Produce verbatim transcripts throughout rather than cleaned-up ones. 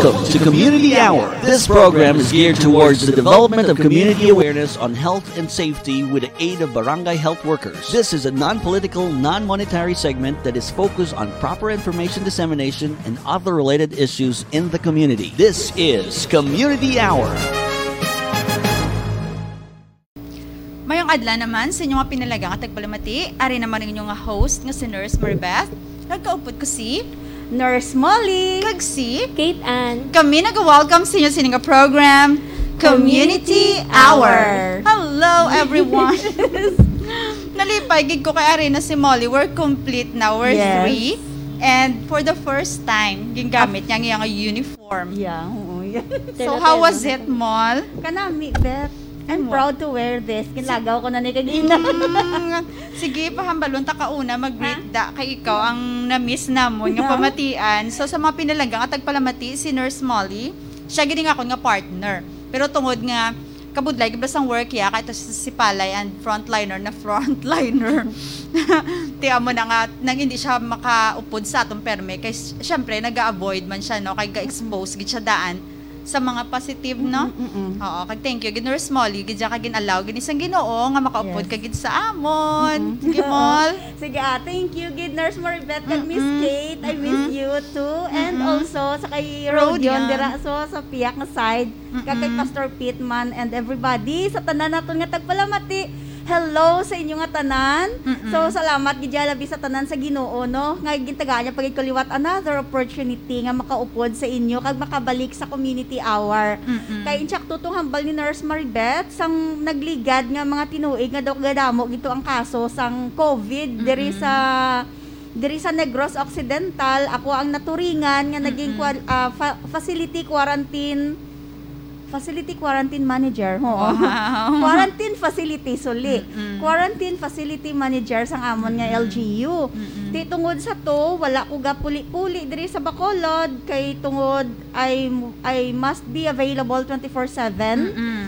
Welcome to Community Hour. This program is geared towards the development of community awareness on health and safety with the aid of barangay health workers. This is a non-political, non-monetary segment that is focused on proper information dissemination and other related issues in the community. This is Community Hour. Mayong adlaw naman sa inyo nga pinalaga nga tagpalamati. Ari naman ang inyo nga host nga si Nurse Maribeth. Nagkaupod ko si Nurse Molly. Kag si Kate Ann. Kami nag-welcome sa inyo sa ining program, Community Hour. Hello, everyone. Nalipay gid ko kay ari na si Molly. We're complete now. We're Yes. three. And for the first time, gingamit niya ang iyang uniform. Yeah, oo, yeah. So, how was it, Mol? Kanami, Beth. I'm Ano? Proud to wear this. Kinlagaw ko na ni kagina. Mm, sige, pahambalon ta kauna, mag-greet da kay ikaw ang na-miss namon nga pamatian. So, sa mga pinalaga nga tagpalamati, si Nurse Molly, siya gid ang akon nga partner. Pero tungod nga kabudlay gid sang work ya, kay to si, si Palay ang frontliner na frontliner. Ti amo na nga nang hindi siya makaupod sa atong perme kay s- syempre naga-avoid man siya, no, kay ga-expose gid siya daan sa mga positive, no? Mm, mm, mm. Oo, kag thank you gid, Nurse Molly, gid siya kag gin-allow gid sang Ginoo nga makaupod Yes. ka gid sa amon. Mm-mm. Sige, Oo. Mol. Sige, ah, thank you gid, Nurse Maribeth, kag Miss Mm-mm. Kate. I miss Mm-mm. you too. And Mm-mm. also sa kay Rodion Rodion. dira so sa piyak nga side, kag kay Mm-mm. Pastor Pittman and everybody, sa tanan naton nga tagpalamati. Hello sa inyo nga tanan. Mm-mm. So, salamat gid ya labi sa tanan sa Ginoo, no, nga gintagaan niya pa gid ko liwat another opportunity nga makaupod sa inyo kag makabalik sa community hour. Mm-mm. Kay insakto tong hambal ni Nurse Maribeth, sang nagligad nga mga tinuig nga daw kadamo gid to ang kaso sang COVID diri Mm-mm. sa, diri sa Negros Occidental. Ako ang naturingan nga naging Mm-mm. kwal-, ah, fa- facility quarantine, facility quarantine manager. Oo. Wow. Quarantine facility, suli. Mm-mm. Quarantine facility manager sang amon nga Mm-mm. L G U. Mm-mm. Ti tungod sa to, wala ko gapuli-puli diri sa Bacolod kay tungod I, I must be available twenty-four seven. Mm-mm.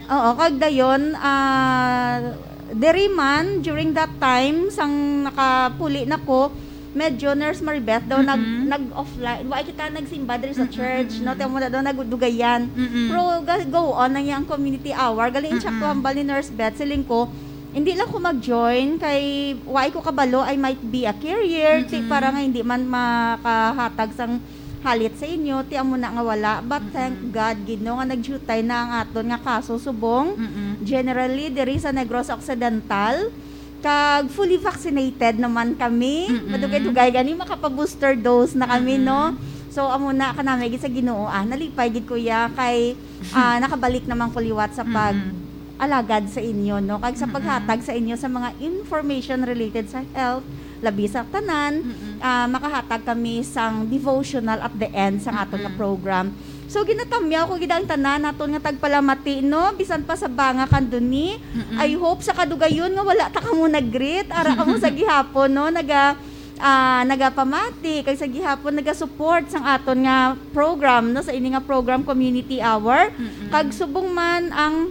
Oo, kag dayon, ah, diri man, during that time, sang nakapuli na ko, medyo, Nurse Maribeth, daw nag, Mm-mm. nag-offline. Wa kita nagsimba diri sa Mm-mm, church, no? mm-mm. Ti amo na daw nagdugayan. Mm-mm. Pero ga-, go on ang iyang community hour. Gali, insakto Mm-mm. hambal ni Nurse Beth, siling ko, hindi lang ko mag-join kay wa ko kabalo, I might be a carrier. Ti Mm-mm. para nga hindi man makahatag sang halit sa inyo, ti amo na nga wala. But Mm-mm. thank God gid, no, nga nagdiutay na ang aton nga kaso subong. Mm-mm. Generally, diri sa Negros Occidental, kag fully vaccinated naman kami. Mm-mm. Madugay-dugay gani makapa-booster dose na kami, Mm-mm. no? So, amo na, kanami gid sa Ginoo, ah, nalipay gid ko ya kay, ah, nakabalik naman ko liwat sa pag Mm-mm. alagad sa inyo, no? Kag sa Mm-mm. paghatag sa inyo sa mga information related sa health, labi sa tanan, Mm-mm. ah, makahatag kami sang devotional at the end sa aton nga Mm-mm. program. So, ginatamyaw ko gid ang tanan naton nga tagpalamati, no? Bisan pa sa banga kanduni. Mm-mm. I hope sa kadugayon nga wala ta kamo nag-greet. Ara kamo sa gihapon, no? Naga, ah, nagapamati, kag sa gihapon naga-support sang aton nga program, no? Sa ini nga program, Community Hour. Mm-mm. Kag subong man ang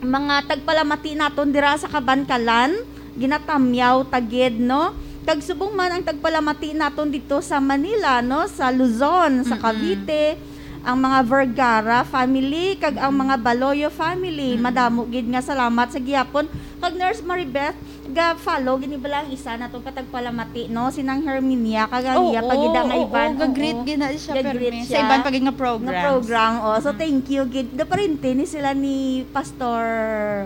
mga tagpalamati naton dira sa Kabankalan, ginatamyaw ta gid, no? Kag subong man ang tagpalamati naton dito sa Manila, no? Sa Luzon, sa Mm-mm. Cavite, ang mga Vergara family, kag ang Mm-mm. mga Baloyo family, Mm-mm. madamo gid nga salamat sa gihapon. Kag Nurse Maribeth, ga-follow gini bala ang isa naton ka tagpalamati, no? Si Nang Herminia, kag ang Oo, iya pa gid ang oo, iban, oo, ga-greet oo. gid na siya, Ga-greet permi. Sa siya. iban pa gid nga Nga programs. program, oh. So, Mm. thank you gid. Gaparente ni sila ni Pastor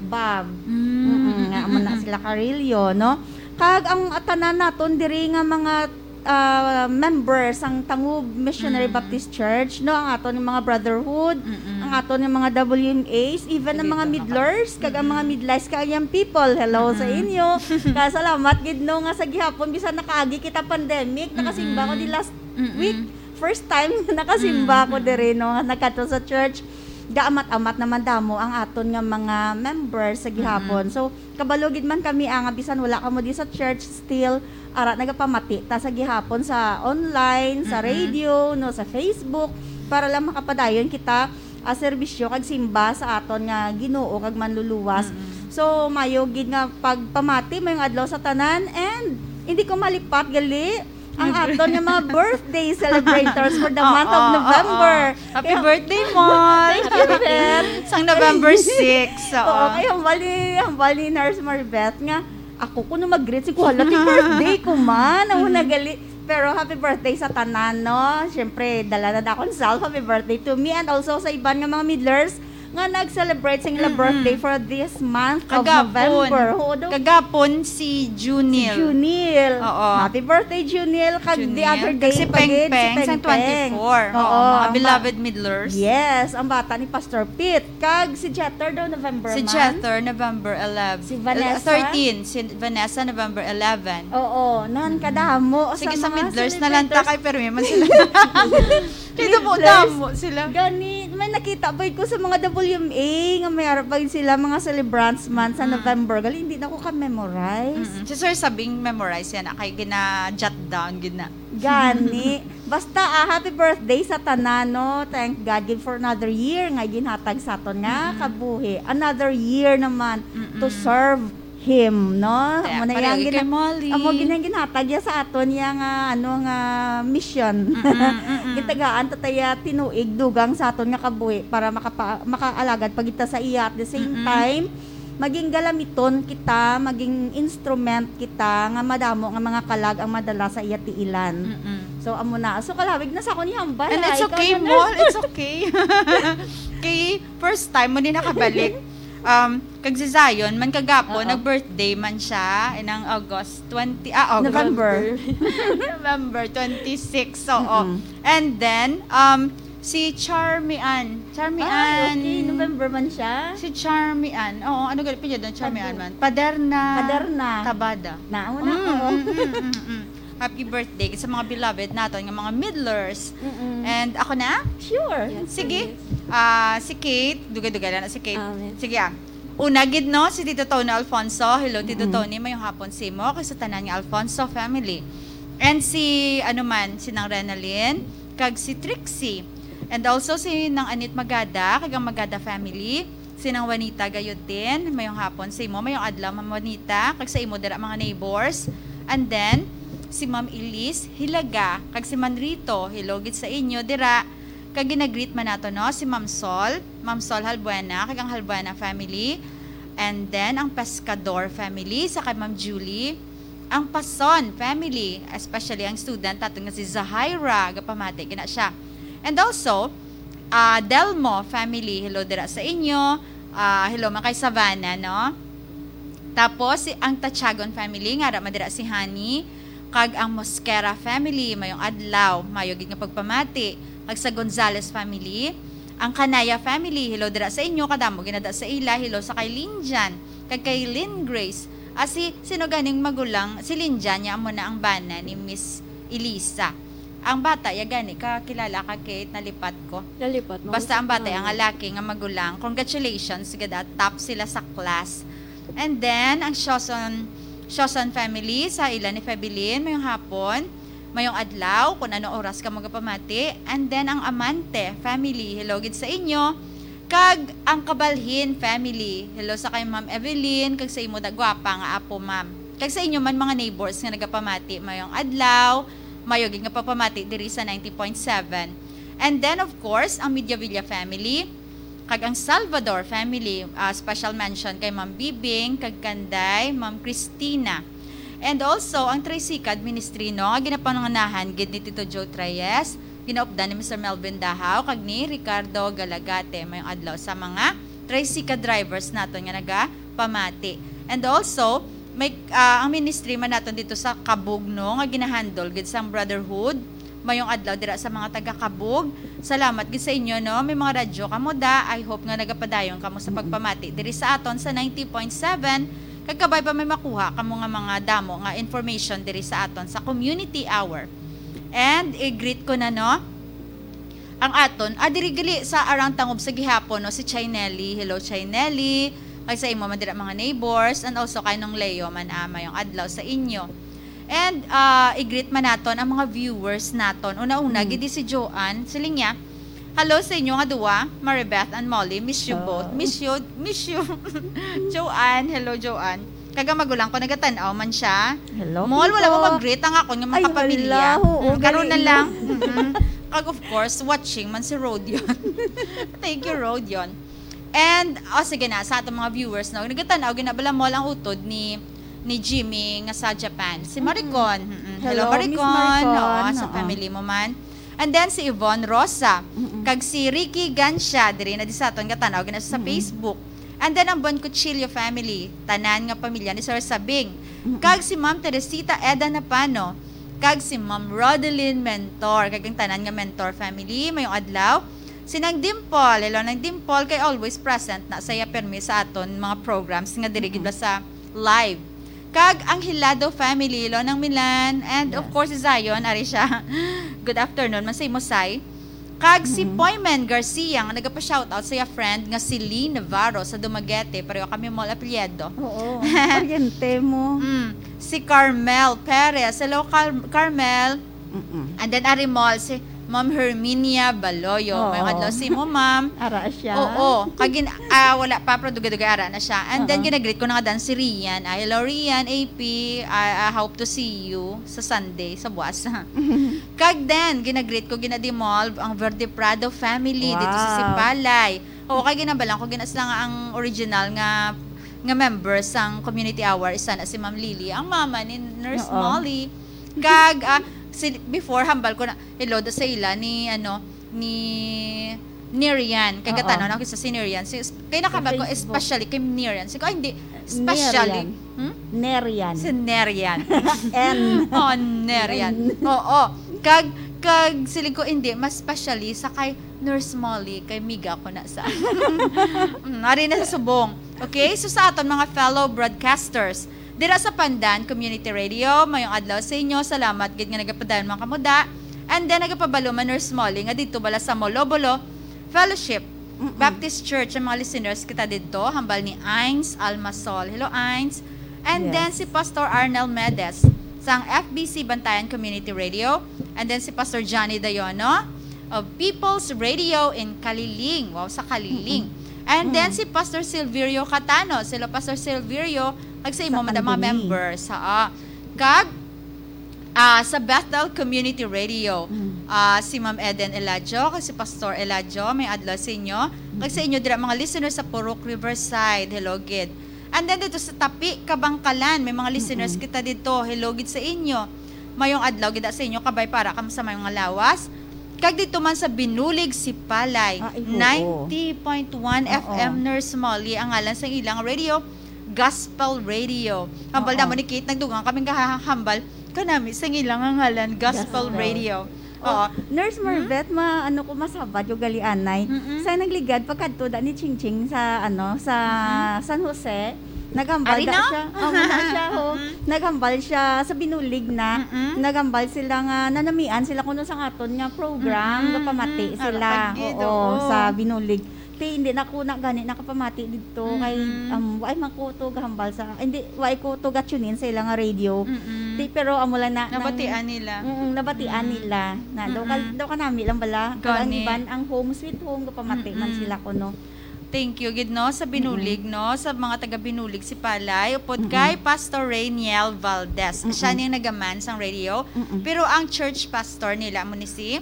Bob. Mm, Mm-mm, nga, mm, amo na mm. sila Carrillo, no? Kag ang tanan naton diri nga mga, ah, member sang Tangub Missionary Mm. Baptist Church, no? Ang aton nga mga brotherhood, Mm-mm. ang aton nga mga W M As, even ang Sige, mga ito, midlers, kag ang mga Mm-mm. midlife kag young people. Hello sa Mm-mm. inyo. Kaya salamat gid, no, nga sa gihapon, bisan nakaagi kita pandemic, nakasimba ko Mm-mm. di last Mm-mm. week. First time nga nakasimba Mm, ko mm. diri, no, nga nagkadto sa church. Gaamat-amat naman damo ang aton nga mga members sa gihapon. Mm-mm. So, kabalo gid man kami, ah, nga bisan wala kamo di sa church, still, ara, nagapamati ta sa gihapon sa online, sa Mm-mm. radio, no, sa Facebook, para lang makapadayon kita, ah, serbisyo kag simba sa aton nga Ginoo kag Manluluwas. Mm-mm. So, mayo gid nga pagpamati, mayong adlaw sa tanan, and hindi ko malipat gali ang aton nga mga birthday celebrators for the month of Oo, November. Oo. Happy Kaya, birthday, Mol! Thank you, Beth. Sang November six, oo. Oo, kaya hambal ni, hambal ni Nurse Maribeth nga, ako kuno mag-greet, si kuhala, ti birthday ko man, ang una gali. Pero happy birthday sa tanan, no? Siyempre, dala na akong self, happy birthday to me, and also sa iban nga mga Midlers nga nag-celebrate sa ila Mm-mm. birthday for this month of Kagapon. November. Oo, daw. Kagapon si Junil. Si Junil. Oo. Happy birthday, Junil. Kag the Junil. Other Kag day si pa gid, si Pengpeng, sa Pengpeng. Twenty-four. Oo, Oo, mga ang ba-, beloved Midlers. Yes, ang bata ni Pastor Pete. Kag si Jeter daw, November Si man? Jeter, November eleven. Si Vanessa? Eh, thirteen. Si Vanessa, November eleven. Oo, nan, kadamo. Sige, Sa sa mga Midlers na lang ta celebrators. Kay permi man sila. Kay Midlers. Damo-damo sila. Gani, may nakita pa ko sa mga W M A nga may arapag sila, mga celebrants man sa Mm. November. Gali, hindi na ko ka-memorize. Mm-mm. Si Sir Sabing memorize yan, ah, kay gina-jot down, gina- Gani. Basta, ah, happy birthday sa tanan, no? Thank God gid for another year nga ginhatag sa aton nga Mm-mm. kabuhi. Another year naman to Mm-mm. serve Him, no? Kaya Amo na pareho yang gid gina-, kay Molly. Amo gid ang ginhatag ya sa aton ya nga, ano, nga mission. Mm-mm, mm-mm. Gitagaan ta taya tinuig dugang sa aton nga kabuhi para makapa-, makaalagad pa kita sa iya. At the same Mm-mm. time, maging galamiton kita, maging instrument kita nga madamo nga mga kalag ang madala sa iya tiilan. Mm-mm. So, amo na. So, kalawig na sa akon ihambal, And ha? it's Ikaw okay, na, Mol. Nurse. It's okay. Kay first time mo din nakabalik. Um, kag si Zion, man kagapon, Oo. nag-birthday man siya, inang August twenty, ah, August. November. November twenty-six, oo. Mm-mm. And then, um, si Charmy Ann. Charmy Ay, Ann. okay. November man siya? Si Charmy Ann. Oo, ano gali apelyido ni Charmy Ann Padu-, man? Paderna. Paderna. Tabada. Nauna Mm, ko. mm, mm, mm, mm. Happy birthday sa mga beloved naton nga mga Midlers. Mm-mm. And ako na? Sure. Yes, Sige. please. Ah, si Kate, dugay-dugay lang na si Kate. Amen. Sige, ah. Una gid, no, si Tito Tony Alfonso. Hello, Tito Mm-mm. Tony, mayong hapon sa imo, kag sa tanan nga Alfonso family. And si, ano man, si Nang Renalyn, kag si Trixie. And also si Nang Anit Magada, kag ang Magada family. Si Nang Juanita gayod din, mayong hapon sa imo, mayong adlaw, Ma'am Juanita, kag sa imo dira, mga neighbors. And then, si Ma'am Elise Hilaga, kag si Manrito, hello gid sa inyo dira. Kag ginagreet man nato, no, si Ma'am Sol, Ma'am Sol Halbuena, kag ang Halbuena family. And then, ang Pescador family, sa kay Ma'am Julie. Ang Pason family, especially ang student naton nga si Zahaira, gapamati gid na siya. And also, ah, Delmo family, hello dira sa inyo. Ah, hello man kay Savannah, no? Tapos, si, ang Tachagon family, nga ara man dira si Honey, kag ang Mosquera family, mayong adlaw, mayo gid nga pagpamati. Kag sa Gonzales family, ang Kanaya family, hello dira sa inyo, kadamo ginada sa ila, hello sa kay Linjan, kag kay Lynn Grace. Ah, si, sino ganing magulang? Si Linjan, niya amo na ang bana ni Miss Elisa. Ang bata, ya gani, kakilala ka, Kate, nalipat ko. Nalipat mo. Basta ang bata, Oo. ang lalaki nga magulang. Congratulations, gid, ah, top sila sa class. And then, ang Shoson, Shoson family, sa ila ni Febelin, mayong hapon, mayong adlaw, kung ano oras ka magapamati. And then, ang Amante family, hello gid sa inyo. Kag ang Kabalhin family, hello sa kay Ma'am Evelyn, kag sa imo da gwapa nga apo, ma'am. Kag sa inyo man, mga neighbors nga nagapamati, mayong adlaw, mayo gid nga pagpamati diri sa ninety point seven. And then, of course, ang Mediavilla family, kag ang Salvador family, ah, special mention kay Ma'am Bibing, kag kanday, Ma'am Christina. And also, ang Tricycad Ministry, no, nga ginapangunahan gid ni Tito Joe Treyes, ginaupdan ni Mister Melvin Dahaw, kag ni Ricardo Galagate. Mayong adlaw sa mga tricycad drivers naton nga nagapamati. And also, may, ah, ang ministry man naton dito sa Kabug, no, nga ginahandle gid sang Brotherhood. Mayong adlaw dira sa mga taga Kabug. Salamat gid sa inyo, no? May mga radyo kamo da. I hope nga nagapadayon kamo sa pagpamati diri sa aton sa ninety point seven. Kag kabay pa may makuha kamo nga mga damo nga information diri sa aton sa Community Hour. And i-greet ko na, no? Ang aton, ah, diri gali sa Arang Tangob sa gihapon, no? Si Chinelli. Hello, Chinelli. Kag sa imo man dira, mga neighbors. And also kay Nong Leo man, ah, mayong adlaw sa inyo. And, ah, i-greet man naton ang mga viewers naton. Una-una, Mm. gid si Joanne. Siling niya, "Hello sa inyo nga duwa, Maribeth and Molly. Miss you Oh. both." Miss you, miss you. Joanne, hello, Joanne. Kag ang magulang ko, nagatan-aw man siya. Hello, Mall, wala mo Tito. mag-greet ang akong nga mga Ay, kapamilya. hala, oo, Mm, karon na galing. Lang. Mm-mm. Kag of course, watching man si Rodion. Thank you, Rodion. And, oh, sige na, sa atong mga viewers, no, nagatan-aw, ginabala Mall ang utod ni ni Jimmy nga sa Japan. Si Maricon. Mm-mm. Hello, Hello, Miss Maricon. Maricon. Oo, sa Oo. family mo man. And then si Yvonne Rosa. Mm-mm. Kag si Ricky Gancia, diri na di sa aton, gatan-aw gina sa Mm-mm. Facebook. And then ang Bon Cuchillo family, tanan nga pamilya ni Sir Sabing. Mm-mm. Kag si Ma'am Teresita Eda Napano. Kag si Ma'am Rodeline Mentor. Kag ang tanan nga Mentor family, mayong adlaw. Si Nang Dimple, hello Nang Dimple, kay always present na saya permi sa aton mga programs nga diri gid ba sa live. Kag ang Hilado family, hello Nang Milan, and of Yes. course si Zion, ari siya. Good afternoon man sa imo, Sai. Kag si Mhm. Poyman Garcia nga nagapa-shoutout sa iya friend nga si Lee Navarro sa Dumaguete, pareho kami mo apelyido. Oo, pariente mo. Mm, si Carmel Perez. Hello, Car- Carmel. Mm-mm. And then, ari mo, si Ma'am Herminia Baloyo. May Oo. Adlaw si mo, ma'am. Ara siya. Oo. Kagin, ah, wala pa, pero dugay-dugay ara na siya. And then, Oo. ginagreet ko na nga dan si Rian. Ah, hello, Rian, A P. I, I hope to see you sa Sunday, sa buwas. Kag then, ginagreet ko, ginadimolve ang Verde Prado family dito sa Wow. Sipalay. Oo, kay ginabalan ko, ginas lang ang original nga nga members sang community hour, isa na si Ma'am Lily, ang mama ni Nurse Oo. Molly. Kag, ah, si, before, hambal ko na, hello do sa ila ni, ano, ni Nerian. Kay Oo. gatanaw na ako sa si Nerian. Si, kay nakabal ko, Facebook. Especially kay Nerian. Sige, oh, hindi. Especially. Nerian. Hmm? Nerian. Si Nerian. N. Oh, Nerian. N. Oo. Kag, kag siling ko, hindi, mas specially sa kay Nurse Molly, kay miga ko na sa. Mm, ari na sa subong. Okay, so sa aton mga fellow broadcasters, dira sa Pandan Community Radio, mayong adlaw sa inyo. Salamat gid nga nagapadayon mga kamuda. And then, nagapabalo man Nurse Molly nga dito bala sa Molobolo Fellowship Mm-mm. Baptist Church ang mga listeners kita dito, hambal ni Ains Almasol. Hello, Ains. And Yes. then, si Pastor Arnel Medes sang F B C Bantayan Community Radio. And then, si Pastor Johnny Dayono of People's Radio in Caliling. Wow, sa Caliling. And then, Mm. si Pastor Silverio Catano. Sila Pastor Silverio, kag sa imo Sa man ang mga Caliling. members, ha. Kag, ah, sa Bethel Community Radio, Mm. ah, si Ma'am Eden Eladio, kag si Pastor Eladio, may adlaw sa inyo. Kag sa inyo dira, mga listeners sa Purok Riverside, hello gid. And then dito sa Tapi, Kabangkalan, may mga listeners Mm-mm. kita dito, hello gid sa inyo. Mayong adlaw gid sa inyo, kabay para kamo sa mayong nga lawas. Kag dito man sa Binulig, Sipalay, Ay, oo. ninety point one Oo. F M Nurse Molly, ang ngalan sa ilang radio, Gospel Radio. Hambal Oo. Namo ni Kate, nagdugang kami kahahambal kanami sa ilang nga ngalan, Gospel Gospel. Radio. Oh, Oo. Nurse Marvette, ma-, ano ko, masabad yung galianay. Mm-mm. Sa nagligad, pagkadto da ni Chingching sa, ano, sa Mm-mm. San Jose, naghambal Ari da na? siya. Oh, wala siya, ho. Mm-mm. Naghambal siya sa Binulig na. Mm-mm. Naghambal sila nga nanamian sila kuno sa aton nga program, Mm-mm. gapamati Mm-mm. sila. Ara, pagid, Oo, oo. sa Binulig. Ti, hindi na ko na gani nakapamati dito kay, Mm-mm. um, ay man ko to gahambal sa, hindi, wala ko to ga-tune in sa ilang radio. Mm-mm. Ti, pero amo lang na, nang- Nabatian nila. Mm, nabatian Mm. nila. Na, daw, ka, Mm-mm. daw kanami lang bala. Kag ang Gani. iban, ang home sweet home, gapamati man Mm-mm. sila kuno. Thank you gid, no, sa Binulig, no, sa mga taga Binulig, Sipalay, upod Mm-mm. kay Pastor Rainiel Valdez. Mm-mm. Siya ning nagaman sang radio, Mm-mm. pero ang church pastor nila mo ni si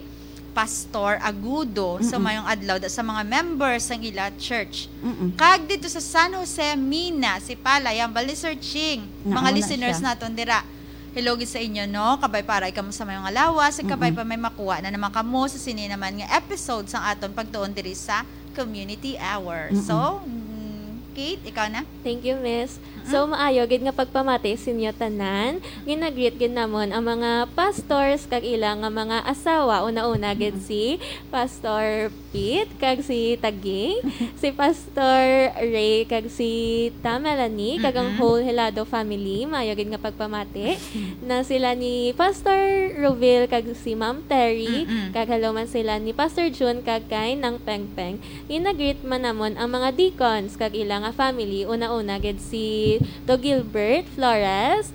Pastor Agudo. So, Mm-mm. mayong adlaw da sa mga members sang ila church. Mm-mm. Kag dito sa San Jose, Mina, Sipalay, hambal ni Sir Ching. Naa Mga na listeners siya. Naton dira. Hello gid sa inyo, no? Kabay para ikaw sa mayong nga lawas, ug kabay Mm-mm. pa may makuha na naman kamo sa sini naman nga episode sang aton pagtuon diri sa Community Hour. Mm-mm. So, mm, Kate, ikaw na? Thank you, Miss. So, maayo gid nga pagpamati sa inyo tanan. Ginagreet gid namon ang mga pastors kag ila nga mga asawa. Una-una gid si Pastor Pete kag si Taging, si Pastor Ray kag si Ta Melanie, kag ang Mm-mm. whole Helado family. Maayo gid nga pagpamati na sila ni Pastor Rovil kag si Ma'am Terry, Mm-mm. kag hello man sila ni Pastor June kag kay Nang Pengpeng. Ginagreet man namon ang mga deacons kag ila nga family. Una-una gid si Do Gilbert Flores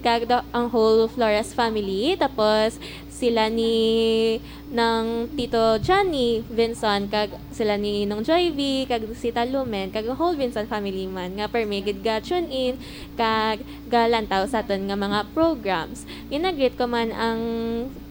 kag do, ang whole Flores family. Tapos sila ni nang Tito Johnny Vinson, kag sila ni Nong Joy V, kag si Talumen, kag ang whole Vinson family man, nga permi gid ga-tune in, kag galantaw sa aton nga mga programs. Ginagreet ko man ang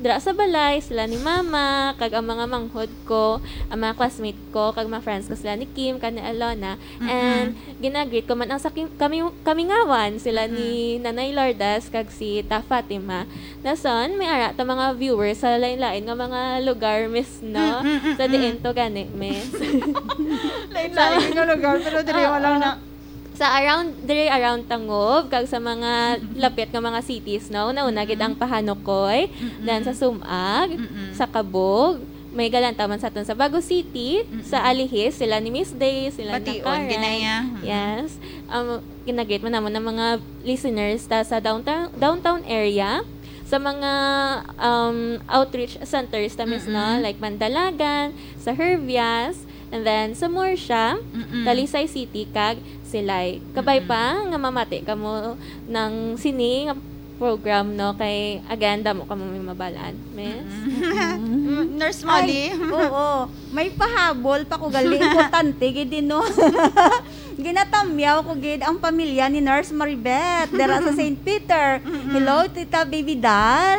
dira sa balay, sila ni Mama, kag ang mga manghod ko, ang mga classmate ko, kag mga friends ko, sila ni Kim, kag ni Alona. And ginagreet ko man ang sa kim-, kami, kamingawan, sila ni Nanay Lourdes, kag si Ta Fatima. Dason, may ara ta mga viewers sa lain-lain nga mga lugar, miss, no? Mm, mm, Sa mm. diin to gani, miss? Lain-lain nga lugar, pero diri Oo. wala na. Sa around, diri around Tangub, kag sa mga lapit nga mga cities, no? Una-una gid ang Pahanukoy, Mm-mm. then sa Sumag, Mm-mm. sa Cabug, may galantaw man sa aton sa Bago City, Mm-mm. sa Alihis, sila ni Miss Day, sila ni Bation, Karen. Ginaya. Mm-mm. Yes. Um, ginagreet man namon ang mga listeners ta sa downtown, downtown area, sa mga, um, outreach centers ta, miss, no? Mm-mm. Like Mandalagan, sa Hervias, and then sa Murcia, Mm-mm. Talisay City, kag Silay. Kabay Mm-mm. pa nga mamati kamo nang sini nga program, no? Kay, again, damo kamo may mabal-an, miss. Mm-mm. Mm-mm. Nurse Molly. Ay, oo. May pahabol pa ko gali. Importante gid, no? Ginatamyaw ko gid ang pamilya ni Nurse Maribeth dira sa Saint Peter. Mm-mm. Hello, Tita Baby Doll.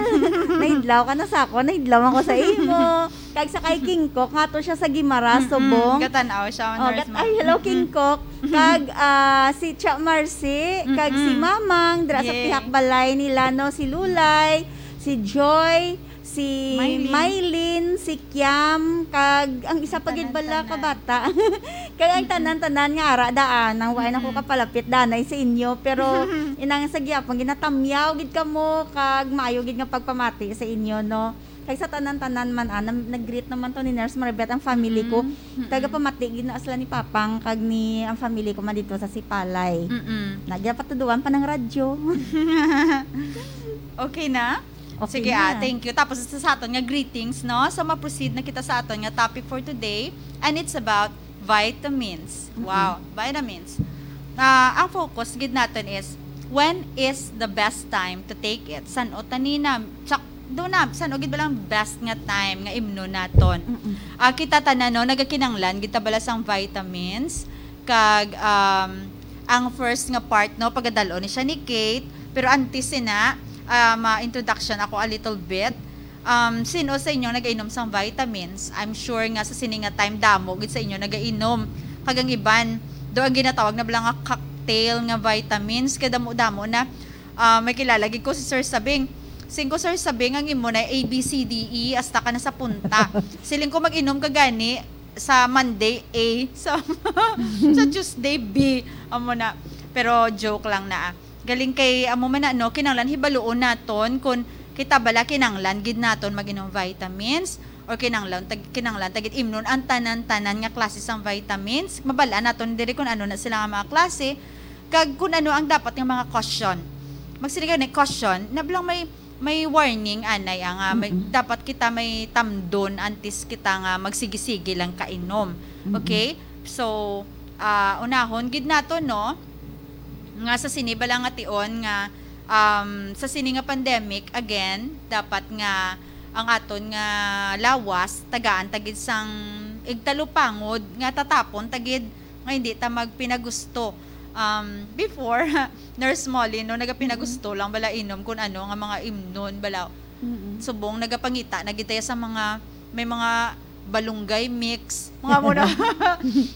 Nahidlaw ka na sa ako, nahidlaw ako sa imo. Kag sa kay King Cook, nga to siya sa Guimaras, Mm-mm. Subong. Gatan-aw siya, Oh, Nurse gat-, Mar-, ay, hello, mm-mm. King Cook. Kag, ah, si Cha Marcy, kag si Mm-mm. Mamang, dira sa Yay. pihak balay nila, no? Si Lulay, si Joy, si Mylene. Mylene, si Kiam, kag ang isa pa gid bala ka Tanan-tanan. bata. Kag ang Mm-mm. tanan-tanan nga ara daan, nang wa na ko Mm-mm. kapalapit danay sa inyo, pero inang sa gihapon, ginatamyaw gid kamo, kag maayo gid nga pagpamati sa inyo, no? Kag sa tanan-tanan man, ah, nam-, nag-greet naman to ni Nurse Maribeth ang family ko. Mm-mm. Mm-mm. Tagapamati gid na sila ni Papang, kag ni ang family ko man dito sa Sipalay. Mm-mm. Nagyapatuduan pa ng radyo. Okay na? Okay Sige, na. ah, thank you. Tapos sa, sa aton nga greetings, no? So, ma-proceed na kita sa aton nga topic for today, and it's about vitamins. Mm-mm. Wow, vitamins. Ah, ang focus gid naton is, when is the best time to take it? San-o tani na, tsak-, do na, san-o gid ba lang best nga time nga imnon naton? Mm-mm. Ah, kita tanan, no, nagakinanglan gid ta bala sang vitamins, kag, um, ang first nga part, no, pagadal-on ni siya ni Kate, pero antes sina, ah, ma-introduction ako a little bit. Um, sino sa inyo nagainom sang vitamins? I'm sure nga sa sini nga time, damo gid sa inyo nagainom. Kag ang iban, do ang ginatawag na bala nga cocktail nga vitamins, kay damo-damo na. Ah, may kilala gid ko si Sir Sabing. Sing ko, "Sir Sabing, ang imo na A B C D E, hasta ka na sa punta." Siling ko, "Mag-inom ka gani sa Monday A, sa, sa Tuesday B." Amo na. Pero joke lang na, ah. Galing kay, amo man na, no, kinahanglan hibaluon naton kung kita bala kinahanglan gid naton mag-inom vitamins, or kinahanglan tag-, kinahanglan ta gid imnon ang tanan-tanan nga klase sang vitamins. Mabal-an naton diri kung ano na sila nga mga klase, kag kung ano ang dapat nga mga caution. Magsige gani, caution, na bala may, may warning anay, ah, nga may, Mm-mm. dapat kita may tamdon antes kita nga magsige-sige lang kainom. Mm-mm. Okay? So, ah, unahon gid nato, no, nga sa sini bala nga tion nga, um, sa sini nga pandemic, again, dapat nga ang aton nga lawas, tagaan ta gid sang igtalupangod nga tatapon ta gid nga hindi ta magpinagusto. Um, before, Nurse Molly, no, nagapinagusto Mm-mm. lang bala inom kung ano nga mga imnon bala. Mm-mm. Subong nagapangita na gid tayo sa mga, may mga balunggay mix, mga mo na,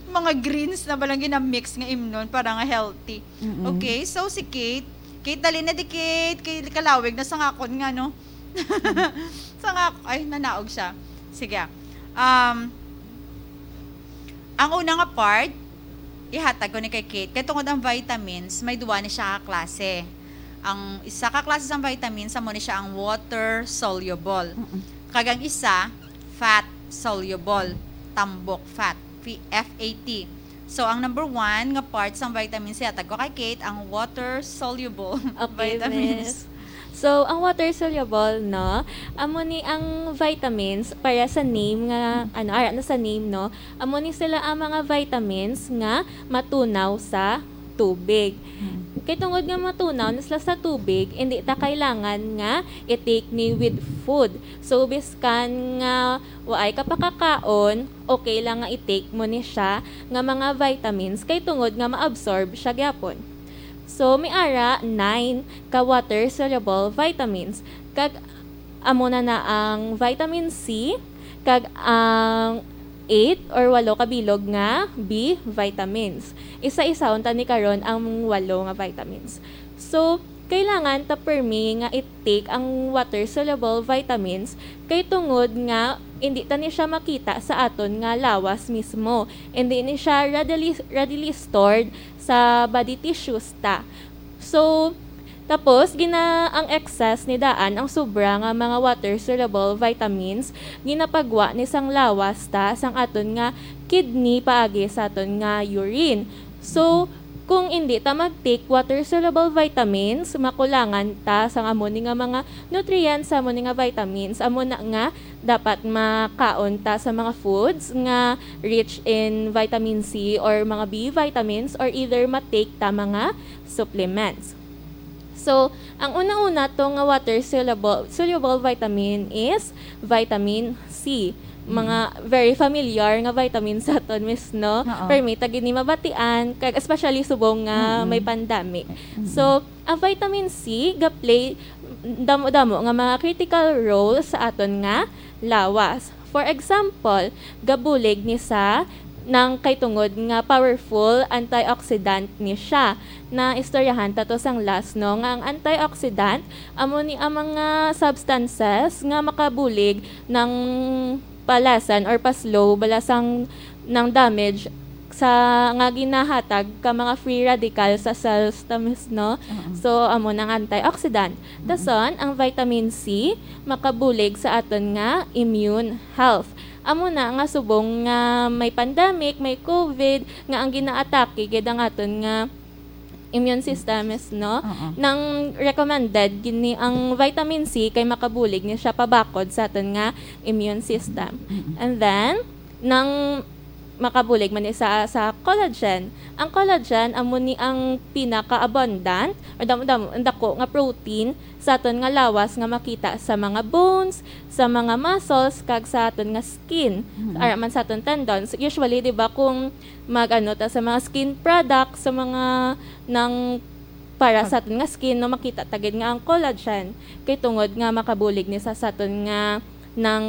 mga greens na balang gina-mix nga imnon para nga healthy. Mm-mm. Okay, so si Kate, Kate, dali na di, Kate, kay kalawig na sa ngakon nga, no? Sa ngak-, ay, nanaog siya. Sige. Um, ang una nga part, ihatag ko ni kay Kate. Kay tungod ang vitamins, may duwa ni siya ka klase. Ang isa ka klase sang vitamins, amo ni siya ang water soluble. Mm-mm. Kag ang isa, fat soluble, tambok fat, F-, F A T. So, ang number one nga part sang vitamins, ihatag ko kay Kate, ang water soluble Okay, vitamins. Miss. So, ang water soluble, no, amo ni ang vitamins para sa name nga, ano, ara na sa name, no, amo ni sila ang mga vitamins nga matunaw sa tubig. Hmm. Kay tungod nga matunaw na sila sa tubig, hindi ta kailangan nga i-take ni with food. So, biskan nga waay ka pakakaon, okay lang nga i-take mo ni siya nga mga vitamins, kay tungod nga ma-absorb siya gyapon. So, may ara nine ka water-soluble vitamins. Kag amo na na ang vitamin C, kag ang eight or walo ka bilog nga B vitamins. Isa-isahon ta ni karon ang walo nga vitamins. So, kailangan ta permi nga i-take ang water-soluble vitamins kay tungod nga hindi ta ni siya makita sa aton nga lawas mismo. Hindi ni siya readily, readily stored sa body tissues ta. So, tapos, gina-, ang excess ni daan, ang sobra nga mga water-soluble vitamins, ginapagwa ni sang lawas ta sang aton nga kidney paagi sa aton nga urine. So, kung hindi ta mag-take water-soluble vitamins, makulangan ta sang amo ni nga mga nutrients, sa amo ni nga vitamins. Amo na nga, dapat makaon ta sa mga foods nga rich in vitamin C or mga B vitamins, or either ma-take ta mga supplements. So, ang una-una to nga water soluble, soluble vitamin is vitamin C. Mga very familiar nga vitamin sa aton, miss, no? Oo. Permi ta gid ni mabatian, kag especially subong nga Mm-mm. may pandemic. Mm-mm. So, ang vitamin C ga-play damo-damo nga mga critical role sa aton nga lawas. For example, gabulig ni sa nang kay tungod nga powerful antioxidant ni siya. Na istoryahan ta to sang last, no, nga ang antioxidant amo ni ang mga substances nga makabulig ng palasan or pa-slow bala sang ng damage sa nga ginahatag ka mga free radical sa cells ta, miss, no? Oo. So, amo nang antioxidant. Mm-mm. Dason, ang vitamin C makabulig sa aton nga immune health. Amo na nga subong nga may pandemic, may COVID, nga ang ginaatake gid ang aton nga immune system, miss, no? Oo. Nang recommended gini ang vitamin C kay makabulig ni siya pabakod sa aton nga immune system. Mm-mm. And then, nang makabulig man ni sa, sa collagen. Ang collagen amo ni ang pinaka-abundant or damo-damo, ang dako nga protein sa aton nga lawas nga makita sa mga bones, sa mga muscles, kag sa aton nga skin. Mm-hmm. Ara man sa aton tendons. Usually, di ba, kung mag-ano ta sa mga skin products, sa mga nang para Pag- sa aton nga skin, no, makita ta gid nga ang collagen kay tungod nga makabulig ni sa, sa aton nga nang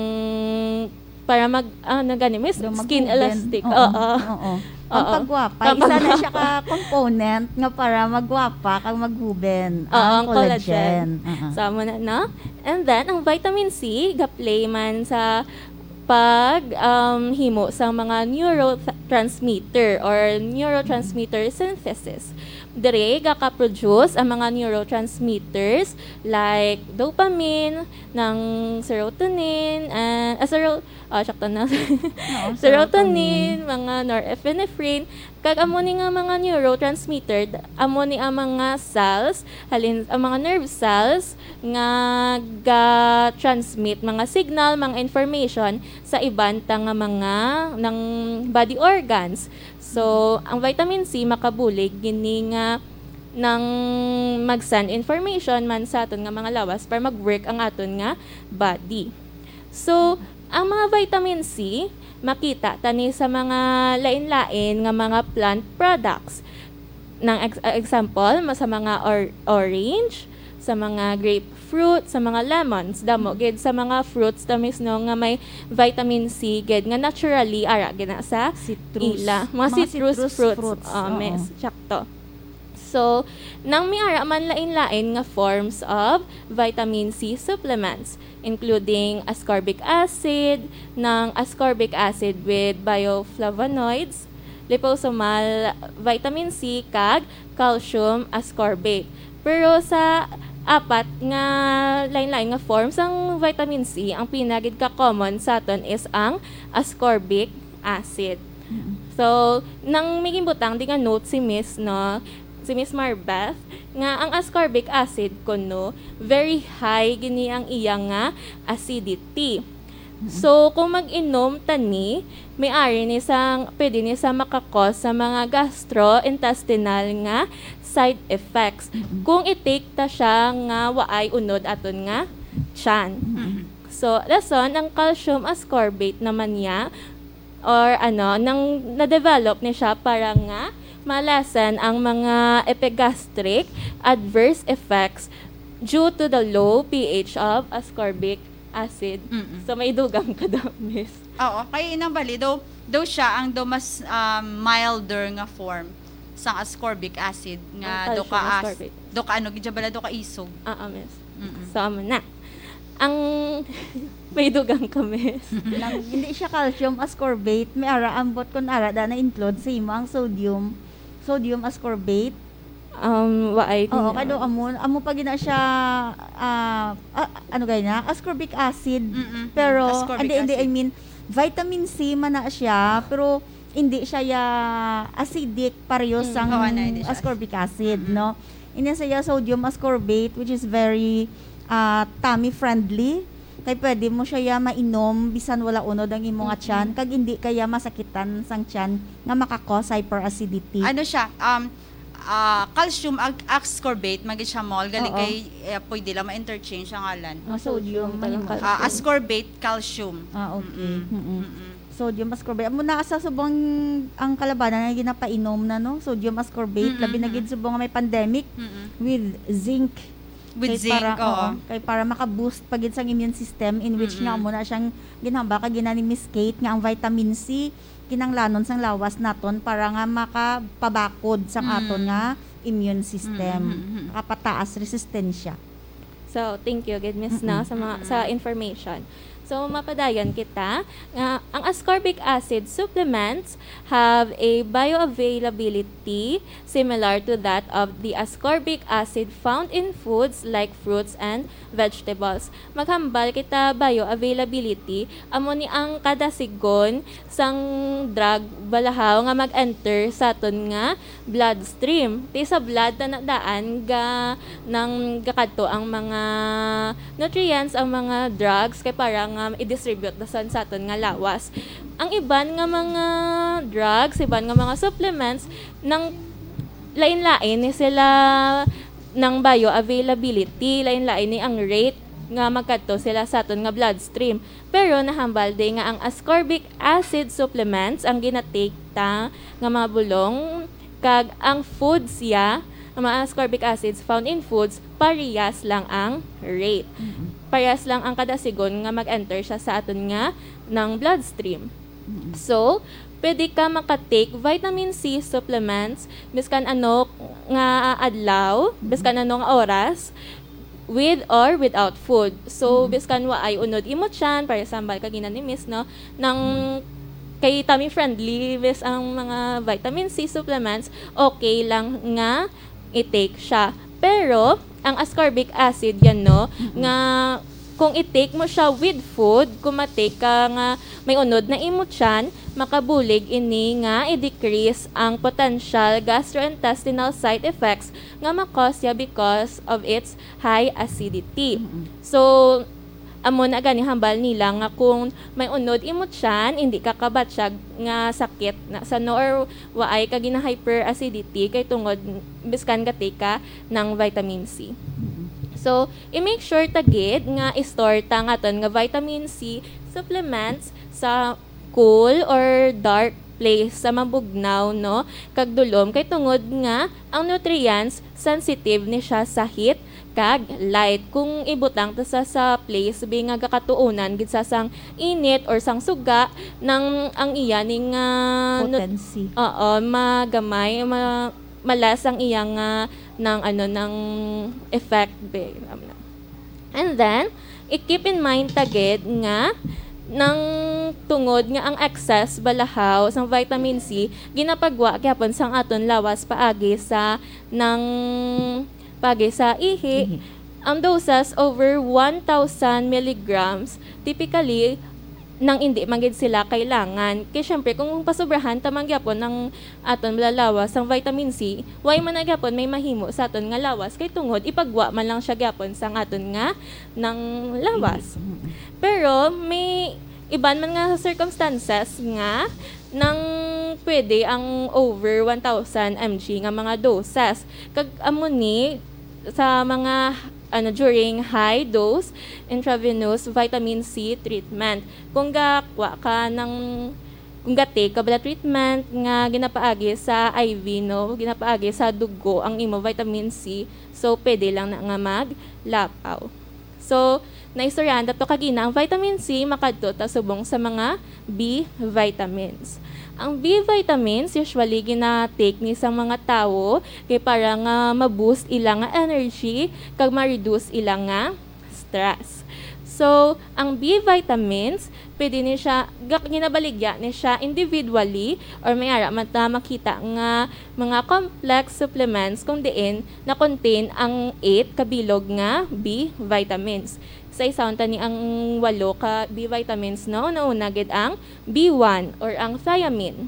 para mag, ano gani, miss, Daw skin magkuben. Elastic. Oo, Oo. oo. Ang Oo. pagwapa, Ang isa na pagwapa. siya ka component nga para magwapa kag maghuben. Oo, Ang ang collagen. collagen. Oo. So, amo na, no? And then, ang vitamin C, ga-play man sa pag, um, himo sa mga neurotransmitter or neurotransmitter synthesis. Dire, gaka-produce ang mga neurotransmitters like dopamine, ng serotonin, and, ah, sero-, ah, sakto na. Oo, Serotonin, serotonin. mga norepinephrine. Kag amo ni nga mga neurotransmitter, d-, amo ni ang mga cells, halin, ang mga nerve cells nga ga-transmit mga signal, mga information sa iban ta nga mga ng body organs. So, ang vitamin C makabulig gini nga nang mag-send information man sa aton nga mga lawas para mag-work ang aton nga body. So, ang mga vitamin C, makita ta ni sa mga lain-lain nga mga plant products. Nang ex-, ah, example, ma-, sa mga or-, orange, sa mga grapefruit, sa mga lemons, damo gid sa mga fruits ta, miss, no, nga may vitamin C gid nga naturally ara gid na sa Citrus. ila. Mga Mga citrus citrus fruits. fruits, Oh, oo. miss, sakto. So, nang may ara man lain-lain nga forms of vitamin C supplements, including ascorbic acid, ng ascorbic acid with bioflavonoids, liposomal vitamin C, kag calcium ascorbate. Pero sa apat nga lain-lain nga forms ang vitamin C, ang pinagid ka common sa aton is ang ascorbic acid. Mm. So, nang may ginbutang di nga note si Miss, no, si Miss Marbeth, nga ang ascorbic acid kuno very high gini ang iya nga acidity. So, kung mag-inom ta ni, may ari ni sang, pwede ni sa makakos sa mga gastrointestinal nga side effects. Mm-mm. Kung i-take ta siya nga waay unod aton nga tiyan. Mm-mm. So, rason, ang calcium ascorbate naman niya, or ano, nang na-develop ni siya para nga ma-lessen ang mga epigastric adverse effects due to the low P H of ascorbic acid. Mm-mm. So, may dugang ka daw, miss. Oo, kay inang bali, daw, daw siya ang daw mas, um, milder nga form sang ascorbic acid nga Ang daw calcium ka as-, ascorbate. Daw ka ano, gid siya bala, daw ka isog. Oo, miss. Mm-mm. So, amo na. Ang may dugang ka, miss. Nang hindi siya calcium ascorbate, may ara ambot kun ara da na-include sa imo ang sodium, sodium ascorbate. Um, waay Oo, din kay daw na. amo, amo pa gina siya, ah, ah, ano gay na? Ascorbic acid. Mm-mm. Pero, Ascorbic hindi, hindi, I acid. mean, vitamin C man na siya, pero hindi siya ya acidic pareho Mm. sang Oo, na, hindi siya ascorbic acid, Mm-mm. no? Ini siya sodium ascorbate, which is very, ah, tummy friendly. Kay pwede mo siya ya mainom bisan wala unod ang imo nga Mm-mm. tiyan, kag hindi ka ya masakitan sang tiyan nga maka-cause hyperacidity. Ano siya? Um, ah, calcium ag-, ascorbate, man gid siya, Mol. Gali Oo. kay, eh, pwede lang ma-interchange ang ngalan. Ang sodium, Sodium, mahimo. parang Ah, calcium. Ascorbate calcium. Ah, okay. Mm-mm. Mm-mm. Mm-mm. Sodium ascorbate. Amo na sa subong ang kalabanan nga ginapainom na, no? Sodium ascorbate. Mm-mm. Labi na gid subong nga may pandemic Mm-mm. with zinc. With Kay zinc, para, oo. oo, kay para maka-boost pa gid sang immune system, in which nga Mm-mm. amo na siyang ginhambal kag gina ni Miss Kate nga ang vitamin C kinahanglanon sang lawas naton para nga makapabakod sang Mm. aton nga immune system, Mm, mm, mm. makapataas resistensya. So, thank you gid, Miss, no, Mm-mm. sa mga, sa Mm-mm. information. So, mapadayon kita nga ang ascorbic acid supplements have a bioavailability similar to that of the ascorbic acid found in foods like fruits and vegetables. Maghambal kita bioavailability, amo ni ang kada sigon sang drug balahaw nga mag-enter sa aton nga bloodstream. Ti sa blood na daan ga, nang gakadto ang mga nutrients, ang mga drugs, kay para nga i-distribute na sa, sa aton nga lawas. Ang iban nga mga drugs, iban nga mga supplements, nang lain-lain ni sila nang bioavailability, lain-lain ni ang rate nga magkadto sila sa aton nga bloodstream. Pero nahambal di nga ang ascorbic acid supplements ang ginatake ta nga mga bulong, kag ang foods ya, ang mga ascorbic acids found in foods, parehas lang ang rate. Mm-mm. Parehas lang ang kada sigon nga mag-enter siya sa aton nga nang bloodstream. Mm-mm. So, pwede ka makatake vitamin C supplements biskan ano nga adlaw, Mm-mm. biskan ano nga oras, with or without food. So, Mm-mm. biskan waay unod imo tiyan, para sambal kagina ni Miss, no, nang kay tummy friendly, Miss, ang mga vitamin C supplements, okay lang nga i-take siya. Pero, ang ascorbic acid yan, no, Mm-mm. nga kung i-take mo siya with food, kung ma-take ka nga may unod na imo tiyan, makabulig ini nga i-decrease ang potential gastrointestinal side effects nga ma-cause siya because of its high acidity. Mm-mm. So, amo na gani hambal nila nga kung may unod imo tiyan, hindi ka kabatyag nga sakit na sa, no, or waay ka gina-hyperacidity kay tungod biskan gatake ka ng vitamin C. Mm-mm. So, i-make sure ta gid nga i-store ta ang aton nga vitamin C supplements sa cool or dark place sa mabugnaw, no, kag dulom, kay tungod nga ang nutrients sensitive ni siya sa heat kag light. Kung ibutang ta sa, sa place bi nga gakatuunan gid sa sang init or sang suga, nang ang iya ning, ah, nut-, Potency. oo, magamay, ma-, ma-less ang iya nga, nang ano, nang effect bi. And then, i-keep in mind ta gid nga nang tungod nga ang excess balahaw sang vitamin C ginapagwa gyapon sang aton lawas paagi sa nang paagi sa ihi. Ihi. Ang doses over one thousand milligrams, typically, nang indi man gid sila kailangan. Kay syempre, kung pasobrahan ta man gyapon ang aton malalawas sang vitamin C, why man na gyapon may mahimo sa aton nga lawas? Kay tungod, ipagwa man lang siya gyapon sang aton nga nang lawas. Mm-mm. Pero may iban man nga circumstances nga nang pwede ang over one thousand M G nga mga doses. Kag amo ni sa mga, ano, during high dose intravenous vitamin C treatment. Kung gakuha ka ng, kung ga-take ka bala treatment nga ginapaagi sa I V, no, ginapaagi sa dugo ang imo vitamin C, so pwede lang na nga maglapaw. So, naistoryahan ta to kagina, ang vitamin C makadto ta subong sa mga B vitamins. Ang B vitamins usually gina-take ni sa mga tawo kay para nga ma-boost ila nga energy kag ma-reduce ila nga stress. So, ang B vitamins, pwede ni siya, ga-, ginabaligya ni siya individually or may ara man ta makita nga mga complex supplements kung diin na-contain ang eight kabilog nga B vitamins. Sa isaon ta ni ang walo ka B vitamins, no? Nauna gid ang B one or ang thiamine.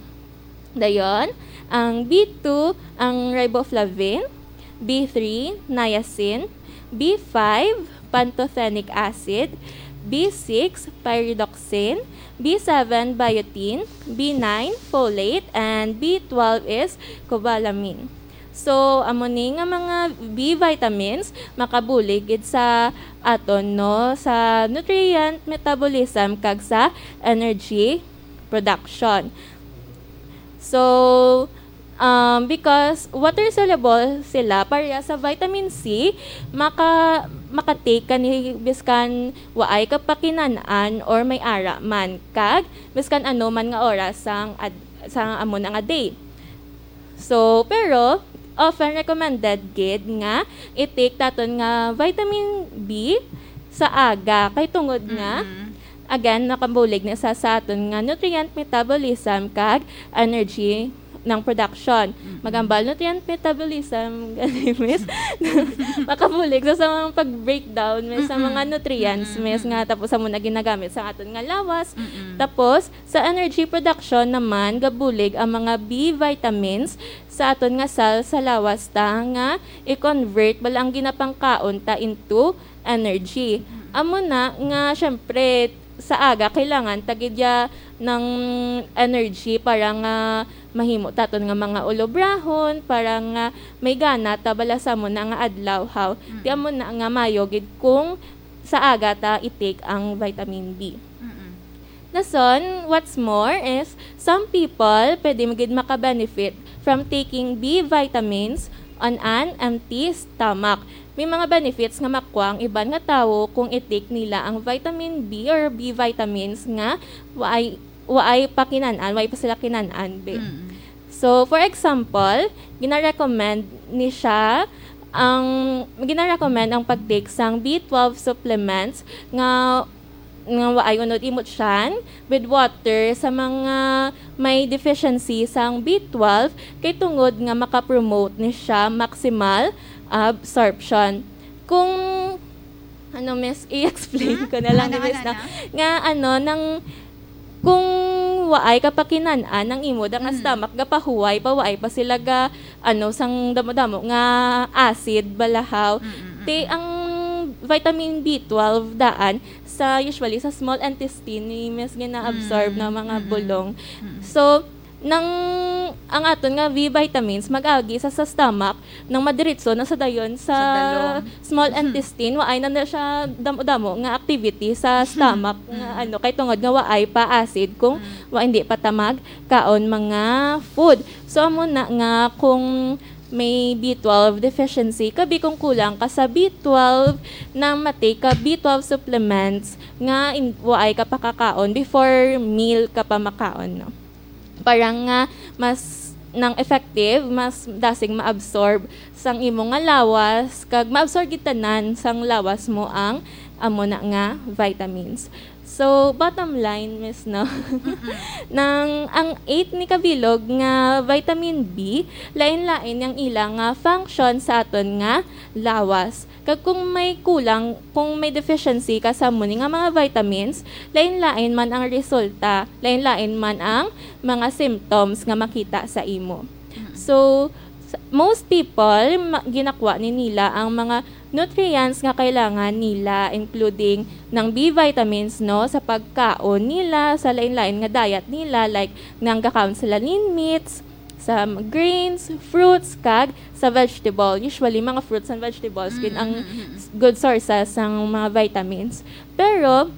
Dayon, ang B two, ang riboflavin, B three, niacin, B five, pantothenic acid, B six, pyridoxine, B seven, biotin, B nine, folate, and B twelve is cobalamin. So, amo ni nga mga B vitamins makabulig gid sa aton, no, sa nutrient metabolism kag sa energy production. So, um, because water soluble sila, pareha sa vitamin C, maka-, maka-take ka ni biskan waay ka pakinan-an or may ara man, kag biskan ano man nga oras sang ad-, sa amo na nga day. So, pero often recommended gid nga i-take ta aton nga vitamin B sa aga, kay tungod nga, Mm. again, nakabulig na sa, sa aton nga nutrient metabolism kag energy ng production. Mm. Magambal nutrient metabolism, gani, miss. Makabulig sa, sa mga pag-breakdown, miss, sa Mm-mm. mga nutrients, Mm-mm. miss, nga tapos amo na ginagamit sa aton nga lawas. Mm-mm. Tapos, sa energy production naman, gabulig ang mga B vitamins sa aton nga cell sa lawas ta nga i-convert bala ang ginapangkaon ta into energy. Mm. Amo na nga, syempre, sa aga, kailangan ta gid ya ng energy para nga mahimo ta aton nga mga ulobrahon, para nga may gana ta bala sa amo na nga adlaw, haw. Mm. Ti amo na nga mayo gid kung sa aga ta i-take ang vitamin B. Mm-mm. Dason, what's more is, some people pwede mo gid maka-benefit from taking B vitamins on an empty stomach. May mga benefits nga makuha ang iban nga tawo kung i-take nila ang vitamin B or B vitamins nga waay, waay pa kinan-an, waay pa sila kinan-an, be. Mm. So, for example, gina-recommend ni siya ang, gina-recommend ang pag-take sang B twelve supplements nga, nga waay unod imot siyan with water sa mga may deficiency sang B twelve, kay tungod nga maka-promote ni siya maximal absorption. Kung, ano, miss, i-explain Hmm? ko na lang Ano, ni miss, ano, no? ano? Nga, ano, nang, kung waay ka pa kinan-an ang imo da nga Mm. stomach, gapahuway pa, waay pa sila ga, ano, sang damo-damo nga acid, balahaw. Mm, mm, Ti, mm. ang vitamin B twelve daan sa, usually, sa small intestine ni miss gina-absorb Mm, na mga mm, mm. bulong. Mm. So, nang ang aton nga B vitamins mag-agi sa, sa stomach, nang madiretso na sa dayon sa Sa dalom. small Mhm. intestine, waay na na siya damo-damo nga activity sa Mhm. stomach nga Mhm. ano, kay tungod nga waay pa acid kung Mm. wa, hindi pa ta magkaon mga food. So, amo na nga kung may B twelve deficiency, kabi kung kulang ka sa B twelve, nang ma-take ka B twelve supplements nga in-, waay ka pakakaon before meal ka pa makaon, no? Para nga mas nang effective, mas dasig ma-absorb sang imo nga lawas, kag ma-absorb gid tanan sang lawas mo ang amo na nga vitamins. So, bottom line, miss, no? Mm-mm. Nang ang eight ni kabilog nga vitamin B, lain-lain ang ila nga function sa aton nga lawas. Kag kung may kulang, kung may deficiency ka sa amo ni nga mga vitamins, lain-lain man ang resulta, lain-lain man ang mga symptoms nga makita sa imo. Mm. So, s-, most people, ma-, ginakuha ni nila ang mga nutrients nga kailangan nila, including ng B vitamins, no, sa pagkaon nila, sa lain-lain nga diet nila, like nang gakaon sila lean meats, sa grains, fruits, kag sa vegetable. Usually, mga fruits and vegetables gid ang Mm, mm, mm. good sources sang mga vitamins. Pero,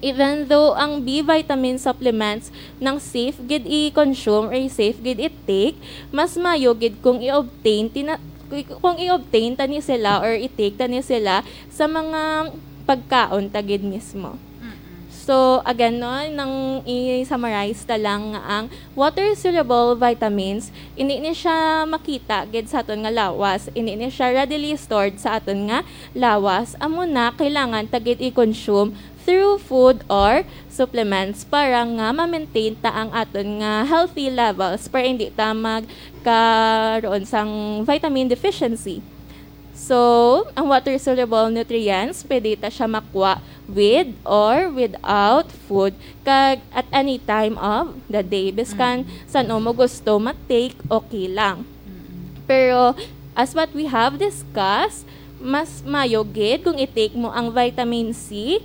even though ang B vitamin supplements nang safe gid i-consume or safe gid i-take, mas mayo gid kung i-obtain tina-, kung i-obtain ta ni sila or i-take ta ni sila sa mga pagkaon ta gid mismo. Mm-mm. So, again, no, nang i-summarize ta lang nga ang water-soluble vitamins, hindi ni siya makita gid sa aton nga lawas, hindi ni siya readily stored sa aton nga lawas. Amo na, kailangan ta gid i-consume through food or supplements para nga ma-maintain ta ang aton nga healthy levels, para hindi ta magkaroon sang vitamin deficiency. So, ang water-soluble nutrients, pwede ta siya makuha with or without food, kag at any time of the day. Biskan Mm. san-o mo gusto ma-take, okay lang. Mm-mm. Pero, as what we have discussed, mas mayo gid kung i-take mo ang vitamin C,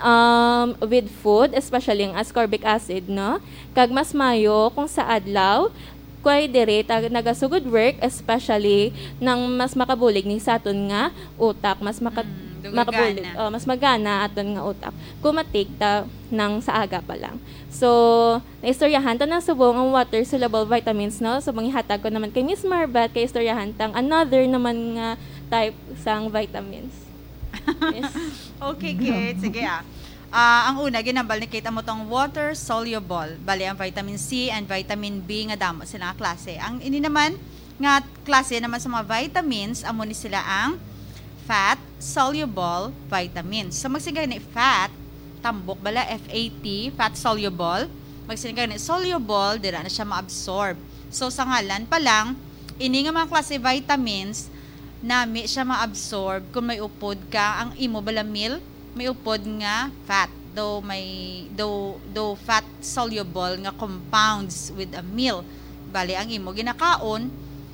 um, with food, especially ang ascorbic acid, no? Kag mas mayo kung sa adlaw, kay diri ta nagasugod work, especially nang mas makabulig ni sa aton nga utak, mas maka-, Mm, dugay makabulig, gana. Oh, mas magana aton nga utak kung ma-take ta nang sa aga pa lang. So, naistoryahan ta na subong ang water-soluble vitamins, no? So, mangihatag ko naman kay Miss Marbeth, kay istoryahan tang another naman nga type sang vitamins. Yes. Okay, Kate. Sige, ah. Ah, ang una, ginhambal ni Kate amo tong water soluble. Bali, ang vitamin C and vitamin B nga damo sila nga klase. Ang ini naman nga klase naman sa mga vitamins, amo ni sila ang fat soluble vitamins. So, magsigay ni fat, tambok bala, F A T, fat soluble. Magsigay ni soluble, dira na siya ma-absorb. So, sa ngalan pa lang, ini nga mga klase vitamins, nami siya ma-absorb kung may upod ka, ang imo bala meal, may upod nga fat. Daw may, daw, daw fat soluble nga compounds with a meal. Bali, ang imo ginakaon,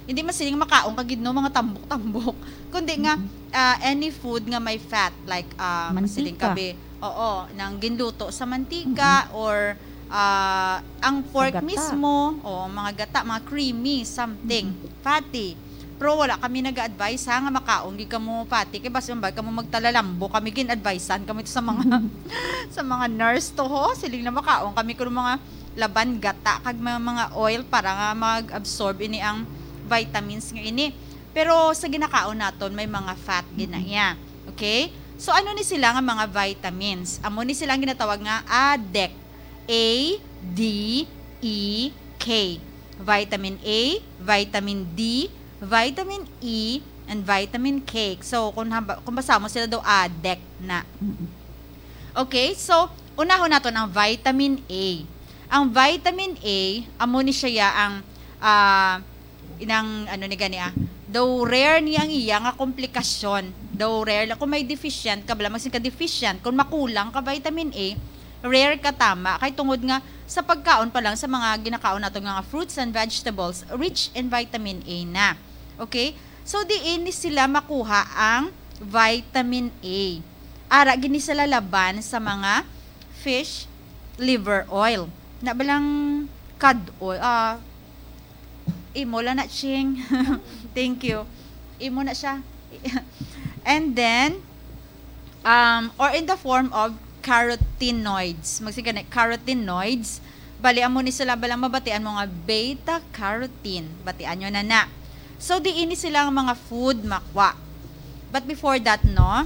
hindi man siling makaon ka gid, no, mga tambok-tambok. Kundi nga, Mm-hmm. ah, any food nga may fat, like, ah, masiling Mantika. kabe, oo, nang ginluto sa mantika Mm-hmm. or, ah, ang Sa pork gata. mismo, o mga gata, mga creamy, something, Mm-hmm. fatty. Pero wala kami nag-a-advise, ha, nga makaon gid kamo pati kay basi mambay kamo magtalalambo. Kami gin-advisean kami to sa mga, sa mga nurse to, ho. Siling na makaon kami kuno mga laban gata kag mga, mga oil para nga mag-absorb ini ang vitamins nga ini. Pero sa ginakaon naton may mga fat gid na iya. Okay? So ano ni sila nga mga vitamins? Amo ni sila ang ginatawag nga A D E K. A, D, E, K. Vitamin A, vitamin D, vitamin E, and vitamin K. So, kung hamba-, kung basa mo sila daw, A D E K na. Mm-mm. Okay, so, unahon naton ang vitamin A. Ang vitamin A, amo ni siya ya ang, ah, inang, ano ni gani, ah, daw rare ni ang iya nga komplikasyon. Daw rare lang. Kung may deficient ka, bala, magsin ka deficient. Kung makulang ka vitamin A, rare ka tama. Kay tungod nga, sa pagkaon pa lang sa mga ginakaon nato nga fruits and vegetables, rich in vitamin A na. Okay? So, diin ni sila makuha ang vitamin A? Ara gid ni sila laban sa mga fish liver oil. Na balang cod oil, ah, imo lang na, Ching. Thank you. Imo na siya. And then, um, or in the form of carotenoids. Magsigani, carotenoids. Bali, amo ni sila balang mabatian mo nga beta carotene. Batian nyo na na. So, diin ni sila ang mga food makwa. But before that, no,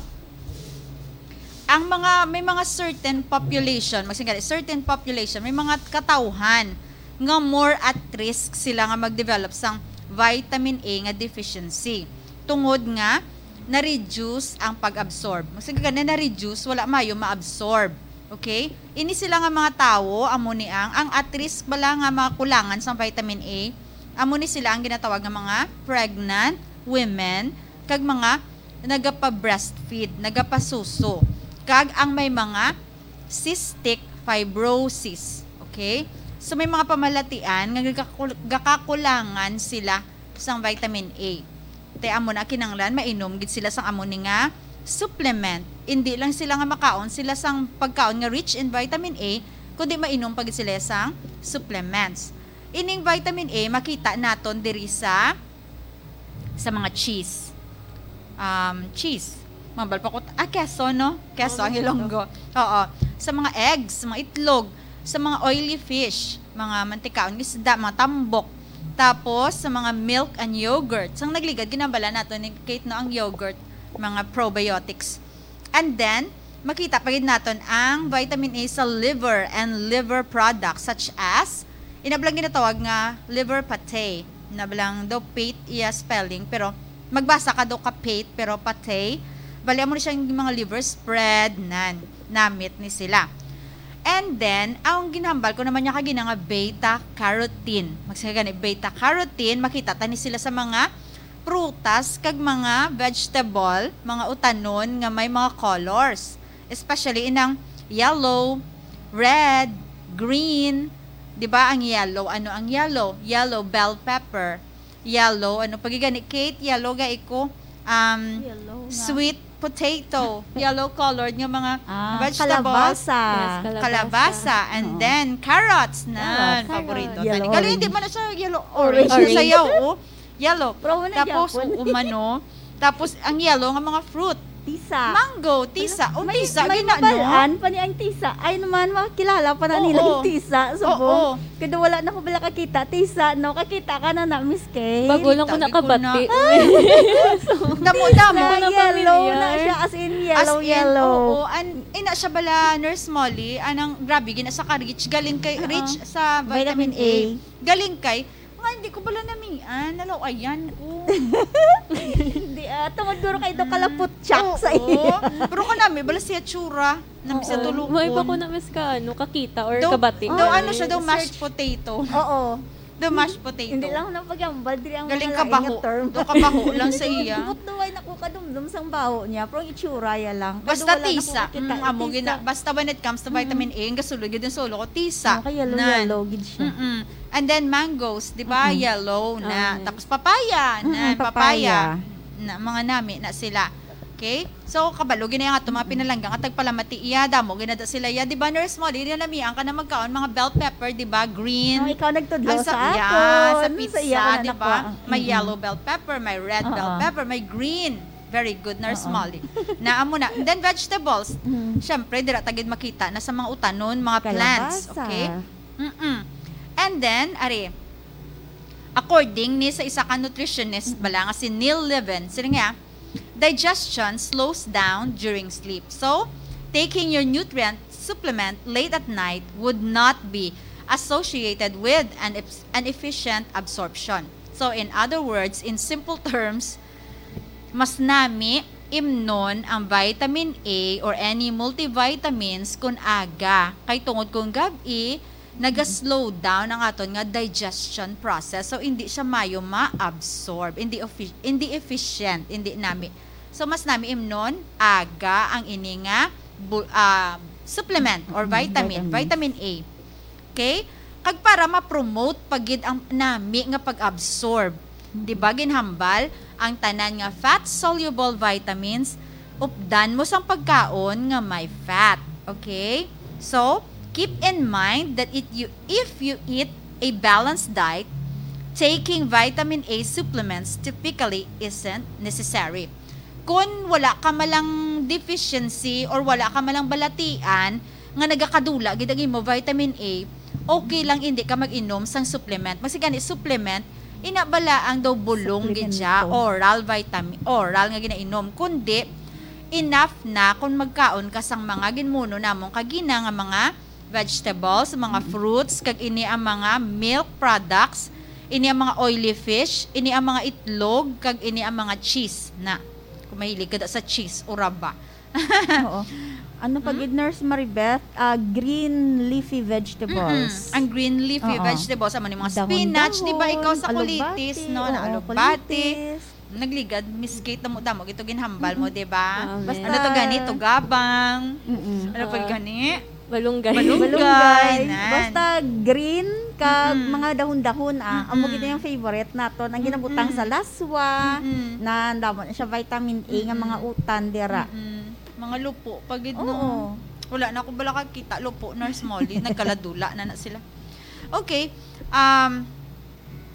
ang mga, may mga certain population, magsigani, certain population, may mga katawhan nga more at risk sila nga mag-develop sang vitamin A nga deficiency. Tungod nga, na-reduce ang pag-absorb. Magsigani, na-reduce, wala mayo ma-absorb. Okay? Ini sila nga mga tawo, amo ni ang, ang at risk bala nga mga kulangan sang vitamin A, amo ni sila ang ginatawag nga mga pregnant women, kag mga nagapa-breastfeed, nagapasuso, kag ang may mga cystic fibrosis. Okay? So, may mga pamalatian nga gakakul-, gakakulangan sila sang vitamin A. Te amo na kinanglan mainom gid sila sang amo ni nga supplement. Hindi lang sila nga makaon sila sang pagkaon nga rich in vitamin A, kundi mainom pa gid sila sang supplements. Ining vitamin A makita naton diri sa sa mga cheese. Um, cheese. Mabal pa ko, ah, keso, no? Keso Oh, ang keso. Ilonggo. Oo. Sa mga eggs, sa mga itlog, sa mga oily fish, mga mantikaon nga isda, mga tambok. Tapos, sa mga milk and yogurt. Sang nagligad, ginabala nato ni Kate, no, ang yogurt, mga probiotics. And then, makita pa gid naton ang vitamin A sa liver and liver products such as, ina bala ang ginatawag nga liver pate. Ina bala ang daw pate iya spelling, pero magbasa ka daw ka pate, pero pate. Bali, amo ni siya yung mga liver spread, nan, namit ni sila. And then, ang ginhambal ko naman niya kagina nga beta carotene. Magsiga gani, beta carotene, makita ta ni sila sa mga prutas kag mga vegetable, mga utanon nga may mga colors. Especially inang yellow, red, green. Di ba ang yellow? Ano ang yellow? Yellow bell pepper. Yellow, ano pa gid gani, Kate? Yellow ga iko. Um, Yellow nga. Sweet potato. Yellow colored nga mga Ah, vegetables. Kalabasa. Yes, kalabasa. Kalabasa. And Oo. Then, carrots na. Carrots. Paborito Carrots. Yellow, tani. Gali, hindi orange. Man na siya yellow, orange. Orange. Sayaw, oh. Yellow. Pero wala Tapos, gyapon. Oo, mano. Tapos, ang yellow nga mga fruit. Tisa. Mango, tisa. Ano? Oh, may, tisa, may gina, no? Mabalaan pa ni ang tisa. Ay naman, makilala pa na Oo. Nilang tisa. Subong. Oo. Kada wala na ko bala kakita, tisa, no? Kakita ka na na, Miss Kay. Bago lang ko Tagi ko nakabati. Na. Damo-damo. Sa Wala na yellow na familiar. Siya, as in yellow, As in, yellow. Oo. An, ina siya bala, Nurse Molly, anang grabe, gina sa ka-rich. Galing kay, Oo. Rich sa vitamin Vitamin A. A. Galing kay, nga, hindi ko bala namian. Nalaw, ayan ko. Hindi, ah, tungod duro kay do kalapot chak sa Oo. Iya. Pero kanami, bala siya tsura. Nami sa Oo. Tulukon. May pa ko na mas ka, ano, kakita or Daw, kabati. Daw, Oh, ano siya, daw search. Mashed potato. Oo. Daw mashed potato. Hindi lang na pagyambal, diri ang Galing mga lain kabaho. Nga term. Daw kabaho lang sa iya. Ambot daw ay nakukadumdum sang baho niya, pero ang itsura ya lang. Kaya Basta wala na tisa. Ko makita Mm, amo tisa. Gina-, basta when it comes to Mm. Vitamin A, ang gasulod gid ang solo ko, tisa. Oh, kaya yellow, Nan. Yellow gid siya. Mm-mm. And then mangoes, di ba? Mm-mm. Yellow na. Ah. Tapos papaya, Mm, na, papaya. Papaya. Na, mga nami na sila. Okay? So, kabalo gid na yung ato mga pinalangga nga tagpalamati iya, damo gid na da sila iya. Di ba, Nurse Molly, di na namian ka na magkaon, mga bell pepper, di ba? Green. Oh, ikaw nagtudlo Ang sa sa, yeah, akon. Sa Sa pizza, iya ko na di ba? Nakuha. May Mm-mm. Yellow bell pepper, may red bell Oo. Pepper, may green. Very good, Nurse Oo. Molly. Na, amo na. And then vegetables. Mm. Siyempre, dira ta gid makita na sa mga utanon, mga plants. Kalabasa. Okay? Mm-mm. And then, ari, according ni sa isa ka nutritionist bala nga si Neil Levin, sino nga, digestion slows down during sleep. So, taking your nutrient supplement late at night would not be associated with an, eps-, an efficient absorption. So, in other words, in simple terms, mas nami imnon ang vitamin A or any multivitamins kun aga. Kay tungod kung gab-i, naga-slow down ang aton nga digestion process. So, hindi siya mayo ma-absorb. Hindi offi-, hindi efficient, hindi nami. So, mas nami imnon, aga ang ini nga bu-, ah, supplement or Mm, vitamin, vitamins. Vitamin A. Okay? Kag para ma-promote pa gid ang nami nga pag-absorb. Di ba, ginhambal ang tanan nga fat-soluble vitamins, updan mo sang pagkaon nga may fat. Okay? So, keep in mind that it, you, if you eat a balanced diet, taking vitamin A supplements typically isn't necessary. Kung wala ka malang deficiency or wala ka malang balatian, nga nagakadula gid ang imo vitamin A, okay lang hindi ka mag-inom sang supplement. Magsigani supplement, ina bala ang daw bulong gid siya, Suplemento. Oral vitamin, oral nga ginainom. Kundi, enough na kung magkaon ka sang mga ginmuno namong kagina nga mga vegetables, mga Mm. fruits, kag ini ang mga milk products, ini ang mga oily fish, ini ang mga itlog, kag ini ang mga cheese na. Kung mahilig ka da sa cheese, uraba. Oo. Ano pa Hmm? Gid, Nurse Maribeth? Ah, green leafy vegetables. Mm-mm. Ang green leafy Oo. Vegetables, amo ni mga Dahon-dahon, spinach, di ba? Ikaw sa alugbati, colitis, no? Na oo, alugbati. Colitis. Nagligad, Miss Kate, damo-damo gito ginhambal mo, Mm-mm. Di ba? Amen. Basta Ano to gani? Tugabang. Mm-mm. Ano pa Ah, gani? Malunggay. Malunggay, Malunggay. Nan. Basta green, kag Mm-mm. mga dahon-dahon, ah. Amo gid Mm-mm. yung favorite naton. Ang ginabutang sa Mm-mm. laswa, Mm-mm. na damo na siya vitamin A nga mga Mm-mm. utan dira. Mm-mm. Mga lupo pa gid, no? Oo. Wala na ako bala kakita, lupo, Nurse Molly. Nagkaladula na na sila. Okay. Um,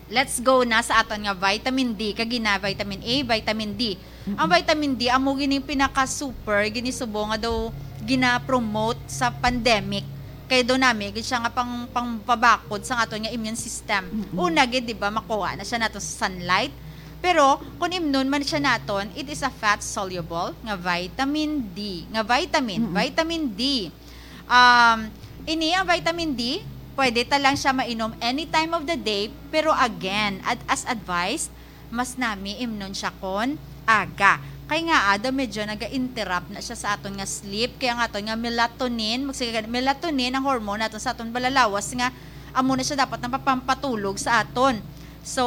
let's go na sa aton nga vitamin D. Kag gina vitamin A, vitamin D. Ang vitamin D, amo gini pinaka-super, gini subo nga daw gina-promote sa pandemic. Kay daw nami, gid siya nga pang, pangpabakod sa aton nga immune system. Mm-mm. Una gid, di ba, makuha na siya nato sa sunlight. Pero, kung imnon man siya naton, it is a fat-soluble nga vitamin D. Nga vitamin, Mm-mm. vitamin D. Um, ini ang vitamin D, pwede ta lang siya mainom any time of the day, pero again, ad- as advised, mas nami imnon siya kon aga. Kay nga, ada medyo naga-interrupt na siya sa aton nga sleep, kaya ang aton nga melatonin, magsiga-, melatonin ang hormone naton sa aton balalawas nga amo na siya dapat napapampatulog sa aton. So,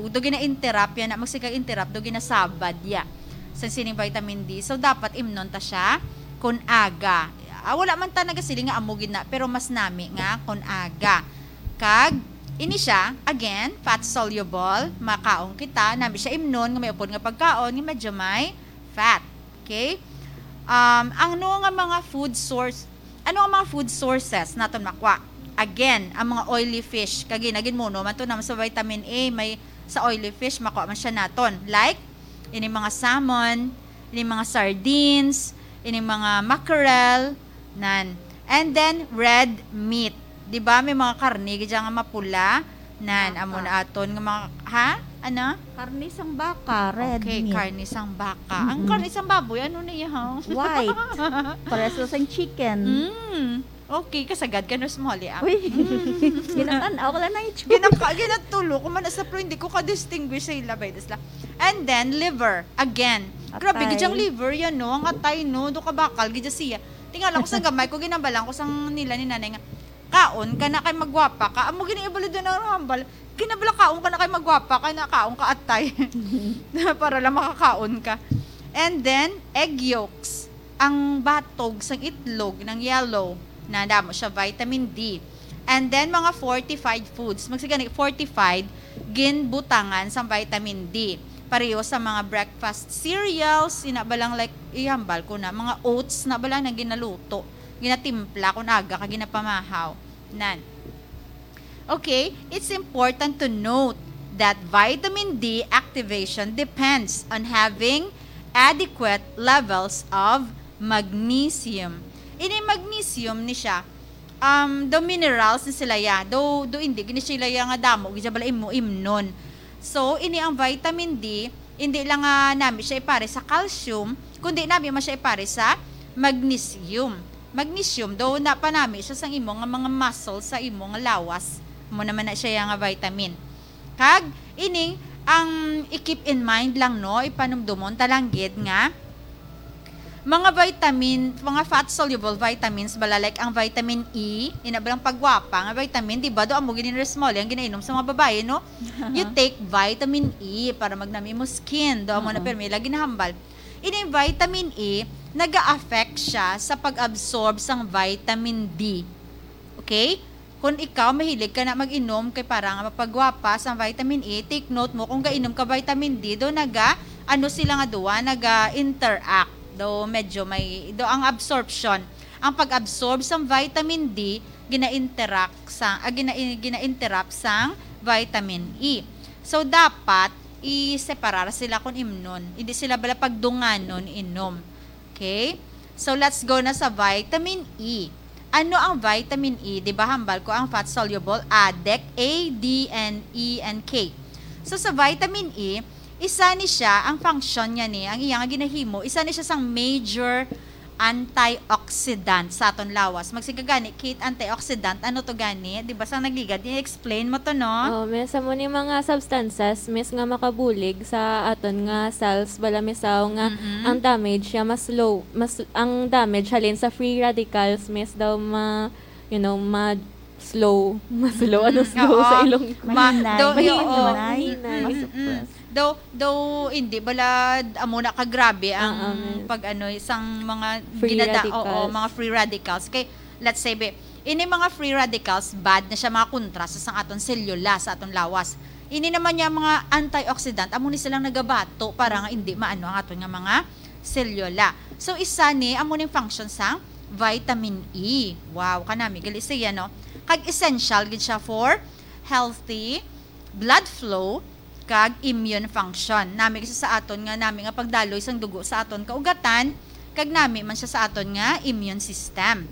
do gina-interrupt yan, na magsiga-interrupt, do ginasabad ya sa sining vitamin D. So, dapat imnon ta siya kon aga. Ah, wala man ta nagasiling nga amo gid na, pero mas nami nga kon aga. Kag, ini siya, again, fat soluble, makaon kita, nami siya imnon, nga may upod nga pagkaon, nga medyo may fat. Okay? Um, ano nga mga food source, ano nga mga food sources naton makwa? Again, ang mga oily fish, kag ginagin muno man to naman sa vitamin A, may sa oily fish, makwa man siya naton. Like, ini mga salmon, ini mga sardines, ini mga mackerel, nan. And then, red meat. Di ba, may mga karne, gid nga mapula. Nan, amo na aton nga mga, ha? Ano? Karne sang baka, red Okay, meat. Karne sang baka. Ang Mm-mm. Karne sang baboy, ano na iya? White. Pareso sang chicken. Mm. Okay, kasagad ka, Nurse Molly, ah. Uy, ginatan-aw ko lang na yung Ginaka, ginatulo ko man sa, pero hindi ko ka-distinguish sa ila, bay, dasla. And then, liver, again. Grabe, Atay. Gid ang liver yan, no? Ang atay, no? Do ka bakal, gid siya. Tingala ko sa gamay ko, ginabalan ko sang nila ni nanay nga, "Kaon ka na kay magwapa ka." Amo gini ibalo doon ang hambal. Ginabala, "Kaon ka na kay magwapa ka na, kaon ka atay." Para lang makakaon ka. And then, egg yolks. Ang batog sang itlog ng yellow, na damo siya vitamin D. And then, mga fortified foods. Magsigani, fortified, ginbutangan sang vitamin D. Pareho sa mga breakfast cereals, ina ba lang, like, ihambal ko na, mga oats na ba lang na ginaluto, ginatimpla, kung aga ka ginapamahaw. Nan. Okay, it's important to note that vitamin D activation depends on having adequate levels of magnesium. Ini magnesium ni siya, um, do minerals ni sila ya. Do, do hindi gini sila ya nga damo, gid siya bala imo imnon. So, ini ang vitamin D, hindi lang nga nami siya ipare sa calcium, kundi nami man siya ipare sa magnesium. Magnesium, do na panami siya sang imo nga mga muscles, sa imo nga lawas. Mo naman na siya ya nga vitamin. Kag, ining, ang i-keep in mind lang, no, ipanumdumon ta lang gid nga mga vitamin, mga fat-soluble vitamins bala, like ang vitamin E, ina ba lang pagwapa nga vitamin, di ba? Do amo gini, Nurse Molly, ang ginainom sa mga babae, no? You take vitamin E para magnami mo skin. Do amo na Oo. Pero may lagi nahambal. Ini vitamin E, naga-affect siya sa pag-absorb sang vitamin D. Okay? Kung ikaw mahilig ka na mag-inom kay para nga mapagwapa sang vitamin E, take note mo, kung gainom ka vitamin D, do naga, ano sila nga duwa, naga-interact. Do medyo may, do ang absorption, ang pag-absorb sang vitamin D, gina-interact sa, ah, gina, gina-interrupt sang vitamin E. So, dapat i-separar sila kung imnon. Hindi sila bala pagdunganon inom. Okay? So, let's go na sa vitamin E. Ano ang vitamin E? Di ba, hambal ko ang fat-soluble, A D E C, A, D, N, E, and K. So, sa vitamin E, isa ni siya, ang function niya ni, ang iya nga ginahimo, isa ni siya sang major antioxidant sa aton lawas. Magsigagani, Kate, antioxidant, ano to gani? Di ba, sa nagligad, i-explain mo to, no? Oh, miss, amo ni mga substances, miss, nga makabulig sa aton nga cells, bala, misaw nga Mm-mm. ang damage siya mas slow, mas, ang damage halin sa free radicals, miss, daw ma, you know, ma slow, mas slow, ano, Mm, slow oo. sa Ilonggo. Ma- Mahinay. do- Mahinay. oo. Mahinay. Mm, mm, mm. Though, though hindi bala amo na kagrabe ang Ah, ah, miss. Pag ano, isang mga Free ginada- radicals. Oo, mga free radicals. Kay, let's say, be, Ini mga free radicals, bad na siya mga kontra sa sang aton selula, sa aton lawas. Ini naman niya mga antioxidant, amo ni silang nagabato para nga hindi maano ang aton nga mga selula. So, isa ni, amo ning function sang vitamin E. Wow, kanami gali siya, no? Kag essential gid siya for healthy blood flow kag immune function. Nami gid siya sa aton nga, nami nga pagdaloy sang dugo sa aton kaugatan, kag nami man siya sa aton nga immune system.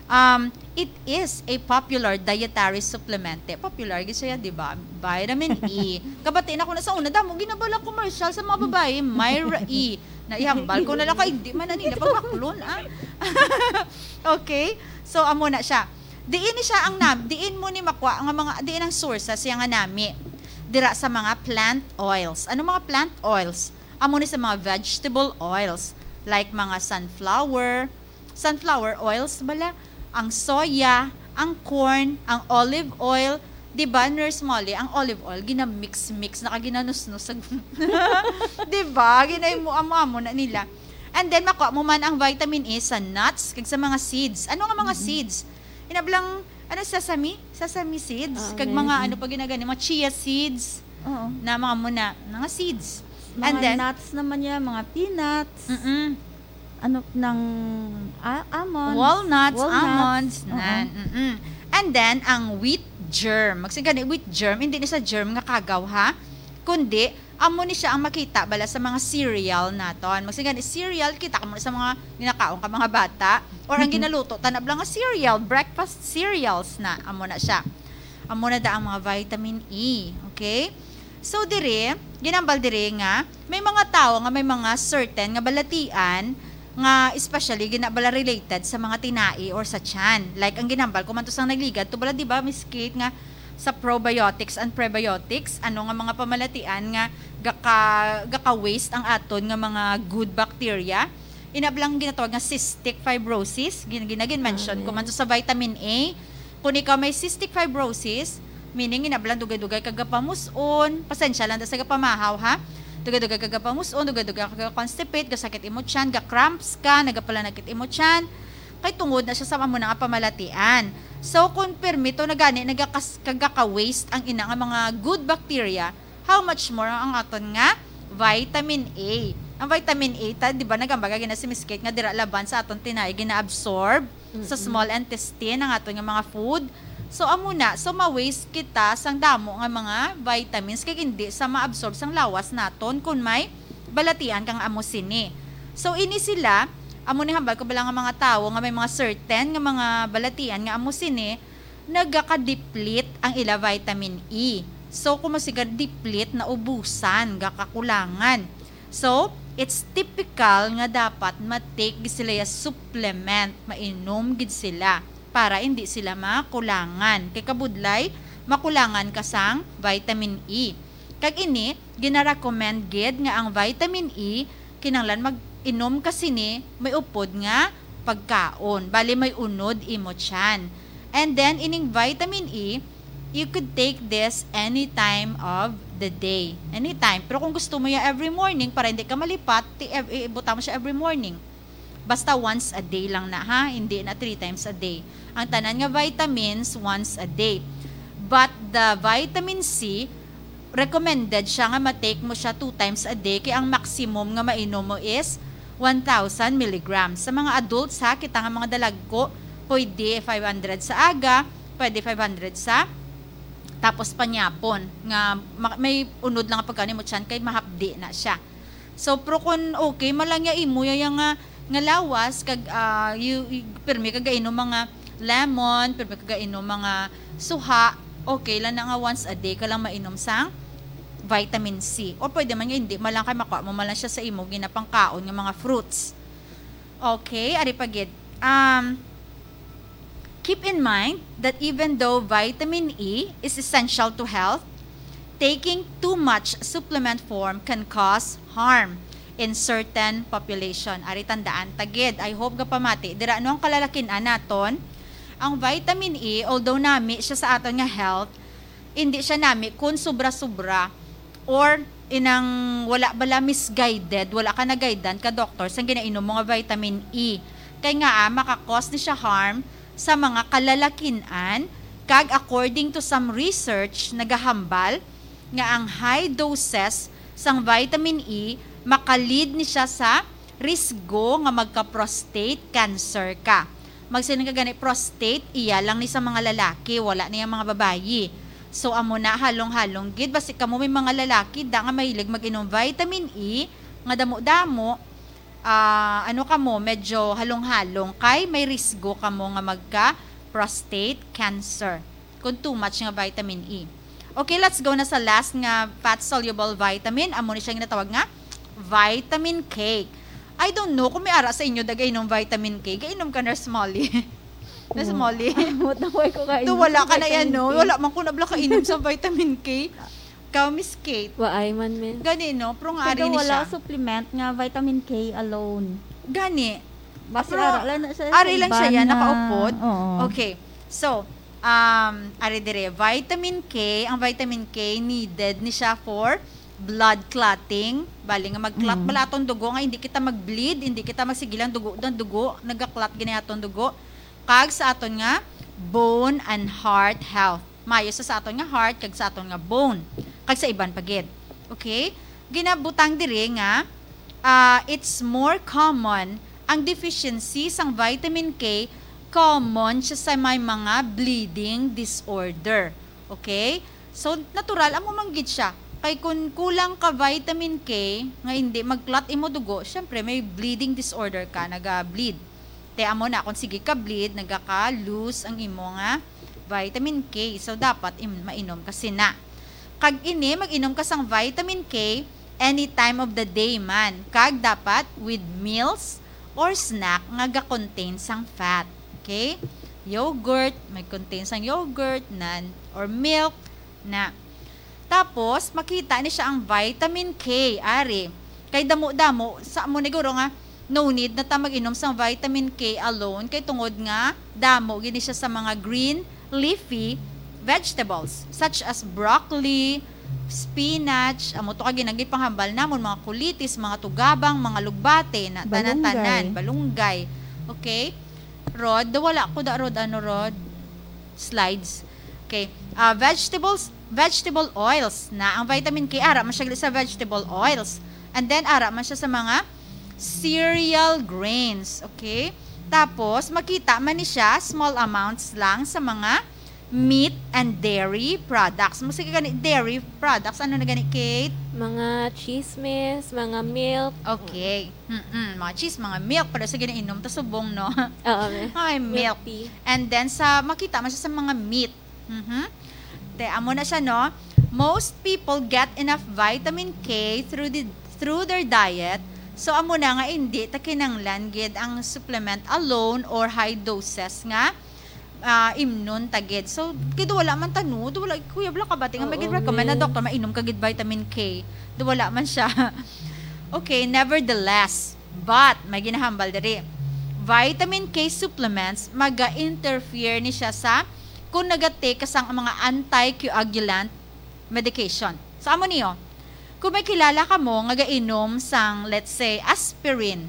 Um, it is a popular dietary supplement. Eh, popular gid siya, di ba? Vitamin E. Kabati na ko na sa una, damo ginabala commercial sa mga babae, Myra E. Naihambal ko na lang kay di man na nila pagbaklon, ah. Okay? So, amo na siya. Diin ni siya ang nam, diin mo ni makwa nga mga, diin ang source siya nga nami. Dira sa mga plant oils. Ano mga plant oils? Amo ni sa mga vegetable oils, like mga sunflower, sunflower oils bala, ang soya, ang corn, ang olive oil. Di ba, Nurse Molly, ang olive oil, ginamix-mix, nakaginanusnos sa, di ba? Ginay mo, amo-amo na nila. And then, makuha mo man ang vitamin E sa nuts, kag sa mga seeds. Ano nga mga seeds? Inablang, ano, sesame? Sesame seeds? Ah, kag mga, ano pa ginagani, mga chia seeds. Oo. Na mga muna, mga seeds. Mga And then, nuts naman yan, mga peanuts. Mm-mm. Ano, ng, ah, almonds. Walnuts, Walnuts. Almonds, Oo. Nan. Mm-mm. And then, ang wheat germ. Magsigani, wheat germ, hindi ni sa germ nga kagaw, ha? Kundi, amo ni siya ang makita bala sa mga cereal naton. Magsigani, cereal, kita ka mo sa mga ginakaon ka mga bata. Or ang Mm-mm. ginaluto, tanab lang nga cereal, breakfast cereals na. Amo na siya. Amo na da ang mga vitamin E. Okay? So, diri, ginambal diri nga, may mga tawo nga may mga certain nga balatian nga especially ginabala related sa mga tinai or sa tiyan. Like, ang ginambal ko man to sang nagligad, to bala, di ba, Miss Kate, nga sa probiotics and prebiotics, ano nga mga pamalatian nga gaka, gaka-waste ang aton nga mga good bacteria? Inablang ginatawag nga cystic fibrosis, gin-, gina-, gin-mention ko Ah, man to sa vitamin A. Kung ikaw may cystic fibrosis, meaning inablang dugay-dugay ka gapamus-on, pasensya lang da sa gapamahaw, ha? Dugay-dugay ka gapamus-on, dugay-dugay ka ga-constipate, gasakit imo tiyan, ga-cramps ka, nagapalanakit imo tiyan. Kay tungod na siya sa amo na nga pamalatian. So, kung permito na gani, nagakas-, kagaka-waste ang ina nga mga good bacteria, how much more ang aton nga vitamin A? Ang vitamin A, ta, di ba, nagambaga gina si Miss Kate nga dira laban sa aton tinay, gina-absorb sa Mm-mm. small intestine ang aton nga mga food. So, amo na. So, ma-waste kita sang damo nga mga vitamins kay hindi sa ma-absorb sang lawas naton kung may balatian kang amo sini. So, ini sila, amo ni hambal ko bala nga mga tawo nga may mga certain nga mga balatian nga amo sini, nagaka-deplete ang ila vitamin E. So, kung masiga deplete, naubusan, gakakulangan. So, it's typical nga dapat ma-take gid sila ya supplement, mainom gid sila para hindi sila makulangan. Kay kabudlay, makulangan ka sang vitamin E. Kag ini, gina-recommend gid nga ang vitamin E, kinahanglan mag-inom ka sini may upod nga pagkaon. Bali, may unod imo tiyan. And then, ining vitamin E, you could take this any time of the day. Anytime. Pero kung gusto mo ya every morning, para hindi ka malipat, ti-, ev-, ibutang mo siya every morning. Basta once a day lang na, ha? Hindi na three times a day. Ang tanan nga vitamins, once a day. But the vitamin C, recommended siya nga ma-take mo siya two times a day, kay ang maximum nga mainom mo is one thousand milligrams. Sa mga adults, ha, kita nga mga dalagko, pwede five hundred sa aga, pwede five hundred sa, tapos panyapon, nga ma-, may unod lang ang pagkaon mo tiyan kay mahapdi na siya. So, pero kung okay man lang ya imo ya, ya nga, nga lawas, kag, ah, you, you, pirmi ka gainom mga lemon, pirmi ka gainom mga suha, okay lang na nga once a day ka lang mainom sang vitamin C. Or pwede man nga hindi, man lang kay makuha mo man lang siya sa imo ginapangkaon nga mga fruits. Okay, ari pa gid. Um, keep in mind that even though vitamin E is essential to health, taking too much supplement form can cause harm in certain population. Ari, tandaan ta gid. I hope gapamati dira, no, ang kalalakin-an naton. Ang vitamin E, although nami siya sa aton nga health, hindi siya nami kun sobra-sobra or inang wala bala misguided, wala ka na-guidean ka doctor sang ginainom mo nga vitamin E. Kay nga, ah, maka-cause ni siya harm sa mga kalalakin-an, kag according to some research, nagahambal nga ang high doses sang vitamin E maka-lead ni siya sa risgo nga magka-prostate cancer ka. Magsiling ka gani, prostate, iya lang ni sa mga lalaki, wala ni ang mga babayi. So, amo na, halong-halong gid. Basi kamo may mga lalaki da nga mahilig mag-inom vitamin E, nga damo-damo, ah, ano kamo, medyo halong-halong kay may risgo kamo nga magka prostate cancer kung too much nga vitamin E. Okay, let's go na sa last nga fat-soluble vitamin. Amo ni siya ginatawag nga vitamin K. I don't know kung may ara sa inyo da gainom vitamin K. Gainom ka, Nurse Molly? Nurse Molly? Mutaway ko kayo. Do, wala ka na yan, no? Wala man ko nabla kainom sa vitamin K. Ka, Miss Kate. Waay man, men. Gani, no? Pero nga ari Pero ni wala siya. Supplement nga vitamin K alone. Gani. Basta Pero ara lang na siya. ari lang siya yan, nakaupod. Oo. Okay. So, um, ari dire, vitamin K, ang vitamin K needed ni siya for blood clotting. Bali nga mag-clot Mm. bala atong dugo nga hindi kita mag-bleed, hindi kita magsigilang dugo, ang dugo, nagka-clot gani atong dugo. Kag sa aton nga bone and heart health. Mayo sa, sa aton nga heart kag sa aton nga bone. Kag sa iban pa gid. Okay? Ginabutang diri nga ah, it's more common ang deficiency sang vitamin K, common siya sa may mga bleeding disorder. Okay? So, natural, amo man gid siya. Kay kung kulang ka vitamin K, nga hindi mag-clot imo dugo, syempre, may bleeding disorder ka, naga-bleed. Te, amo na, kung sige ka bleed, nagaka-lose ang imo nga vitamin K. So, dapat im- mainom ka sina. Kag ini, mag-inom ka sang vitamin K any time of the day man. Kag dapat with meals or snack nga ga-contain sang fat. Okay? Yogurt, may contain sang yogurt, nan, or milk, na. Tapos, makita ni siya ang vitamin K, ari. Kay damo-damo, sa amo ni guro nga, no need na ta mag-inom sang vitamin K alone, kay tungod nga damo gini siya sa mga green leafy vegetables, such as broccoli, spinach, amo to ka ginagi panghambal namon, mga kulitis, mga tugabang, mga lugbate, na tanan-tanan, balunggay. Okay? Rod, do wala ko da, Rod, ano, Rod? Slides. Okay. Ah, vegetables, vegetable oils na ang vitamin K, ara man siya sa vegetable oils. And then, ara man siya sa mga cereal grains. Okay? Tapos, makita man ni siya, small amounts lang sa mga meat and dairy products. Mo sige gani, dairy products. Ano na gani, Kate? Mga chismis, mga milk. Okay. Mm-mm. Mga cheese, mga milk. Pero sige na inom, ta subong, no? Oo, men. Ay, milk. Tea. And then, sa makita man siya sa mga meat. Mhm. Te, amo na siya, no? Most people get enough vitamin K through the through their diet. So, amo na nga hindi ta kinanglan gid ang supplement alone or high doses nga ah, imnon ta gid. So, kay do wala man ta, no? Do wala, Kuya Bla, kabati nga may Oo, gid-recommend na men. doktor, mainom ka gid vitamin K. Do wala man siya. Okay, nevertheless, but may ginahambal diri. Vitamin K supplements maga-interfere ni siya sa kung nagatake ka sang mga anticoagulant medication. So, amo niyo, kung may kilala ka mo nga gainom sang, let's say, aspirin.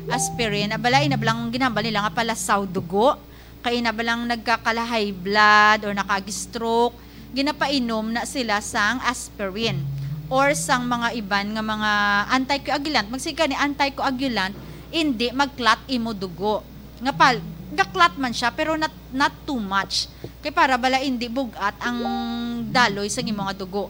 Aspirin, abala, inablang ginahambal nila nga palasaw dugo. Kay inablang nagkakala high blood or nakag-stroke, ginapainom na sila sang aspirin or sang mga iban nga mga anticoagulant. Magsige ka ni anticoagulant, hindi mag-clot imo dugo. Nga pal, ga-clot man siya, pero not, not too much. Kay para bala hindi bugat ang daloy sa imo nga dugo.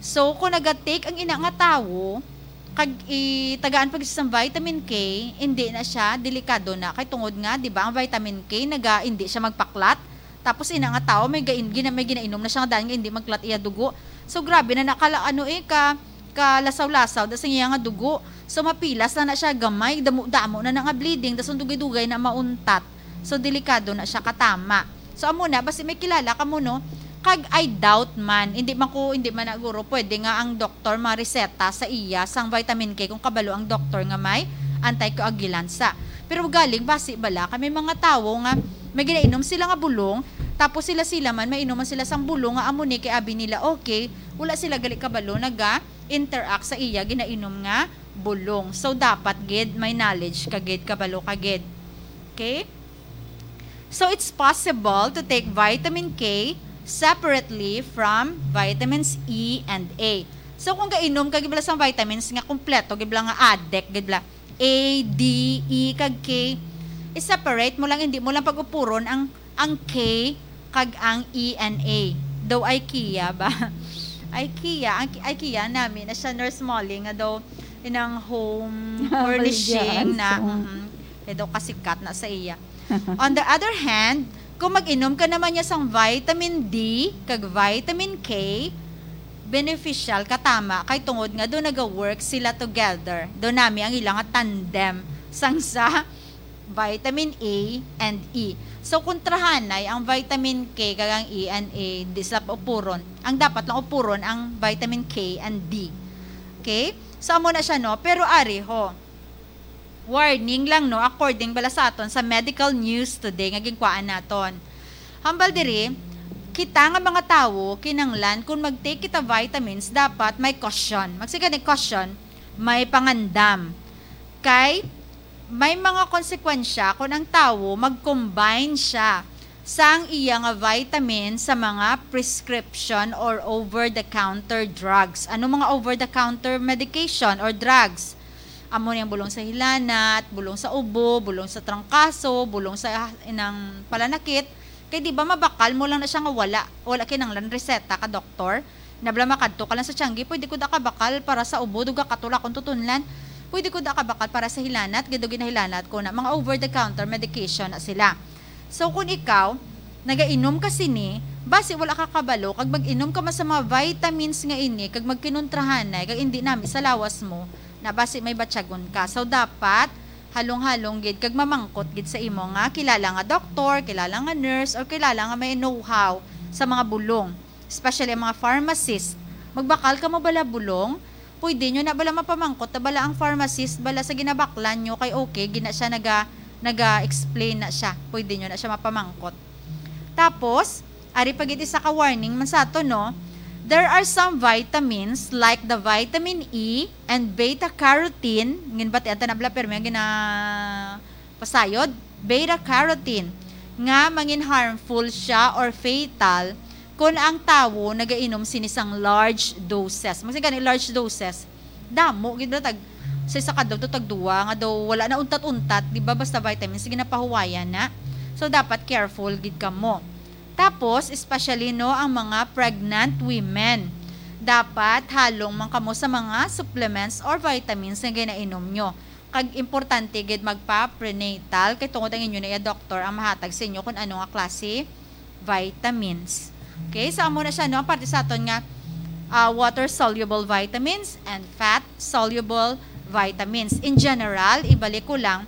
So, kung naga-take ang ina nga tawo, kag itagaan pa gid sa vitamin K, hindi na siya, delikado na. Kay tungod nga, di ba, ang vitamin K, naga, hindi siya magpa-clot. Tapos ina nga tawo, may, gain, gina, may ginainom na siya nga daan nga hindi mag-clot iya dugo. So, grabe na nakala, ano eh, ka, kalasaw-lasaw, da sa iya nga dugo. So, mapilas na na siya, gamay, damo-damo na na nga bleeding, da sa dugay-dugay na mauntat. So, delikado na siya katama. So, amo na, basi may kilala ka mo, no? Kag I doubt man, hindi man ko, hindi man na guro, pwede nga ang doktor mareseta sa iya sang vitamin K kung kabalo ang doktor nga may anticoagulant sa. Pero galing, basi bala, kay may mga tawo nga may ginainom sila nga bulong, tapos sila-sila man, mainom man sila sang bulong nga amo ni kay abi nila, okay, wala sila gali kabalo, naga-interact sa iya ginainom nga bulong. So, dapat gid may knowledge ka gid, kabalo ka gid. Okay? So it's possible to take vitamin K separately from vitamins E and A. So kung gainom ka gid bala sang vitamins nga kompleto gid bala nga addict gid bala A, D, E kag K, i-separate mo lang, hindi mo lang pag-upuron ang ang K kag ang E and A. Daw IKEA ba? IKEA, ang IKEA nami na siya, Nurse Molly, nga daw inang home furnishing na, mm, kaya daw kasikat na sa iya. On the other hand, kung mag-inom ka naman niya sang vitamin D kag vitamin K, beneficial ka tama kay tungod nga do naga-work sila together. Do nami ang ila nga tandem sang sa vitamin A and E. So, kontrahanay ang vitamin K kag ang E and A, di sila paupuron. Ang dapat lang upuron ang vitamin K and D. Okay? So, amo na siya, no? Pero ari, ho, warning lang, no? According bala sa aton sa medical news today nga ginkuhaan naton. Hambal diri, kita nga mga tawo, kinanglan kung mag-take kita vitamins, dapat may caution. Magsiga ni caution, may pangandam. Kay may mga konsekwensya kung ang tawo mag-combine siya sang iya nga vitamin sa mga prescription or over-the-counter drugs. Ano mga over-the-counter medication or drugs? Amo ni ang bulong sa hilanat, bulong sa ubo, bulong sa trangkaso, bulong sa inang palanakit. Kay di ba mabakal mo lang na siya nga wala, wala kinanglan reseta ka doktor? Na bala makadto ka lang sa tiyanggi, pwede ko da ka bakal para sa ubo, duga katula kung tutunlan. Pwede ko da ka bakal para sa hilanat, gid ginahilanat ko na mga over-the-counter medication na sila. So, kung ikaw, nagainom ka sini, basi wala ka kabalo, kag mag-inom ka man sa mga vitamins nga ini, kag magkinontrahanay, kag hindi nami sa lawas mo, na basi may batyagon ka. So, dapat, halong-halong gid, kag mamangkot gid sa imo nga kilala nga doktor, kilala nga nurse, or kilala nga may know-how sa mga bulong, especially ang mga pharmacist. Magbakal ka mo bala bulong? Pwede nyo na bala mapamangkot na bala ang pharmacist bala sa ginabaklan nyo kay okay, gina siya naga, naga-explain na siya. Pwede nyo na siya mapamangkot. Tapos, ari pa gid isa ka warning man sa ato, no? There are some vitamins like the vitamin E and beta carotene. Ginbatian ta na bala, pero may gina pasayod, beta carotene, nga mangin harmful siya or fatal kung ang tawo nagainom sini sang large doses. Magsiga ni large doses, damo gid na tag sa isa ka daw to tag duwa nga daw wala na untat-untat, di ba? Basta vitamins, sige na pahuwayan na. So, dapat careful gid kamo. Tapos, especially, no, ang mga pregnant women. Dapat halong man kamo sa mga supplements or vitamins nga ginainom nyo. Kag importante gid magpa-prenatal kay tungod ang inyo na iya doktor ang mahatag sa inyo kung ano nga klase vitamins. Okay, so amo na siya, no, ang parte sa aton nga, ah, water-soluble vitamins and fat-soluble vitamins. In general, ibalik ko lang,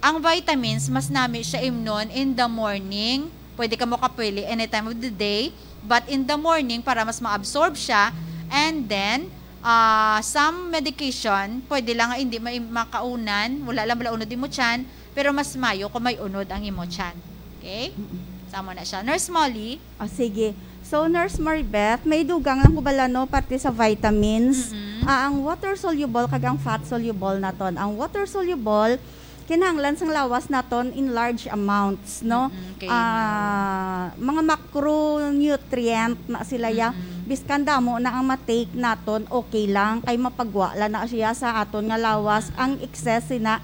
ang vitamins, mas nami siya imnon in the morning. Pwede ka mo kapili any time of the day, but in the morning, para mas ma-absorb siya. And then, ah, some medication, pwede lang nga hindi ma-, makaunan, wala lang bala unod imo tiyan, pero mas mayo kung may unod ang imo tiyan. Okay? Mm-mm. Sa amo na siya. Nurse Molly? Ah, sige. So, Nurse Maribeth, may dugang lang ko bala, no, parte sa vitamins. Mm-mm. Ah, ang water-soluble kag ang fat-soluble naton. Ang water-soluble, kinahanglan sang lawas naton in large amounts, no? Mm-mm, okay, Ah, mga macronutrient na sila ya. Mm-mm. Biskan damo na ang ma-take naton, okay lang. Kay mapagwa la na siya sa aton nga lawas. Mm-mm. Ang excess sina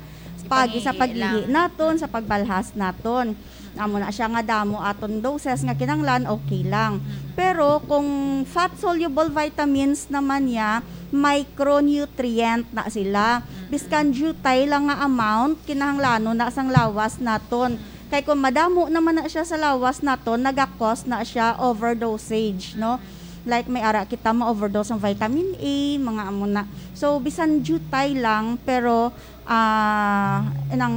pagi sa Ipangihi paghihi lang. naton, sa pagbalhas naton. Amo na siya nga damo aton doses nga kinahanglan, okay lang. Mm-mm. Pero kung fat-soluble vitamins naman niya, micronutrient na sila. Mm-mm. Biskan diutay lang nga amount, kinahanglanon na sang lawas naton. Mm. Kay kung madamo naman na siya sa lawas naton, naga-cause na siya overdosage, no? Mm. Like, may ara kita ma-overdose ang vitamin A, mga amo na. So, bisan diutay lang, pero ah, nang,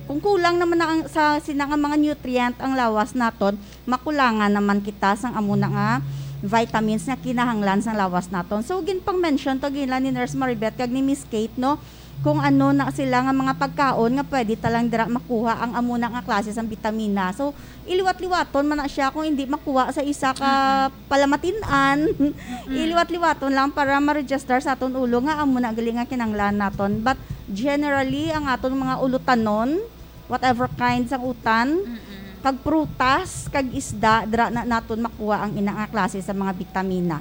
kung kulang naman na ang, sa sina nga mga nutrient ang lawas naton, makulangan naman kita sang amo na nga vitamins nga kinahanglan sang lawas naton. So, ginpang-mention to gila ni Nurse Maribeth kag ni Miss Kate, no? Kung ano na sila nga mga pagkaon nga pwede ta lang dira makuha ang amo na nga klase sang bitamina. So, iliwat-liwaton man na siya kung hindi makuha sa isa ka Mm-mm. palamatin-an. Mm-mm. Iliwat-liwaton lang para ma-register sa aton ulo nga amo na gali nga kinanglan naton. But generally, ang aton mga ulutanon, whatever kind sang utan, Mm-mm. kag prutas, kag isda, dira na naton makuha ang ina nga klase sa mga bitamina.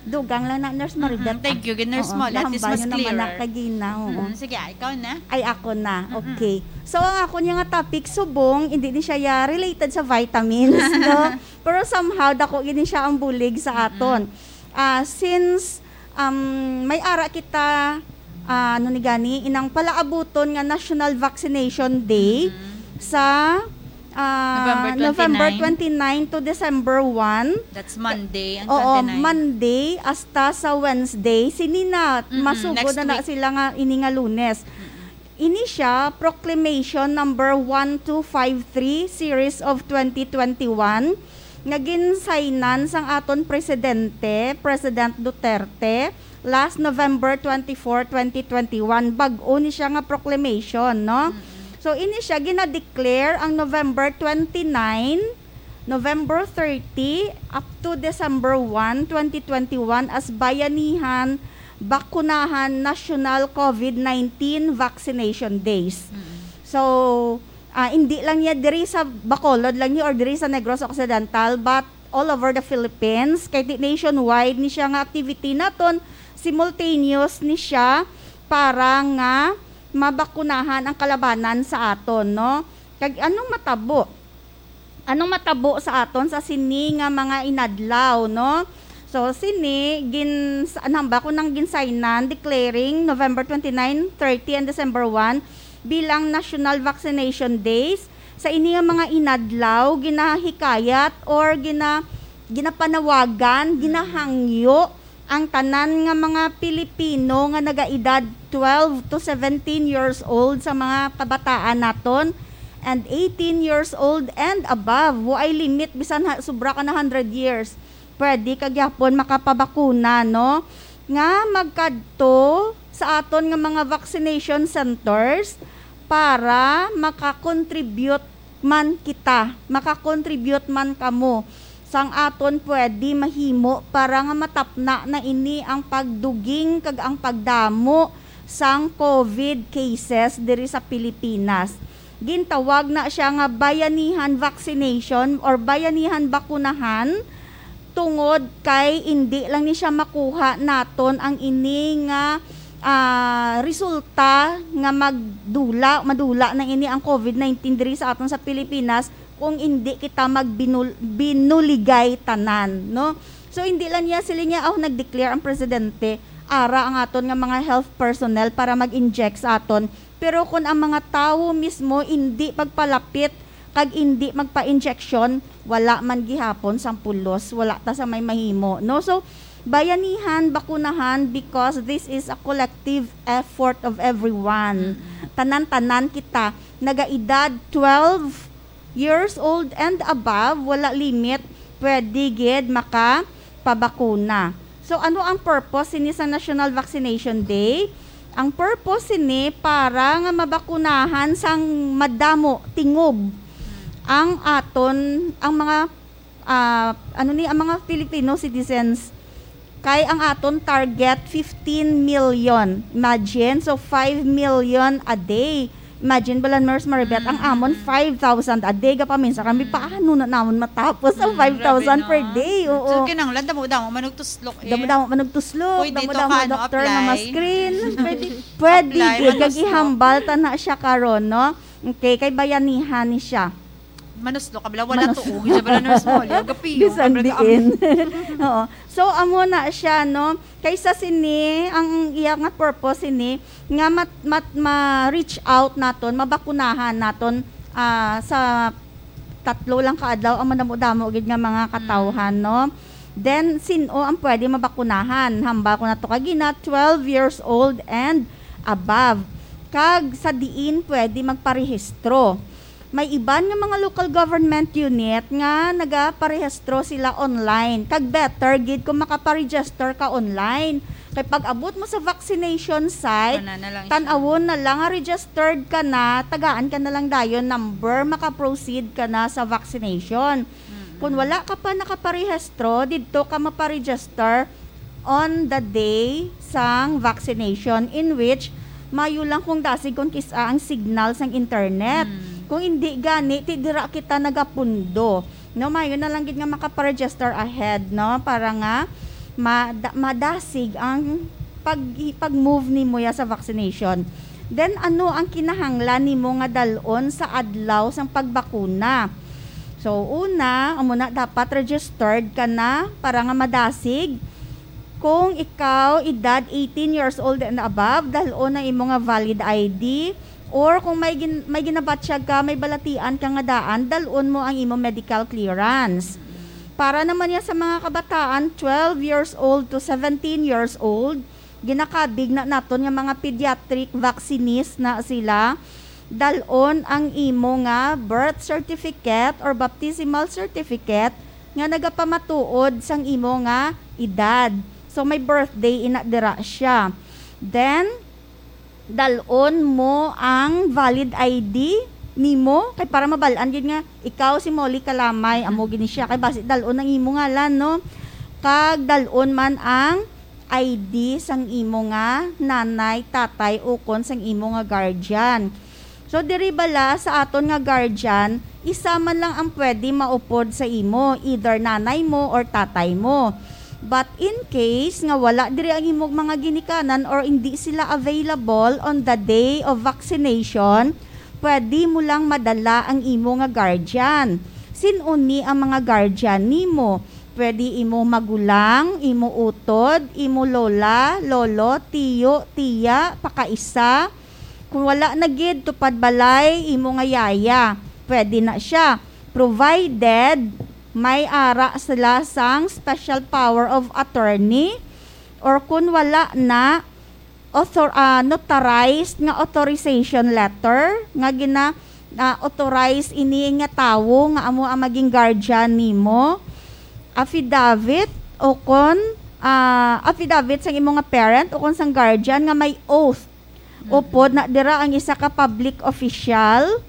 Dugang lang na, Nurse Maribeth, Mm-mm. Thank ah. you, Nurse Oo, Molly. At least nahambal mas nyo naman na clear. Kagina, oo. Mm, sige, ah, ikaw na. Ay, ako na. Mm-mm. Okay. So, ang ako niya nga topic, subong, hindi ni siya ya related sa vitamins, no? Pero somehow, dako gini siya ang bulig sa Mm-mm. aton. Ah, since, um, may ara kita, ah, ano ni gani, inang palaabuton nga National Vaccination Day Mm-mm. sa, ah, November November twenty-nine. twenty-nine to December one. That's Monday, ang Oo, twenty-nine. Monday hasta sa Wednesday. Sini na, Mm-mm, masugod next na na week. Sila nga ini nga Lunes. Mm-mm. Ini siya, Proclamation number one two five three, series of twenty twenty-one, nga ginsaynan sang aton Presidente, President Duterte, last November twenty-four, twenty twenty-one. Bag-o ni siya nga proclamation, no? Mm-mm. So, ini siya, gina-declare ang November twenty-nine, November thirty, up to December one, twenty twenty-one, as Bayanihan Bakunahan National COVID nineteen Vaccination Days. Mm. So, ah, hindi lang niya diri sa Bacolod lang niya or diri sa Negros Occidental, but all over the Philippines. Kay di nationwide ni siya nga activity naton, simultaneous ni siya para nga mabakunahan ang kalabanan sa aton, no? Kag anong matabo? Anong matabo sa aton sa sini nga mga inadlaw, no? So, sini, gin-, sa-, namba ko nang ginsaynan, declaring November twenty-nine, thirty, and December one bilang National Vaccination Days. Sa ini nga mga inadlaw, ginahikayat or gina-, ginapanawagan, ginahangyo ang tanan nga mga Pilipino nga nagaedad twelve to seventeen years old sa mga kabataan naton, and eighteen years old and above. Way limit, bisan ha, sobra ka na hundred years. Pwede ka gyapon makapabakuna, no? Nga magkadto sa aton nga mga vaccination centers para maka-contribute man kita, maka-contribute man kamo sang aton pwede mahimo para nga matapna na ini ang pagduging kag ang pagdamo sang COVID cases diri sa Pilipinas. Gintawag na siya nga bayanihan vaccination or bayanihan bakunahan, tungod kay indi lang ni siya makuha naton ang ini nga, ah, resulta nga magdula, madula na ini ang COVID nineteen diri sa aton sa Pilipinas kung indi kita magbinul-, binuligay tanan, no? So, hindi lang niya sila niya, oh, nag-declare ang presidente, ara ang aton nga mga health personnel para mag-inject sa aton. Pero kung ang mga tawo mismo indi magpalapit kag indi magpa-injection, wala man gihapon sang pulos, wala ta sa may mahimo, no? So, bayanihan, bakunahan, because this is a collective effort of everyone. Mm-mm. Tanan-tanan kita, nagaedad twelve years old and above, wala limit, pwede gid makapabakuna. So, ano ang purpose sini sa National Vaccination Day? Ang purpose sini para nga mabakunahan sang madamo, tingob ang aton, ang mga, ah, ano ni, ang mga Filipino citizens. Kay ang aton target, fifteen million. Imagine, so five million a day. Imagine bala, Nurse Maribeth, ang Mm. amon five thousand a day. Gapaminsa kami, Mm. paano na namon matapos ang Mm, grabe five thousand per na. day? Oo. So, kinahanglan, damo-damo man og tuslok, eh. Damo-damo man og tuslok, Pwede to damo-damo ka, ang ano, doctor nga apply. ma-screen. Pwede, pwede Apply, gid. Kag manuslok. Ihambal ta na siya karon, no? Okay, kay bayanihan ni siya. Manuslok ka bala, wala Manus- tuo. Siya bala, Nurse Molly. Gapiyo ka Bisan bala, diin. Oo. So, amo na siya, no? Kaysa sini, ang iya nga purpose sini, nga mat-, mat-, ma-reach out naton, mabakunahan naton, ah, sa tatlo lang ka adlaw ang madamo-damo gid nga mga katawhan, Mm. no? Then, sin-o ang pwede mabakunahan? Hambal ko na to kagina, twelve years old and above. Kag sa diin pwede magparehistro. May iban nga mga local government unit nga nagaparehistro sila online. Kag better gid kung makaparegister ka online. Kay pag abot mo sa vaccination site, Wala na lang siya. tan-awon na lang nga registered ka na, tagaan ka na lang dayon number, makaproceed ka na sa vaccination. Mm-mm. Kung wala ka pa nakaparehistro, didto ka maparegister on the day sang vaccination, in which mayo lang kung dasig kung kis-a ang signal sang internet. Mm. Kung hindi gani, ti dira kita nagapundo. No, mayo na lang gid nga makaparegister ahead, no, para nga mada-, madasig ang pag, pag-move nimo ya sa vaccination. Then, ano ang kinahanglan nimo nga dal-on sa adlaw sang pagbakuna? So, una, amo na, dapat registered ka na para nga madasig. Kung ikaw, edad eighteen years old and above, dal-on ang imo nga valid I D. Or kung may gin-, may ginabatyag ka, may balatian ka nga daan, dal-on mo ang imo medical clearance. Para naman niya sa mga kabataan, twelve years old to seventeen years old, ginakabig na naton nga mga pediatric vaccinist na sila, dal-on ang imo nga birth certificate or baptismal certificate nga nagapamatuod sang imo nga edad. So, may birthday ina dira siya. Then, dal-on mo ang valid I D nimo, kay para mabal-an gid nga ikaw si Molly Kalamay, amo gini siya. Kay basi dal-on ang imo ngalan, no? Kag dal-on man ang I D sang imo nga nanay, tatay, ukon sang imo nga guardian. So, diri bala sa aton nga guardian, isa man lang ang pwede maupod sa imo, either nanay mo or tatay mo. But in case nga wala diri ang imong mga ginikanan or hindi sila available on the day of vaccination, pwede mo lang madala ang imo nga guardian. Sin-o ni ang mga guardian nimo? Pwede imo magulang, imo utod, imo lola, lolo, tiyo, tiya, pakaisa. Kung wala na gid, tupad balay, imo nga yaya. Pwede na siya. Provided may ara sila sang special power of attorney, or kun wala na, author-, ah, notarized nga authorization letter nga gina-, ah, authorize ini nga tawo nga amo ang maging guardian nimo, affidavit o kon, ah, affidavit sang imo nga parent o kon sang guardian nga may oath. Upod na dira ang isa ka public official,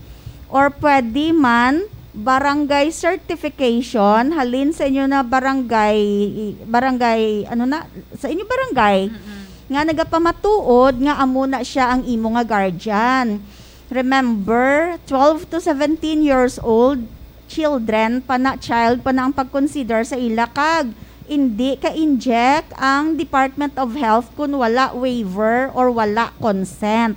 or pwede man barangay certification halin sa inyo na barangay, barangay, ano na, sa inyo barangay, Mm-mm. nga nagapamatuod nga amo na siya ang imo nga guardian. Remember, twelve to seventeen years old, children pa na, child pa na ang pag-consider sa ila, kag indi ka-inject ang Department of Health kun wala waiver or wala consent.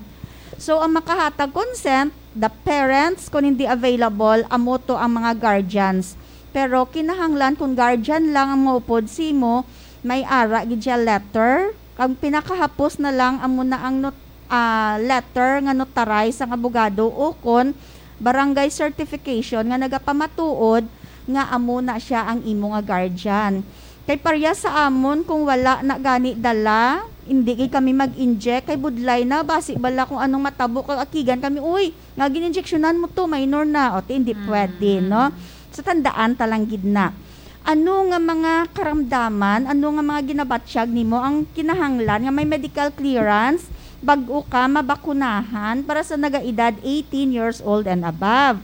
So, ang makahatag consent, the parents, kun hindi available, amo to ang mga guardians. Pero kinahanglan, kung guardian lang ang maupod simo, may ara gid siya letter. Ang pinakahapos na lang, amo na ang not-, ah, letter nga notarized sang abogado o kon barangay certification nga nagapamatuod nga amo na siya ang imo nga guardian. Kay parehas sa amon, kung wala na gani dala, hindi gid kami mag-inject, kay budlay na, basi bala kung anong matabo, kag akigan kami, "Uy, nga gin-injectionan mo to, minor na." O, ti, hindi pwede, Mm. no? So, tandaan ta lang gid na. Ano nga mga karamdaman, ano nga mga ginabatyag nimo ang kinahanglan nga may medical clearance bag-o ka mabakunahan para sa nagaedad eighteen years old and above?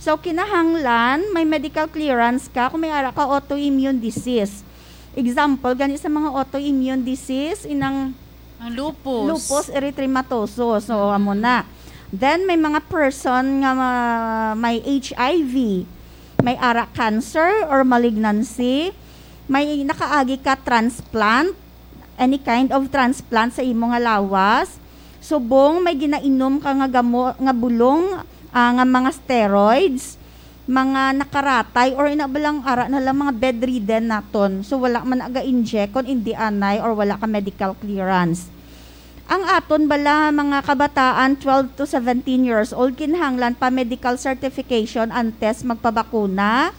So, kinahanglan may medical clearance ka kung may ara ka autoimmune disease. Example gani sa mga autoimmune disease, inang Ang lupus. Lupus erythematosus. So, amo na. Then, may mga person nga ma-, may H I V, may ara cancer or malignancy, may nakaagi ka transplant, any kind of transplant sa imo nga lawas, subong may ginainom ka nga gamo-, nga bulong, ah, nga mga steroids, mga nakaratay, or ina ba lang ara na lang mga bedridden naton. So, wala man aga-inject kung indi anay or wala ka medical clearance. Ang aton bala mga kabataan, twelve to seventeen years old, kinahanglan pa medical certification antes magpabakuna.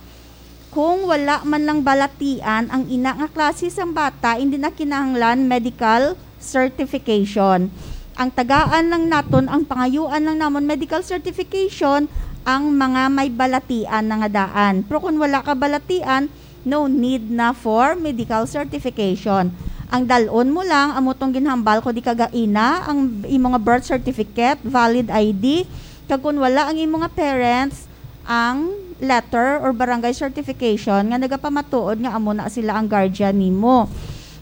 Kung wala man lang balatian ang ina nga klase sang bata, hindi na kinahanglan medical certification. Ang tagaan lang naton, ang pangayuan lang namon medical certification, ang mga may balatian na nga daan. Pero kung wala ka balatian, no need na for medical certification. Ang dal-on mo lang, amo tong ginhambal ko di kagaina, ang imo nga birth certificate, valid I D, kag kung wala ang imo nga parents, ang letter or barangay certification nga nagapamatuod nga amo na sila ang guardian nimo.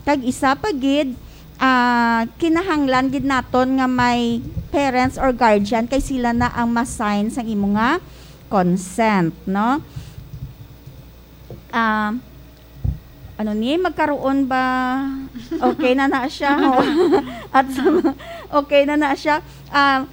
Kag isa pa gid, ah, kinahanglan gid naton nga may parents or guardian kay sila na ang ma-sign sang imo nga consent, no? Ah, ano ni, magkaroon ba? Okay na na siya, ho? At sa, okay na na siya. Ah,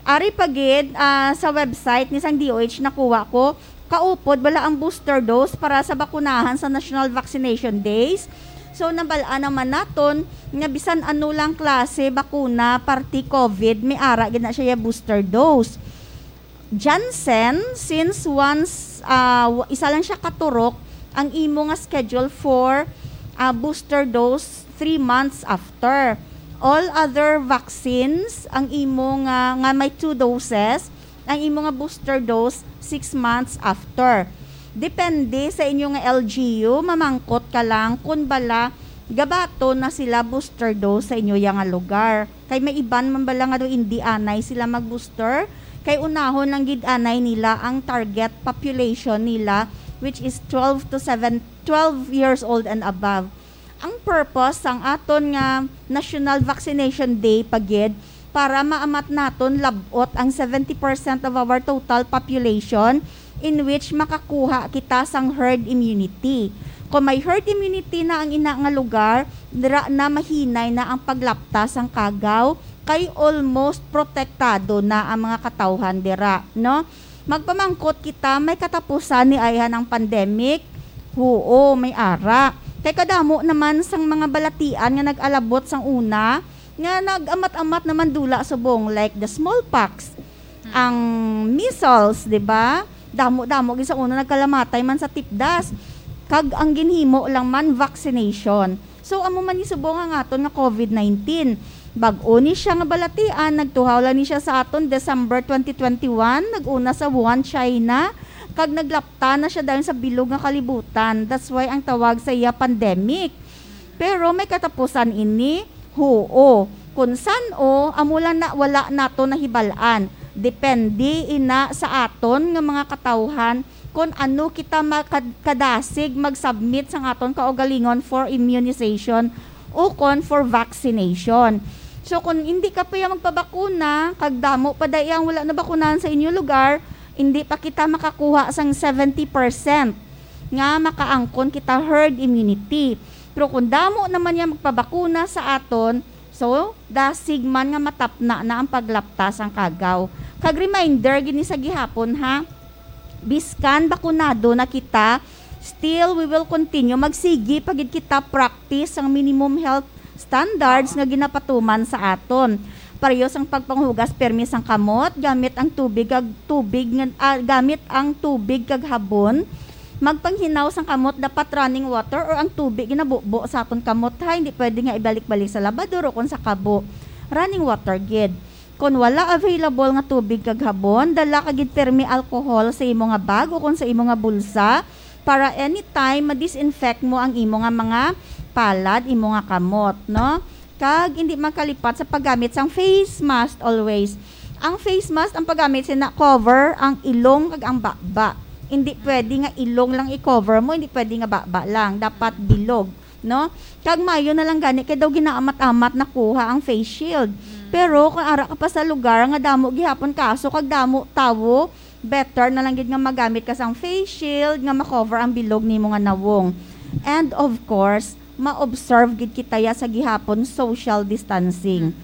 ari pa gid, ah, sa website ni sang D O H nakuha ko, kaupod bala ang booster dose para sa bakunahan sa National Vaccination Days. So, nabal-an naman naton nga bisan ano lang klase bakuna, parti COVID, may ara gid na siya booster dose. Janssen, since once, ah, w-, isa lang siya katurok, ang imo nga schedule for, ah, booster dose three months after. All other vaccines, ang imo nga, nga may two doses, ang imo nga booster dose six months after. Depende sa inyo nga L G U, mamangkot ka lang kung bala gabaton na sila booster dose sa inyo ya nga lugar. Kay may iban man bala nga daw indi anay sila mag-booster, kay unahon lang gid anay nila ang target population nila, which is twelve to seven, twelve years old and above. Ang purpose sang aton nga National Vaccination Day pa gid para maamat naton lab-ot ang seventy percent of our total population, in which makakuha kita sang herd immunity. Kung may herd immunity na ang ina nga lugar, dira na mahinay na ang paglapta sang kagaw, kay almost protektado na ang mga katawhan dira, no? Magpamangkot kita, may katapusan ni ayhan ang pandemic? Huo, may ara. Kay kadamo naman sang mga balatian nga nag-alabot sang una, nga nag-amat-amat naman dula subong, like the smallpox, ang measles, di ba? Damo-damo gid sa una nagkalamatay man sa tipdas. Kag ang ginhimo lang man vaccination. So, amo man ni subong ang aton nga COVID nineteen. Bag-o ni siya nga balatian, nagtuhaw lang ni siya sa aton December twenty twenty-one, nag-una sa Wuhan, China, kag naglapta na siya dayon sa bilog nga kalibutan. That's why ang tawag sa iya pandemic. Pero may katapusan ini? Huo. Kung san-o, amo lang na wala nato nahibal-an. Depende ina sa aton nga mga katawhan kung ano kita makad-, kadasig mag-submit sang aton kaugalingon for immunization o kon for vaccination. So, kung hindi ka pa ya magpabakuna, kag damo pa dai ang wala nabakunahan sa inyo lugar, hindi pa kita makakuha sang seventy percent nga makaangkon kita herd immunity. Pero kung damo naman ya magpabakuna sa aton, so, dasig man nga matapna na ang paglapta sang kagaw. Kag reminder gid ni sa gihapon, ha, biskan bakunado na kita, still we will continue. Magsigi pa gid kita practice sang minimum health standards nga ginapatuman sa aton. Pareho sang pagpanghugas permi sang kamot gamit ang tubig kag tubig nga, ah, gamit ang tubig kag habon. Magpanghinaw sang kamot dapat running water or ang tubig ginabubo sa aton kamot, ha. Hindi pwede nga ibalik-balik sa labador o kon sa kabo. Running water gid. Kon wala available nga tubig kag habon, dala ka gid permi alcohol sa imo nga bag o kon sa imo nga bulsa para anytime ma-disinfect mo ang imo nga mga palad, imo nga kamot, no? Kag hindi makalipat sa paggamit sang face mask always. Ang face mask, ang paggamit sina cover ang ilong kag ang baba. Hindi pwede nga ilong lang i-cover mo, hindi pwede nga baba lang, dapat bilog, no? Kag maayo na lang gani kay daw ginaamat-amat nakuha ang face shield. Mm. Pero kung ara ka pa sa lugar nga damo gihapon kaso kag damo tawo, better na lang gid nga magamit ka sang face shield nga ma-cover ang bilog nimo nga nawong. And of course, ma-observe gid kita ya sa gihapon social distancing. Mm.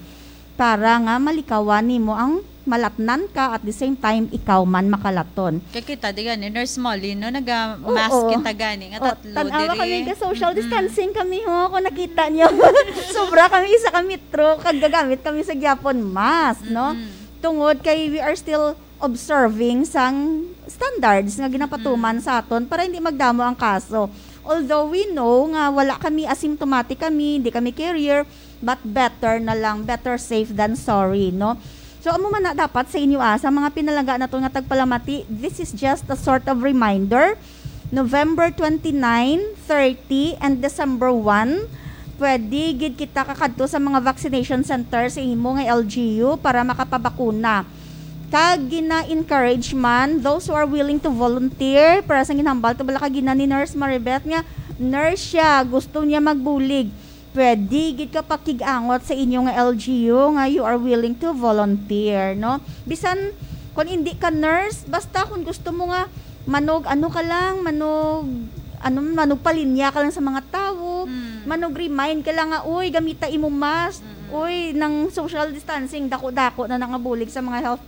Para nga malikawan nimo ang malatnan ka, at the same time, ikaw man makalaton. Kay kita, di gani, Nurse Molly, no? Naga-mask Oo. kita gani, nga O, tatlo tan-awa diri. Kami ka social Mm-mm. distancing kami, ho, kung nakita nyo. Sobra kami, isa ka metro, kag gagamit kami sa gyapon mask, no? Mm-mm. Tungod kay we are still observing sang standards nga ginapatuman Mm-mm. sa aton para hindi magdamo ang kaso. Although we know nga wala kami, asymptomatic kami, hindi kami carrier, but better na lang, better safe than sorry, no? So, amo man na dapat sa inyo, ah, sa mga pinalangga nato nga tagpalamati, this is just a sort of reminder. November twenty-nine, thirty, and December one, pwede gid kita kakadto sa mga vaccination center sa imo nga L G U para makapabakuna. Kag gina-encourage man those who are willing to volunteer, para sa ginhambal to bala ka gina ni Nurse Maribeth nga nurse siya, gusto niya magbulig. pwede gid ka pakig-angot sa inyo nga L G U nga you are willing to volunteer, no? Bisan kung hindi ka nurse, basta kung gusto mo nga manog, ano ka lang, manog, ano, manog palinya ka lang sa mga tawo, Mm. manog remind ka lang nga, "Uy, gamita imo mask. Mm-mm. Uy, nang social distancing, dako-dako na nangabulig sa mga health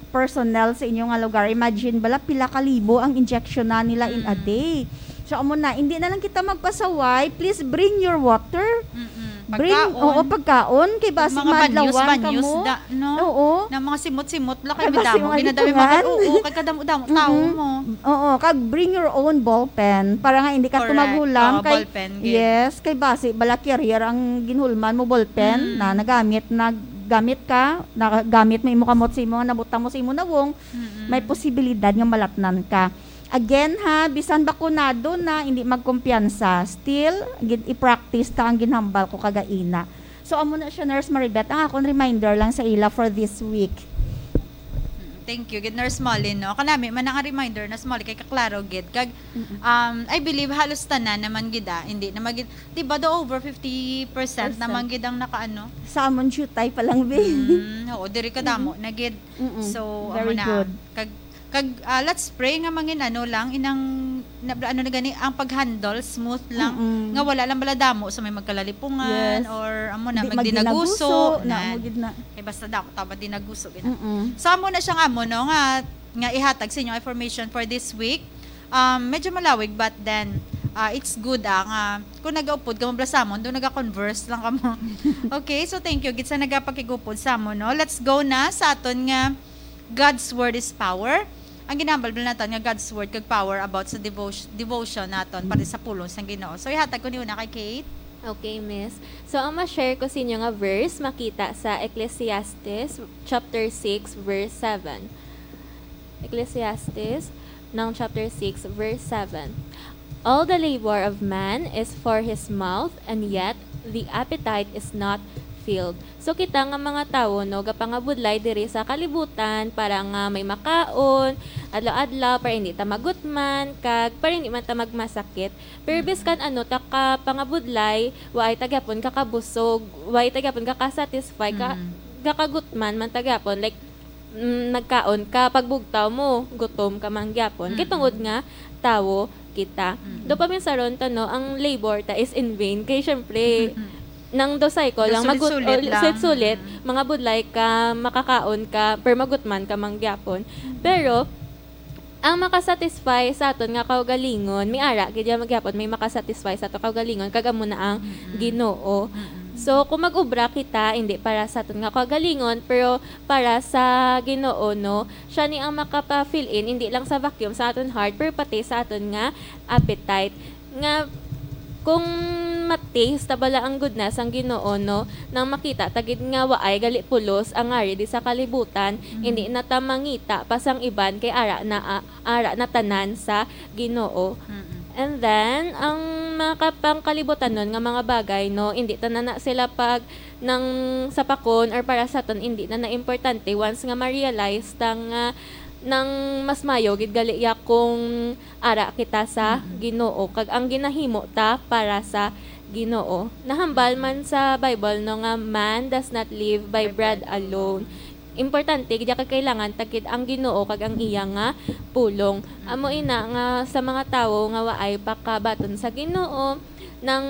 personnel sa inyo nga lugar." Imagine bala, pila ka libo ang injection na nila in a Mm. day. So, amo na, hindi na lang kita magpasaway. Please bring your water. Mm-mm. Bring, Pagkaon. oo, pagkaon. Kay Ug basi mga madlawan banyos-banyos kamo. da, no? Oo. Na mga simot-simot la kay Kay basi madamo. mga Ginadami litungan. mga, oo, kay kadamo-damo tao Mm-mm. mo. Oo, kag bring your own ballpen para nga hindi ka Correct. tumaghulam Oo, kay, ballpen, gid. yes, kay basi bala carrier ang ginhulman mo, ballpen Mm. na nagamit, nagamit ka, nagamit mo imo kamot sa imo nga nabutang mo sa imo nawong, Mm-mm. may posibilidad nga malatnan ka. Again ha, bisan bakunado na, hindi magkumpiyansa. Still, gid i-practice ta ang ginhambal ko kagaina. So, amo na siya, Nurse Maribeth, ang akon reminder lang sa ila for this week. Mm, thank you gid, Nurse Molly, no? Kanami man ang reminder, Nurse Molly, kay kaklaro gid. Kag, Mm-mm. um, I believe, halos tanan naman gid, ah. Hindi naman gid, di ba, do over fifty percent Percent. naman gid ang nakaano? Sa amon, jutay pa lang, be. Mm, oo, diri kadamo Mm-mm. na gid. Mm-mm. So, Very amo na. good. Kag, kag, ah, let's pray nga mangin ano lang, inang, na, ano na gani, ang pag-handle smooth lang, Mm-mm. nga wala lang bala damo sa may magkalalipungan, Yes. or amo na, Di magdinaguso, magdinaguso, na na. amo gid na. Kay basta damo, tama, dinaguso, gid na. Mm-mm. So, amo na siya nga amo, no, nga, nga ihatag sa inyo information for this week. Um, medyo malawig, but then, ah, it's good, ah, nga kung nagaupod ka mo bala sa amon, do naga-converse lang kamo. Okay, so thank you gid sa nagapakigupod sa amon, no? Let's go na sa aton nga God's Word is Power. Ang ginambal bala naton nga God's Word kag power about sa devotion, devotion naton para sa pulong sang Ginoo. So, ihatag ko ni una kay Kate. Okay, miss. So, ang ma-share ko sa inyo nga verse makita sa Ecclesiastes chapter six, verse seven. Ecclesiastes, ng chapter six, verse seven. "All the labor of man is for his mouth, and yet the appetite is not filled." So, kita nga mga tawo, no, gapangabudlay diri sa kalibutan para nga may makaon adlaw-adlaw, para hindi ta magutman, kag para hindi man ta magmasakit. Pero Mm. biskan ano ta ka pangabudlay, waay ta gyapon kakabusog, waay ta gyapon kakasatisfy, ka, Mm. kakagutman man ta gyapon. Like, mm, nagkaon ka, pagbugtaw mo, gutom ka man gyapon. Kay Mm. tungod nga, tawo kita. Mm. Do paminsaron ta, no, ang labor ta is in vain. Kay syempre, Mm. nang do cycle lang, magut-, Sulit-sulit o, lang. sulit-sulit, Mm. mangabudlay ka, makakaon ka, pero magutman ka man gyapon. Mm. Pero, ang makasatisfy sa aton nga kaugalingon, may ara gid ya gyapon, may makasatisfy sa aton kaugalingon, kag amo na ang Mm. Ginoo. Mm. So, kung mag-obra kita, hindi para sa aton nga kaugalingon, pero para sa Ginoo, no? Siya ni ang makapa-fill in, hindi lang sa vacuum sa aton heart, pero pati sa aton nga appetite. Nga, kung ma-taste ta bala ang goodness sang Ginoo, no? Nang makita ta gid nga waay gali pulos ang ari di sa kalibutan, Mm. hindi na ta mangita pa sang iban kay ara na, ah, ara na tanan sa Ginoo. Mm-mm. And then, ang mga kapangkalibutanon nga mga bagay, no, hindi ta na, na sila pag nang sapakon or para sa aton, hindi na na importante once nga ma-realize ta nga nang mas mayo gid gali ya kung ara kita sa Mm-mm. Ginoo, kag ang ginahimo ta para sa Ginoo. Nahambal Mm-mm. man sa Bible, no, nga man does not live by By bread bread alone. alone. Importante gid ya kay kailangan ta gid ang Ginoo kag ang iya nga pulong. Amo Mm. ina nga sa mga tawo nga waay pa kabaton sa Ginoo, nang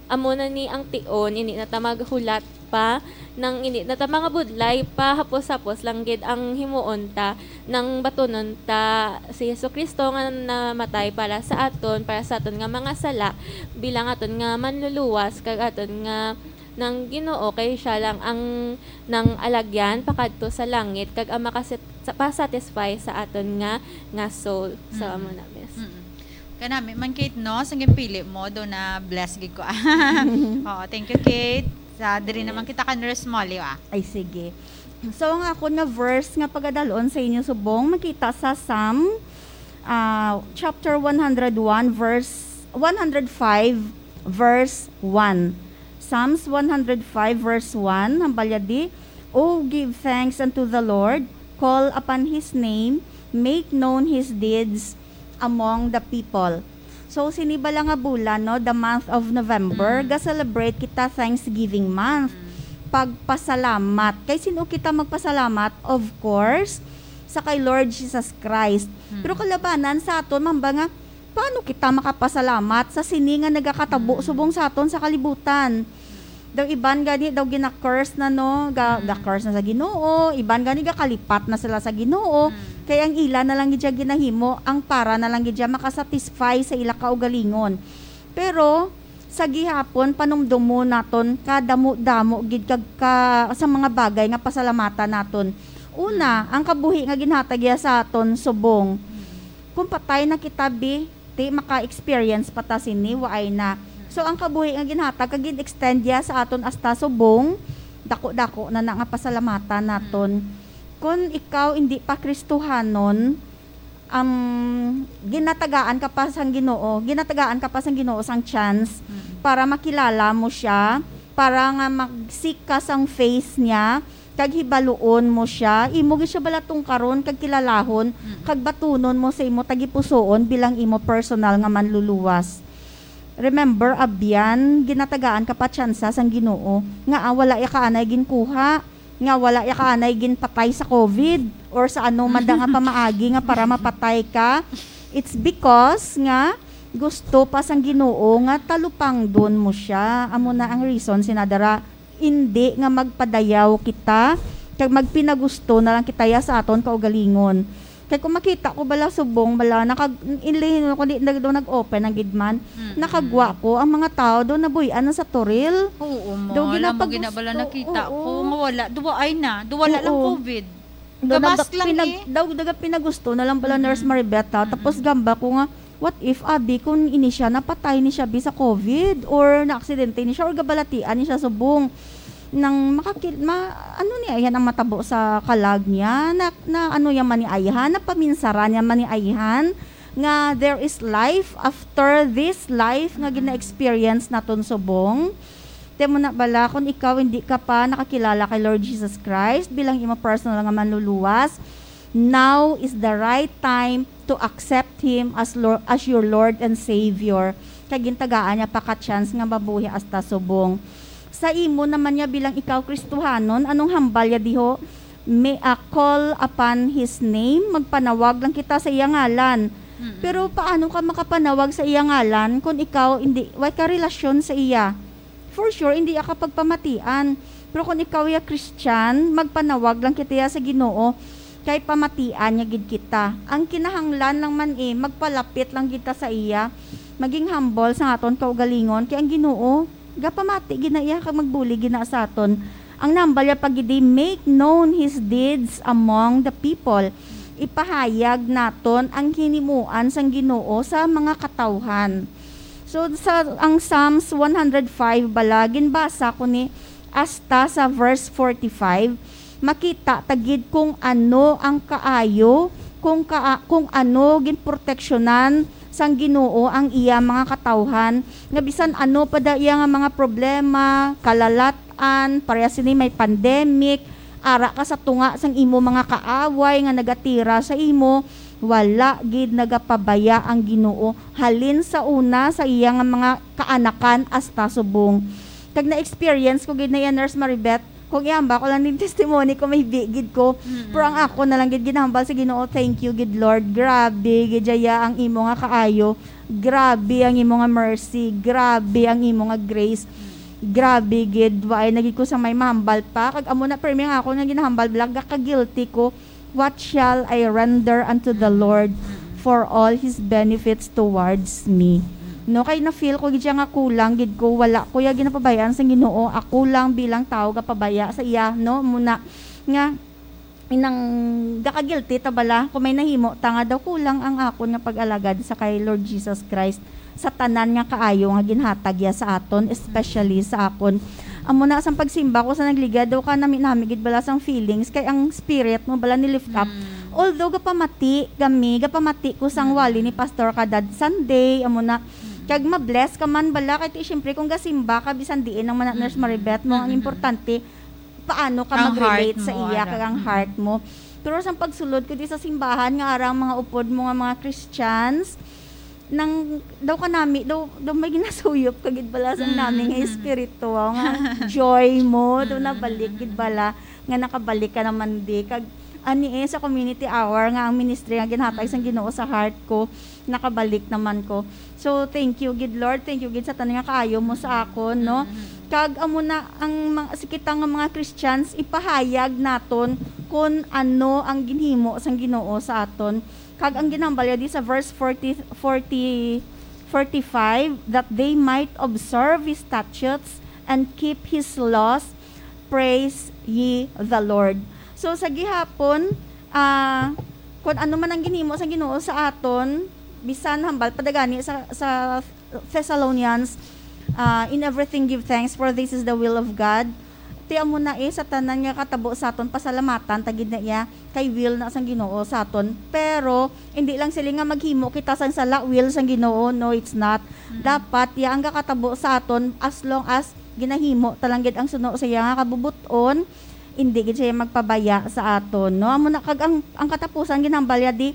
amo na ni ang tion, hindi na ta maghulat pa, nang hindi na ta mangabudlay pa, hapos-hapos lang gid ang himuon ta, nang batunon ta si Jesu-Cristo nga namatay para sa aton, para sa aton nga mga sala, bilang aton nga manluluwas, kag aton nga nang Ginoo, kay siya lang ang nang alagyan pakadto sa langit, kag ang makasit-, sa, pa-satisfy sa aton nga, nga soul. So, Mm. amo na, miss. Mm. Kanami man, Kate, no? Sa ginpili mo, do na bless gid ko. Oo, thank you, Kate. Sa diri Yes. naman kita ka Nurse Molly, ah. Ay, sige. So, ang akon nga verse nga pagadalon sa inyo subong, makita sa Psalm, ah, chapter one hundred one, verse, one hundred five, verse one. Psalms one hundred five, verse one, hambal ya di, "O give thanks unto the Lord, call upon his name, make known his deeds among the people." So, sini bala nga bulan, no, the month of November, Mm. ga-celebrate kita Thanksgiving Month. Mm. Pagpasalamat. Kay sino kita magpasalamat? Of course, sa kay Lord Jesus Christ. Mm. Pero kalabanan sa aton, mamba nga, paano kita makapasalamat sa sini nga nagakatabo Mm. subong sa aton sa kalibutan? Daw iban gani daw gina-curse na, no, ga, Mm. ga-curse na sa Ginoo, iban gani gakalipat na sila sa Ginoo, Mm. kay ang ila na lang gid siya ginahimo, ang para na lang gid siya makasatisfy sa ila kaugalingon. Pero sa gihapon, panumdomo naton kadamo-damo gid kag ka, sa mga bagay nga pasalamatan naton. Una, Mm. ang kabuhi nga ginhatag iya sa aton subong. Mm. Kung patay na kita, bi, ti maka-experience pa ta sini, waay na. So, ang kabuhi nga ginhatag kag gin-extend ya sa aton hasta subong, dako-dako na na nga pasalamatan naton. Mm. Kon ikaw indi pa Kristohanon, um, ginatagaan ka pa sang Ginoo, ginatagaan ka pa sang Ginoo sang chance Mm. para makilala mo siya, para nga mag-seek ka sang face niya, kag hibaluon mo siya, imo gid siya bala tungkaron kag kilalahon, Mm. kag batunon mo sa imo tagipusoon bilang imo personal nga manluluwas. Remember, abyan, ginatagaan ka pa tsansa sang Ginoo nga, ah, wala ya ka anay ginkuha, nga wala ya ka anay ginpatay sa covid or sa ano man da nga pamaagi nga para mapatay ka. It's because nga gusto pa sang Ginoo nga talupangdon mo siya. Amo na ang reason, sinadara, indi nga magpadayaw kita, kag magpinagusto na lang kita ya sa aton kaugalingon. Kay kung makita ko bala subong, bala, nakag-, inlihin ko, di na daw nag-open ang gid man. Mm-mm. Nakagwa ko, ang mga tao daw nabuy-an na sa Toril. Oo, ma. Daw Alam mo, ginapag-, gina bala gusto. Nakita Oo. ko, nga wala, duwaay na, duwala lang Oo. covid. Daw Gabas naga-, lang pinag-, eh. Daw nagapinagusto na lang bala, Mm-mm. Nurse Maribeth, ha? Mm-mm. Tapos gamba ko nga, what if, abi, kung ini siya, napatay ni siya, bi, sa covid, or naaksidente ni siya, or gabalatian ni siya subong? Nang makakil-, ma-, ano ni, ayan ang matabo sa kalag niya, na, na ano niya man ni ayhan, na paminsaran niya man ni ayhan, nga there is life after this life nga Mm-mm. gina-experience naton subong. Ti mo na bala, kung ikaw hindi ka pa nakakilala kay Lord Jesus Christ bilang imo personal nga manluluwas, now is the right time to accept Him as Lord, as your Lord and Savior. Kay gintagaan niya pa ka chance nga mabuhi hasta subong. Sa imo naman niya bilang ikaw Kristohanon, anong hambal ya diho? May, ah, call upon His name, magpanawag lang kita sa iya ngalan. Mm-mm. Pero paano ka makapanawag sa iya ngalan kung ikaw hindi, way ka relasyon sa iya? For sure, hindi ka pagpamatian. Pero kung ikaw ya Christian, magpanawag lang kita ya sa Ginoo, kay pamatian niya gid kita. Ang kinahanglan lang man, eh, magpalapit lang kita sa iya, maging humble sa aton kaugalingon, kay ang Ginoo gapamati gid na iya kag magbulig gid na sa aton. Ang nambal ya pa gid, "Make known his deeds among the people." Ipahayag naton ang hinimuan sang Ginoo sa mga katawhan. So, sa, ang Psalms one hundred five bala, ginbasa ko ni hasta sa verse forty-five, makita ta gid kung ano ang kaayo, kung ka-, kung ano ginproteksyonan sang Ginoo ang iya mga katawhan, nga bisan ano pa da iya nga mga problema, kalalat-an, parehas sini may pandemic, ara ka sa tunga sang imo mga kaaway nga nagatira sa imo, wala gid nagapabaya ang Ginoo halin sa una sa iya nga mga kaanakan hasta subong. Kag na-experience ko gid na iya, Nurse Maribeth, kung ihamba ko lang din testimony ko, may bi gid ko. Mm-mm. Pero ang ako na lang gid ginahambal sa Ginoo, "Thank you gid, Lord. Grabe gid ya ang imo nga kaayo. Grabe ang imo nga mercy. Grabe ang imo nga grace. Grabe gid, waay na gid ko sa may mahambal pa." Kag amo na, permi ang ako nga ginahambal, bala, gaka-guilty ko. "What shall I render unto the Lord for all his benefits towards me?" No, kay na-feel ko gid siya nga kulang gid ko, wala ko ya ginapabay-an sang Ginoo, ako lang bilang tawo gapabaya sa iya, no? Muna nga, inang gaka-guilty ta bala kung may nahimo ta nga daw kulang ang akon nga pag-alagad sa kay Lord Jesus Christ, sa tanan nga kaayo nga ginhatag ya sa aton, especially sa akon. Amo na, sang pagsimba ko sa nagligad, daw ka nami-nami gid bala sang feelings, kay ang spirit mo bala ni-lift up. Mm. Although gapamati kami, gapamati ko sang Mm. wali ni Pastor kada Sunday, amo na. Mm. Kag ma-bless ka man bala, kay ti, syempre, kung gasimba ka, bisan diin ang mana-, Nurse Mm. Maribeth mo, ang Mm. importante, paano ka Ang mag-relate heart sa mo, iya, ara. kag ang Mm. heart mo. Pero sang pagsulod ko di sa simbahan, nga arang mga upod mo nga mga Christians, nang daw kanami, daw, daw may ginasuyop ka gid bala sa Mm, nami nga mm. espiritu, nga joy mo, daw Mm, nabalik mm, gid mm. bala, nga nakabalik ka naman di. Kag, ani eh, sa community hour nga ang ministry nga ginhatag sang Mm. Ginoo sa heart ko, nakabalik naman ko. So, thank you gid, Lord. Thank you gid sa tanan nga kaayo mo sa akon, no? Mm. Kag amo na ang mga, si kita nga mga Christians, ipahayag naton kung ano ang ginhimo sang Ginoo sa aton. Kag ang ginhambal ya di sa verse forty, forty, forty-five, "That they might observe his statutes and keep his laws, praise ye the Lord." So, sa gihapon, ah, kung ano man ang ginhimo sa Ginoo sa aton, bisan hambal pa da gani sa, sa Thessalonians, ah, "In everything give thanks, for this is the will of God." Ti amo na eh, sa tanan nga katabo sa aton, pasalamatan ta gid na iya, kay will na sang Ginoo sa aton. Pero, hindi lang sila nga maghimo kita sang sala, will sang Ginoo. No, it's not. Dapat, iya ang gakatabo sa aton as long as ginahimo ta lang gid ang suno sa iya nga kabubut-on, hindi gid siya magpabaya sa aton, no? Amo na, kag ang, ang katapusan, ginhambal ya di,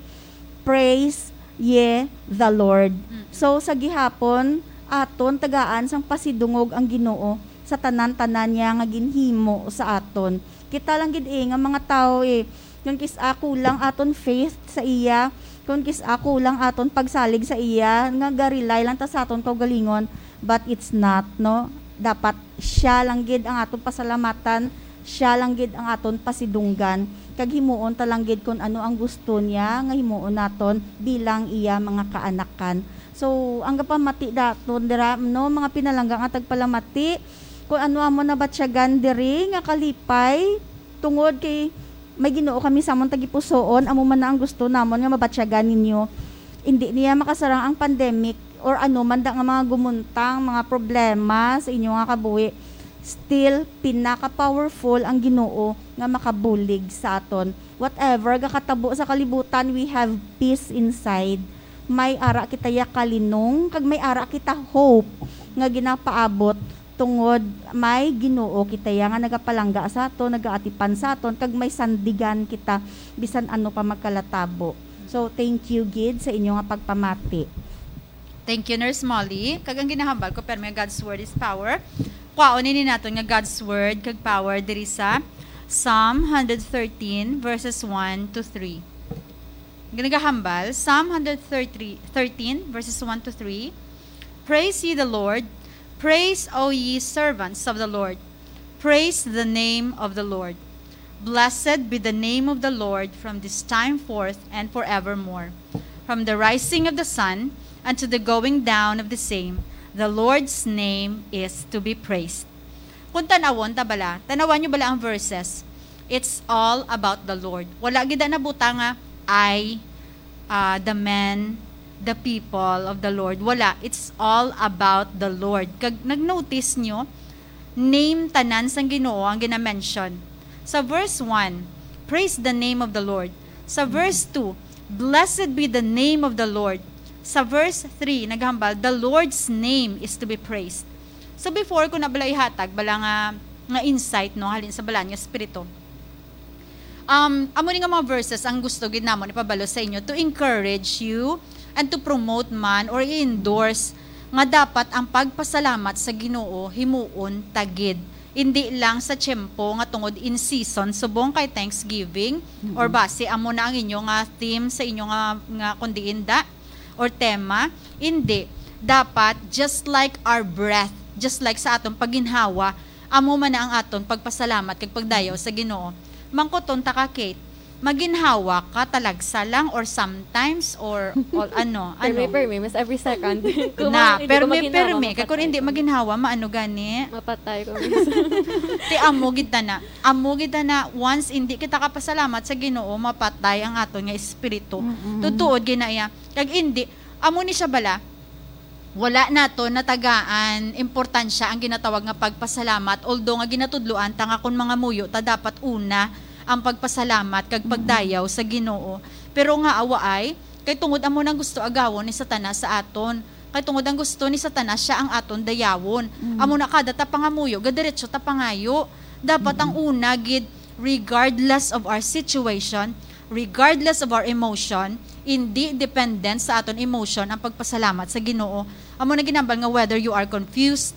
"Praise ye the Lord." So, sa gihapon, aton tagaan sang pasidungog ang Ginoo sa tanan-tanan niya nga ginhimo sa aton. Kita lang gid eh, nga mga tawo eh, kung kis-a kulang aton faith sa iya, kung kis-a kulang aton pagsalig sa iya, nga ga-rely lang ta sa aton kaugalingon, but it's not, no? Dapat siya lang gid ang aton pasalamatan, siya lang gid ang aton pasidunggan, kag himuon ta lang gid kung ano ang gusto niya nga himuon naton bilang iya mga kaanakan. So, ang gapamati daton dira, no, mga pinalangga nga tagpalamati, kung ano amo nabatyagan diri nga kalipay, tungod kay may Ginoo kami sa amon tagipusoon, amo man na ang gusto namon nga mabatyagan ninyo. Indi niya makasarang ang pandemic or ano man da nga mga gumuntang, mga problema sa inyo nga kabuhi. Still, pinaka-powerful ang Ginoo nga makabulig sa aton. Whatever gakatabo sa kalibutan, we have peace inside. May ara kita ya kalinong, kag may ara kita hope nga ginapaabot tungod may Ginoo kita ya nga nagapalangga sa aton, nagaatipan sa aton, kag may sandigan kita bisan ano pa magkalatabo. So, thank you gid sa inyo nga pagpamati. Thank you, Nurse Molly. Kag ang ginahambal ko, pero may God's Word is power. Kwaon ini naton nga God's Word kag power diri sa Psalm one hundred thirteen, verses one to three. Ginagahambal, Psalm one hundred thirteen, verses one to three. "Praise ye the Lord. Praise, O ye servants of the Lord. Praise the name of the Lord. Blessed be the name of the Lord from this time forth and forevermore. From the rising of the sun unto the going down of the same, the Lord's name is to be praised." Kung tanawon ta bala, tanawan nyo bala ang verses. It's all about the Lord. Wala gid na butang nga, "I, uh, the men, the people of the Lord." Wala. It's all about the Lord. Kag nag-notice nyo, name tanan sang Ginoo ang gina-mention. Sa verse one, "Praise the name of the Lord." Sa verse two, "Blessed be the name of the Lord." Sa verse three, naghambal, "The Lord's name is to be praised." So before ko na bala ihatag, bala nga, nga insight, no, halin sa Balaan nga Espiritu. Um, amo ni nga mga verses ang gusto gid namon ipabalo sa inyo to encourage you and to promote man or i-endorse nga dapat ang pagpasalamat sa Ginoo himuon ta gid. Hindi lang sa tiyempo nga tungod in season, subong kay Thanksgiving, or basi amo na ang inyo nga theme sa inyo nga, nga kundi inda or tema. Hindi. Dapat, just like our breath, just like sa atong pagginhawa, amo man na ang aton pagpasalamat kag pagdayaw sa Ginoo. Mangkuton ta ka, Kate, maginhawa ka talagsa lang or sometimes or all ano, ano? Permi, permi, mas every second. Kung Na, hindi ko permi, maginhawa, permi. Kay kung mapatay hindi ko. Maginhawa, maano gani? Mapatay ko. Ti amo gid na. Amo gid na, once hindi kita kapasalamat sa Ginoo, mapatay ang aton nga espiritu. Tutuod gid na iya. Kag hindi, amo ni siya bala, wala nato natagaan importansya ang ginatawag nga pagpasalamat, although nga ginatudloan ta nga kung mangamuyo ta, dapat una ang pagpasalamat kag pagdayaw sa Ginoo. Pero nga awaay, kay tungod amo nang gusto agawon ni Satanas sa aton. Kay tungod ang gusto ni Satanas, siya ang aton dayawon. Amo na, kada ta pangamuyo, gadiretso ta pangayo. Dapat ang una gid, regardless of our situation, regardless of our emotion, hindi dependent sa aton emotion ang pagpasalamat sa Ginoo. Amo na ginambal nga whether you are confused,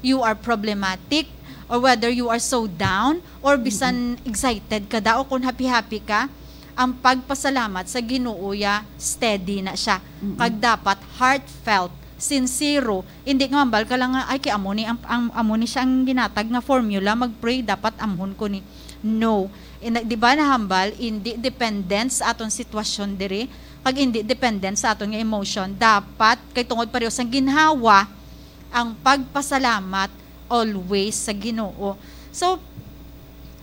you are problematic, or whether you are so down, or bisan excited ka daw, o kung happy-happy ka, ang pagpasalamat sa Ginoo ya steady na siya. Kag dapat heartfelt, sincero, hindi nga hambal ka lang nga, "Ay, kay amo ni ang, ang amo ni siya ang ginatag nga formula, mag-pray, dapat amhon ko ni." No. In, di ba nahambal, hindi dependent sa aton sitwasyon diri, kag hindi dependent sa aton nga emotion. Dapat, kay tungod pareho sang ginhawa, ang pagpasalamat always sa Ginoo. So,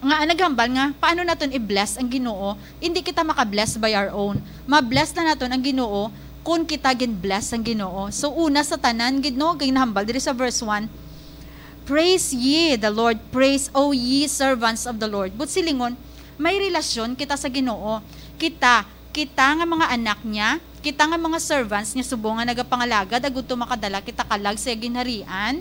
nga naghambal nga, paano naton i-bless ang Ginoo? Hindi kita maka-bless by our own. Ma-bless na naton ang Ginoo kung kita gin-bless ang Ginoo. So, una sa tanan gid, no, kay nahambal diri sa verse one, "Praise ye the Lord, praise, O ye servants of the Lord." But silingon, may relasyon kita sa Ginoo. Kita, kita nga mga anak niya, kita nga mga servants niya, subong nga nagapangalagad, agud to makadala kita kalag sa ginharian,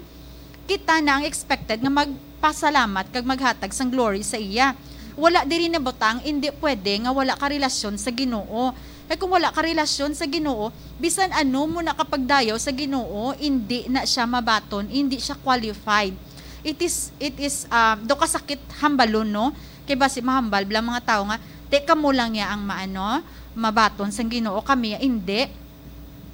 kita na ang expected nga magpasalamat kag maghatag sang glory sa iya. Wala diri nabutang, indi pwede nga wala ka relasyon sa Ginoo. Kay kung wala ka relasyon sa Ginoo, bisan ano mo nakapagdayaw sa Ginoo, indi na siya mabaton, indi siya qualified. It is, it is, um, do kasakit hambalon, no? Kay basi mahambal bala mga tawo nga, "Te, kamo lang ya ang maano, mabaton sang Ginoo, kami ya indi."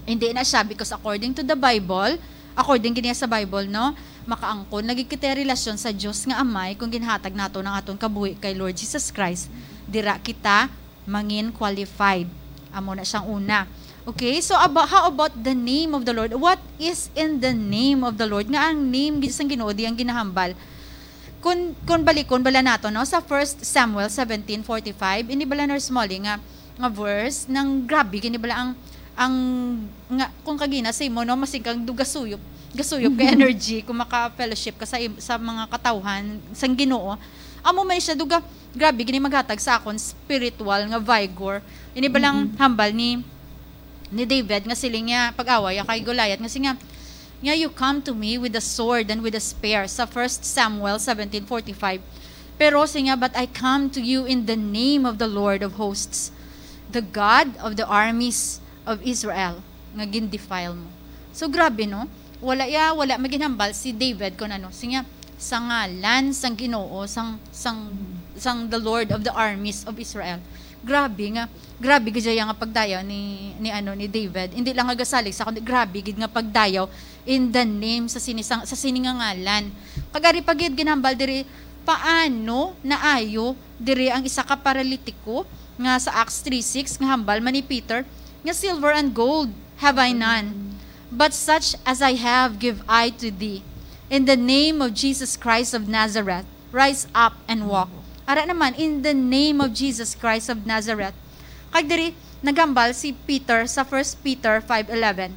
Indi na siya, because according to the Bible, according gid niya sa Bible, no, makaangkon lagi kita relasyon sa Dios nga Amay kung ginhatag nato ang aton kabuhi kay Lord Jesus Christ. Dira kita mangin qualified. Amo na siyang una. Okay, so aba-, how about the name of the Lord? What is in the name of the Lord? Nga ang name gid sang Ginoo di ang ginahambal. Kun, kun balikon bala nato, no, sa First Samuel seventeen forty-five, ini bala, Nurse Molly, nga, nga verse, nang grabe gini bala ang, ang, nga, kung kagina sa imo, no, masig kang do gasuyop, gasuyop ka energy kung maka-fellowship ka sa im-, sa mga katawhan sang Ginoo. Amo man siya, do ga-, grabe gini maghatag sa akon spiritual nga vigor. Ini balang hambal ni, ni David nga siling niya, pag-away ya kay Goliath, nga siling niya, "Nga you come to me with a sword and with a spear," sa First Samuel seventeen forty-five. Pero siling niya, "But I come to you in the name of the Lord of hosts, the God of the armies of Israel, nga gin-defile mo." So, grabe, no? Wala ya, wala maginhambal si David kon ano. Siling niya, "Sa ngalan sang Ginoo, sang, sang, sang the Lord of the armies of Israel." Grabe nga, grabe gid siya nga pagdayaw ni, ni, ano, ni David. Hindi lang nga gasalig sa, kundi grabe gid nga pagdayaw in the name sa sini, sa, sa sini nga ngalan. Kag ari pa gid ginhambal diri, paano naayo diri ang isa ka paralitiko nga sa Acts three six nga hambal man ni Peter nga, "Silver and gold have I none, but such as I have give I to thee. In the name of Jesus Christ of Nazareth, rise up and walk." Ara naman, "In the name of Jesus Christ of Nazareth." Kag diri, naghambal si Peter sa First Peter five eleven,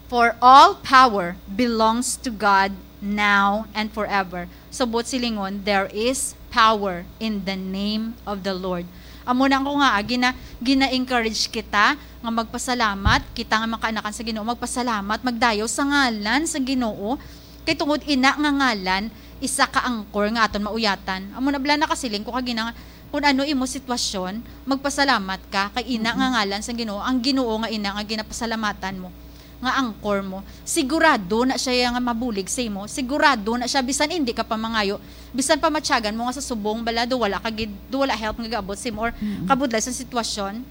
"For all power belongs to God now and forever." So, buot silingon, there is power in the name of the Lord. Amo na ko nga, ah, gina-, gina-encourage kita nga magpasalamat, kita nga mga kaanakan sa Ginoo, magpasalamat, magdayaw sa ngalan sa Ginoo, kay tungod ina nga ngalan, isa ka angkor nga aton mauyatan. Amo na bala nakasiling ko kagina nga, kung ano imo sitwasyon, magpasalamat ka, kay ina nga ngalan sa Ginoo, ang Ginoo nga ina nga ginapasalamatan mo, nga angkor mo. Sigurado na siya nga mabulig sa imo. Sigurado na siya, bisan hindi ka pa mangayo, bisan pa matyagan mo nga sa subong bala, do wala ka gid, do wala help nga gaabot sa imo, or kabudlay sa sitwasyon,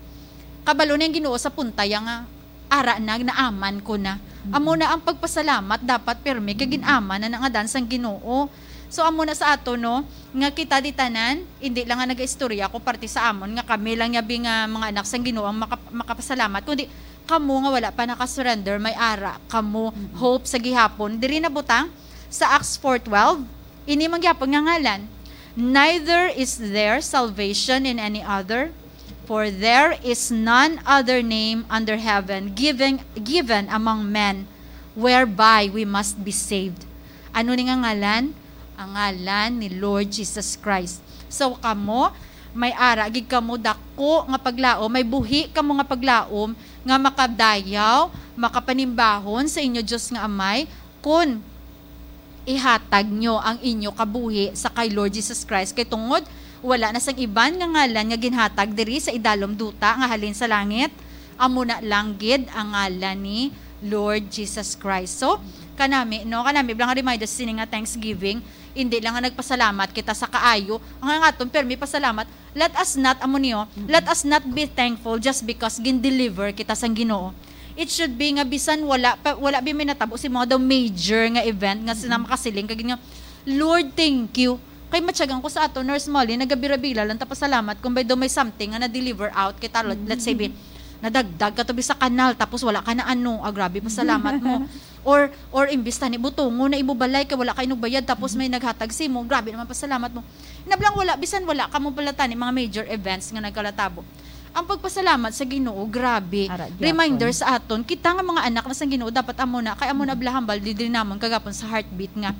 kabalo na ang Ginoo sa punta ya nga, "Ara na, naaman ko na." Amo na ang pagpasalamat, dapat pirmi kay gin-aman na nga dan sang Ginoo. So, amo na sa ato, no, nga kita di tanan, hindi lang nga nagaistorya ko parte sa amon nga kami lang yabi nga mga anak sang Ginoo ang maka-, makapasalamat, kundi kamo nga wala pa naka-surrender, may ara kamo hope sa gihapon. Diri na butang sa Acts four twelve, ini man gyapon nga ngalan, "Neither is there salvation in any other, for there is none other name under heaven given, given among men whereby we must be saved." Ano ni nga ngalan? Ang ngalan ni Lord Jesus Christ. So, kamo, may ara gid kamo dako nga paglaom, may buhi kamo nga paglaom nga makadayaw, makapanimbahon sa inyo Dios nga Amay, kun ihatag nyo ang inyo kabuhi sa kay Lord Jesus Christ. Kay tungod Wala na sang iban nga ngalan nga ginhatag diri sa idalom duta nga halin sa langit, amo na lang gid ang ngalan ni Lord Jesus Christ. So, kanami, no, kanami lang nga reminder sini nga Thanksgiving, hindi lang nga nagpasalamat kita sa kaayo, ang aton permi pasalamat, let us not, amo niyo, let us not be thankful just because gin-deliver kita sang Ginoo. It should be nga bisan wala pa, wala bi may natabo si mga daw major nga event nga sila makasiling kag nga, "Lord, thank you." Kay matyagan ko sa ato, Nurse Molly, nagabirabila lang ta pasalamat kung may daw may something nga na-deliver out kita. Let- let's say, bi, nadagdag ka to bi sa kanal, tapos wala ka na ano, ah, grabe, pasalamat mo. Or, or imbis tani butongo na imo balay kay wala ka inugbayad, tapos may naghatag simo, grabe naman pasalamat mo. Nablang wala, bisan wala ka mo pala tani mga major events nga nagkalatabo. Ang pagpasalamat sa Ginoo, grabe. Ara, gyapon. Reminder sa aton, kita nga mga anak na sang Ginoo, dapat amo na, kay amo na bala hambal diri namon kagapon sa heartbeat nga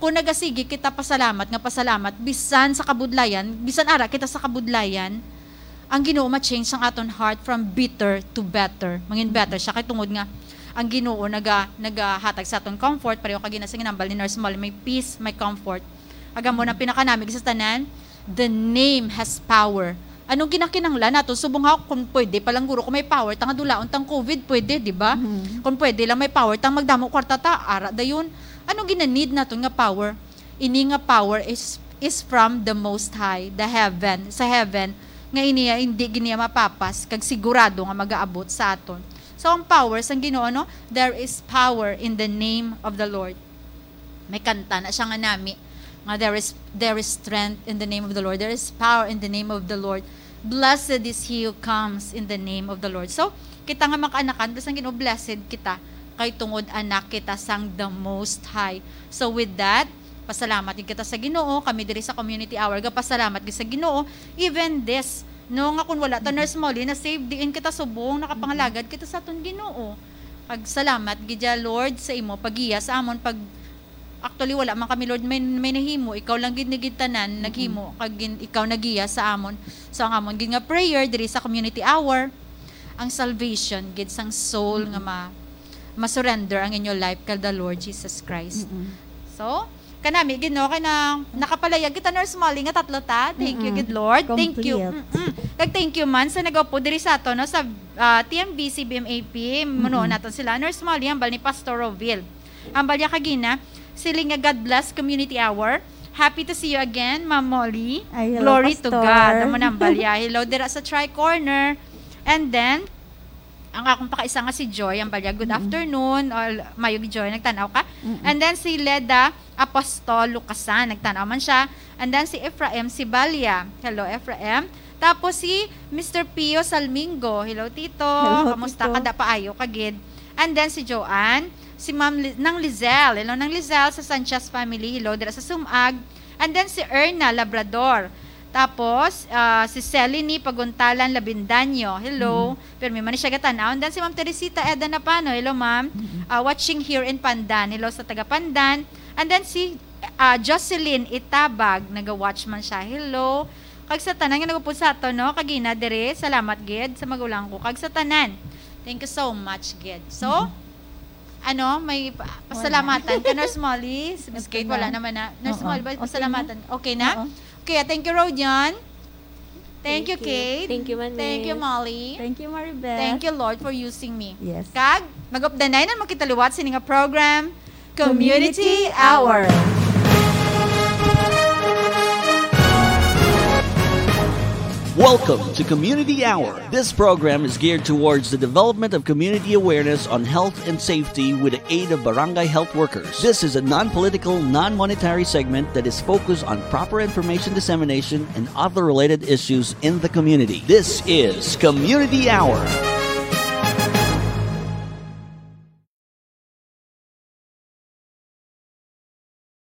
kung nagasigi kita pasalamat nga pasalamat, bisan sa kabudlayan, bisan ara kita sa kabudlayan, ang Ginoo ma-change ang aton heart from bitter to better. Mangin better siya kay tungod nga ang Ginoo naga nagahatag sa aton comfort, pareho kag gina-, sa ginambal ni Nurse Molly, may peace, may comfort. Aga mo na pinakanami sa tanan, the name has power. Anong ginakinanglan nato? Subong ha, kung pwede pa lang guro, kung may power, tanga dulaon tang covid, pwede, di ba? Mhm. Kung pwede lang may power, tang magdamo kwarta ta, ara dayon. Anong gina-need naton nga power? Ini nga power is is from the Most High, the heaven, sa heaven, nga ini hindi gid niya mapapas, kag sigurado nga magaabot sa aton. So, ang power sang Ginoo, no? There is power in the name of the Lord. May kanta na siya nga nami, nga there is, there is strength in the name of the Lord. There is power in the name of the Lord. Blessed is he who comes in the name of the Lord. So, kita nga makaanakan, bisan Ginoo, blessed kita, kay tungod anak kita sang the Most High. So, with that, pasalamat gid kita sa Ginoo. Kami diri sa Community Hour, gapasalamat gid sa Ginoo. Even this, no, nga kung wala ta, Nurse Molly, na save diin kita subong, nakapangalagad kita sa aton Ginoo. Pag salamat gid ya, Lord, sa imo paggiya sa amon, pag, actually, wala man kami, Lord, may, may nahimo. Ikaw lang gid ni gid tanan naghimo, kag gin-, ikaw nagiya sa amon. So, ang amon gid nga prayer diri sa Community Hour, ang salvation gid sang soul nga ma-, ma-surrender ang inyo life kay the Lord Jesus Christ. Mm-mm. So, kanami gid, no, kay na, nakapalayag kita, Nurse Molly, nga tatlo ta. Thank you, Mm-mm. Gid Lord. Thank you. Complete. Mm-mm. Kag thank you man sa nagaupod diri sa ato, no, sa, ah, T M B C B M A P. Munuon Mm-mm. naton sila. Nurse Molly, hambal ni Pastor Roville. Hambal ya kagina, siling nga, "God bless Community Hour. Happy to see you again, Ma'am Molly." Ay, hello, Glory to Pastor. God. Amo na hambal ya. Hello dira sa Tri Corner. And then, ang akong pakaisa nga si Joy, hambal ya, "Good Mm-mm. afternoon." All, Mayog Joy, nagtan-aw ka? Mm-mm. And then si Leda Apostol Lucasan, nagtan-aw man siya. And then si Ephraim Sibalia. Hello, Ephraim. Tapos si Mister Pio Salmingo. Hello, Tito. Hello, Kamusta Tito. Ka? Da paayo ka gid. And then si Joanne, si Ma'am Li-, Nang Lizelle. Hello, Nang Lizelle sa Sanchez family. Hello, dira sa Sumag. And then si Erna Labrador. Tapos, ah, si Selini Paguntalan Labindaño. Hello. Mm. Pero may man siya gatan-aw. And then si Ma'am Teresita Eda Napano. Hello, ma'am. Mm. Ah, watching here in Pandan. Hello sa taga Pandan. And then si, ah, Jocelyn Itabag. Naga-watch man siya. Hello. Kag sa tanan nga nagupod sa ato, no? Kagina dire. Salamat gid sa magulang ko. Kag sa tanan. Thank you so much gid. So, Mm. ano, may pa-, Wala. Pasalamatan ka, Nurse Molly? Si Miss Ito Kate, na. Wala naman na. Nurse Oo. Molly, Okay na? pasalamatan. Okay na? Oo. Okay, ah, thank you, Rodion. Thank you, Thank you. Kate. Thank you, Manmis. Thank you, Molly. Thank you, Maribeth. Thank you, Lord, for using me. Yes. Kag, mag-updanay na makita liwat sini nga program, Community Community Hour. Hour. Welcome to Community Hour. This program is geared towards the development of community awareness on health and safety with the aid of barangay health workers. This is a non-political, non-monetary segment that is focused on proper information dissemination and other related issues in the community. This is Community Hour.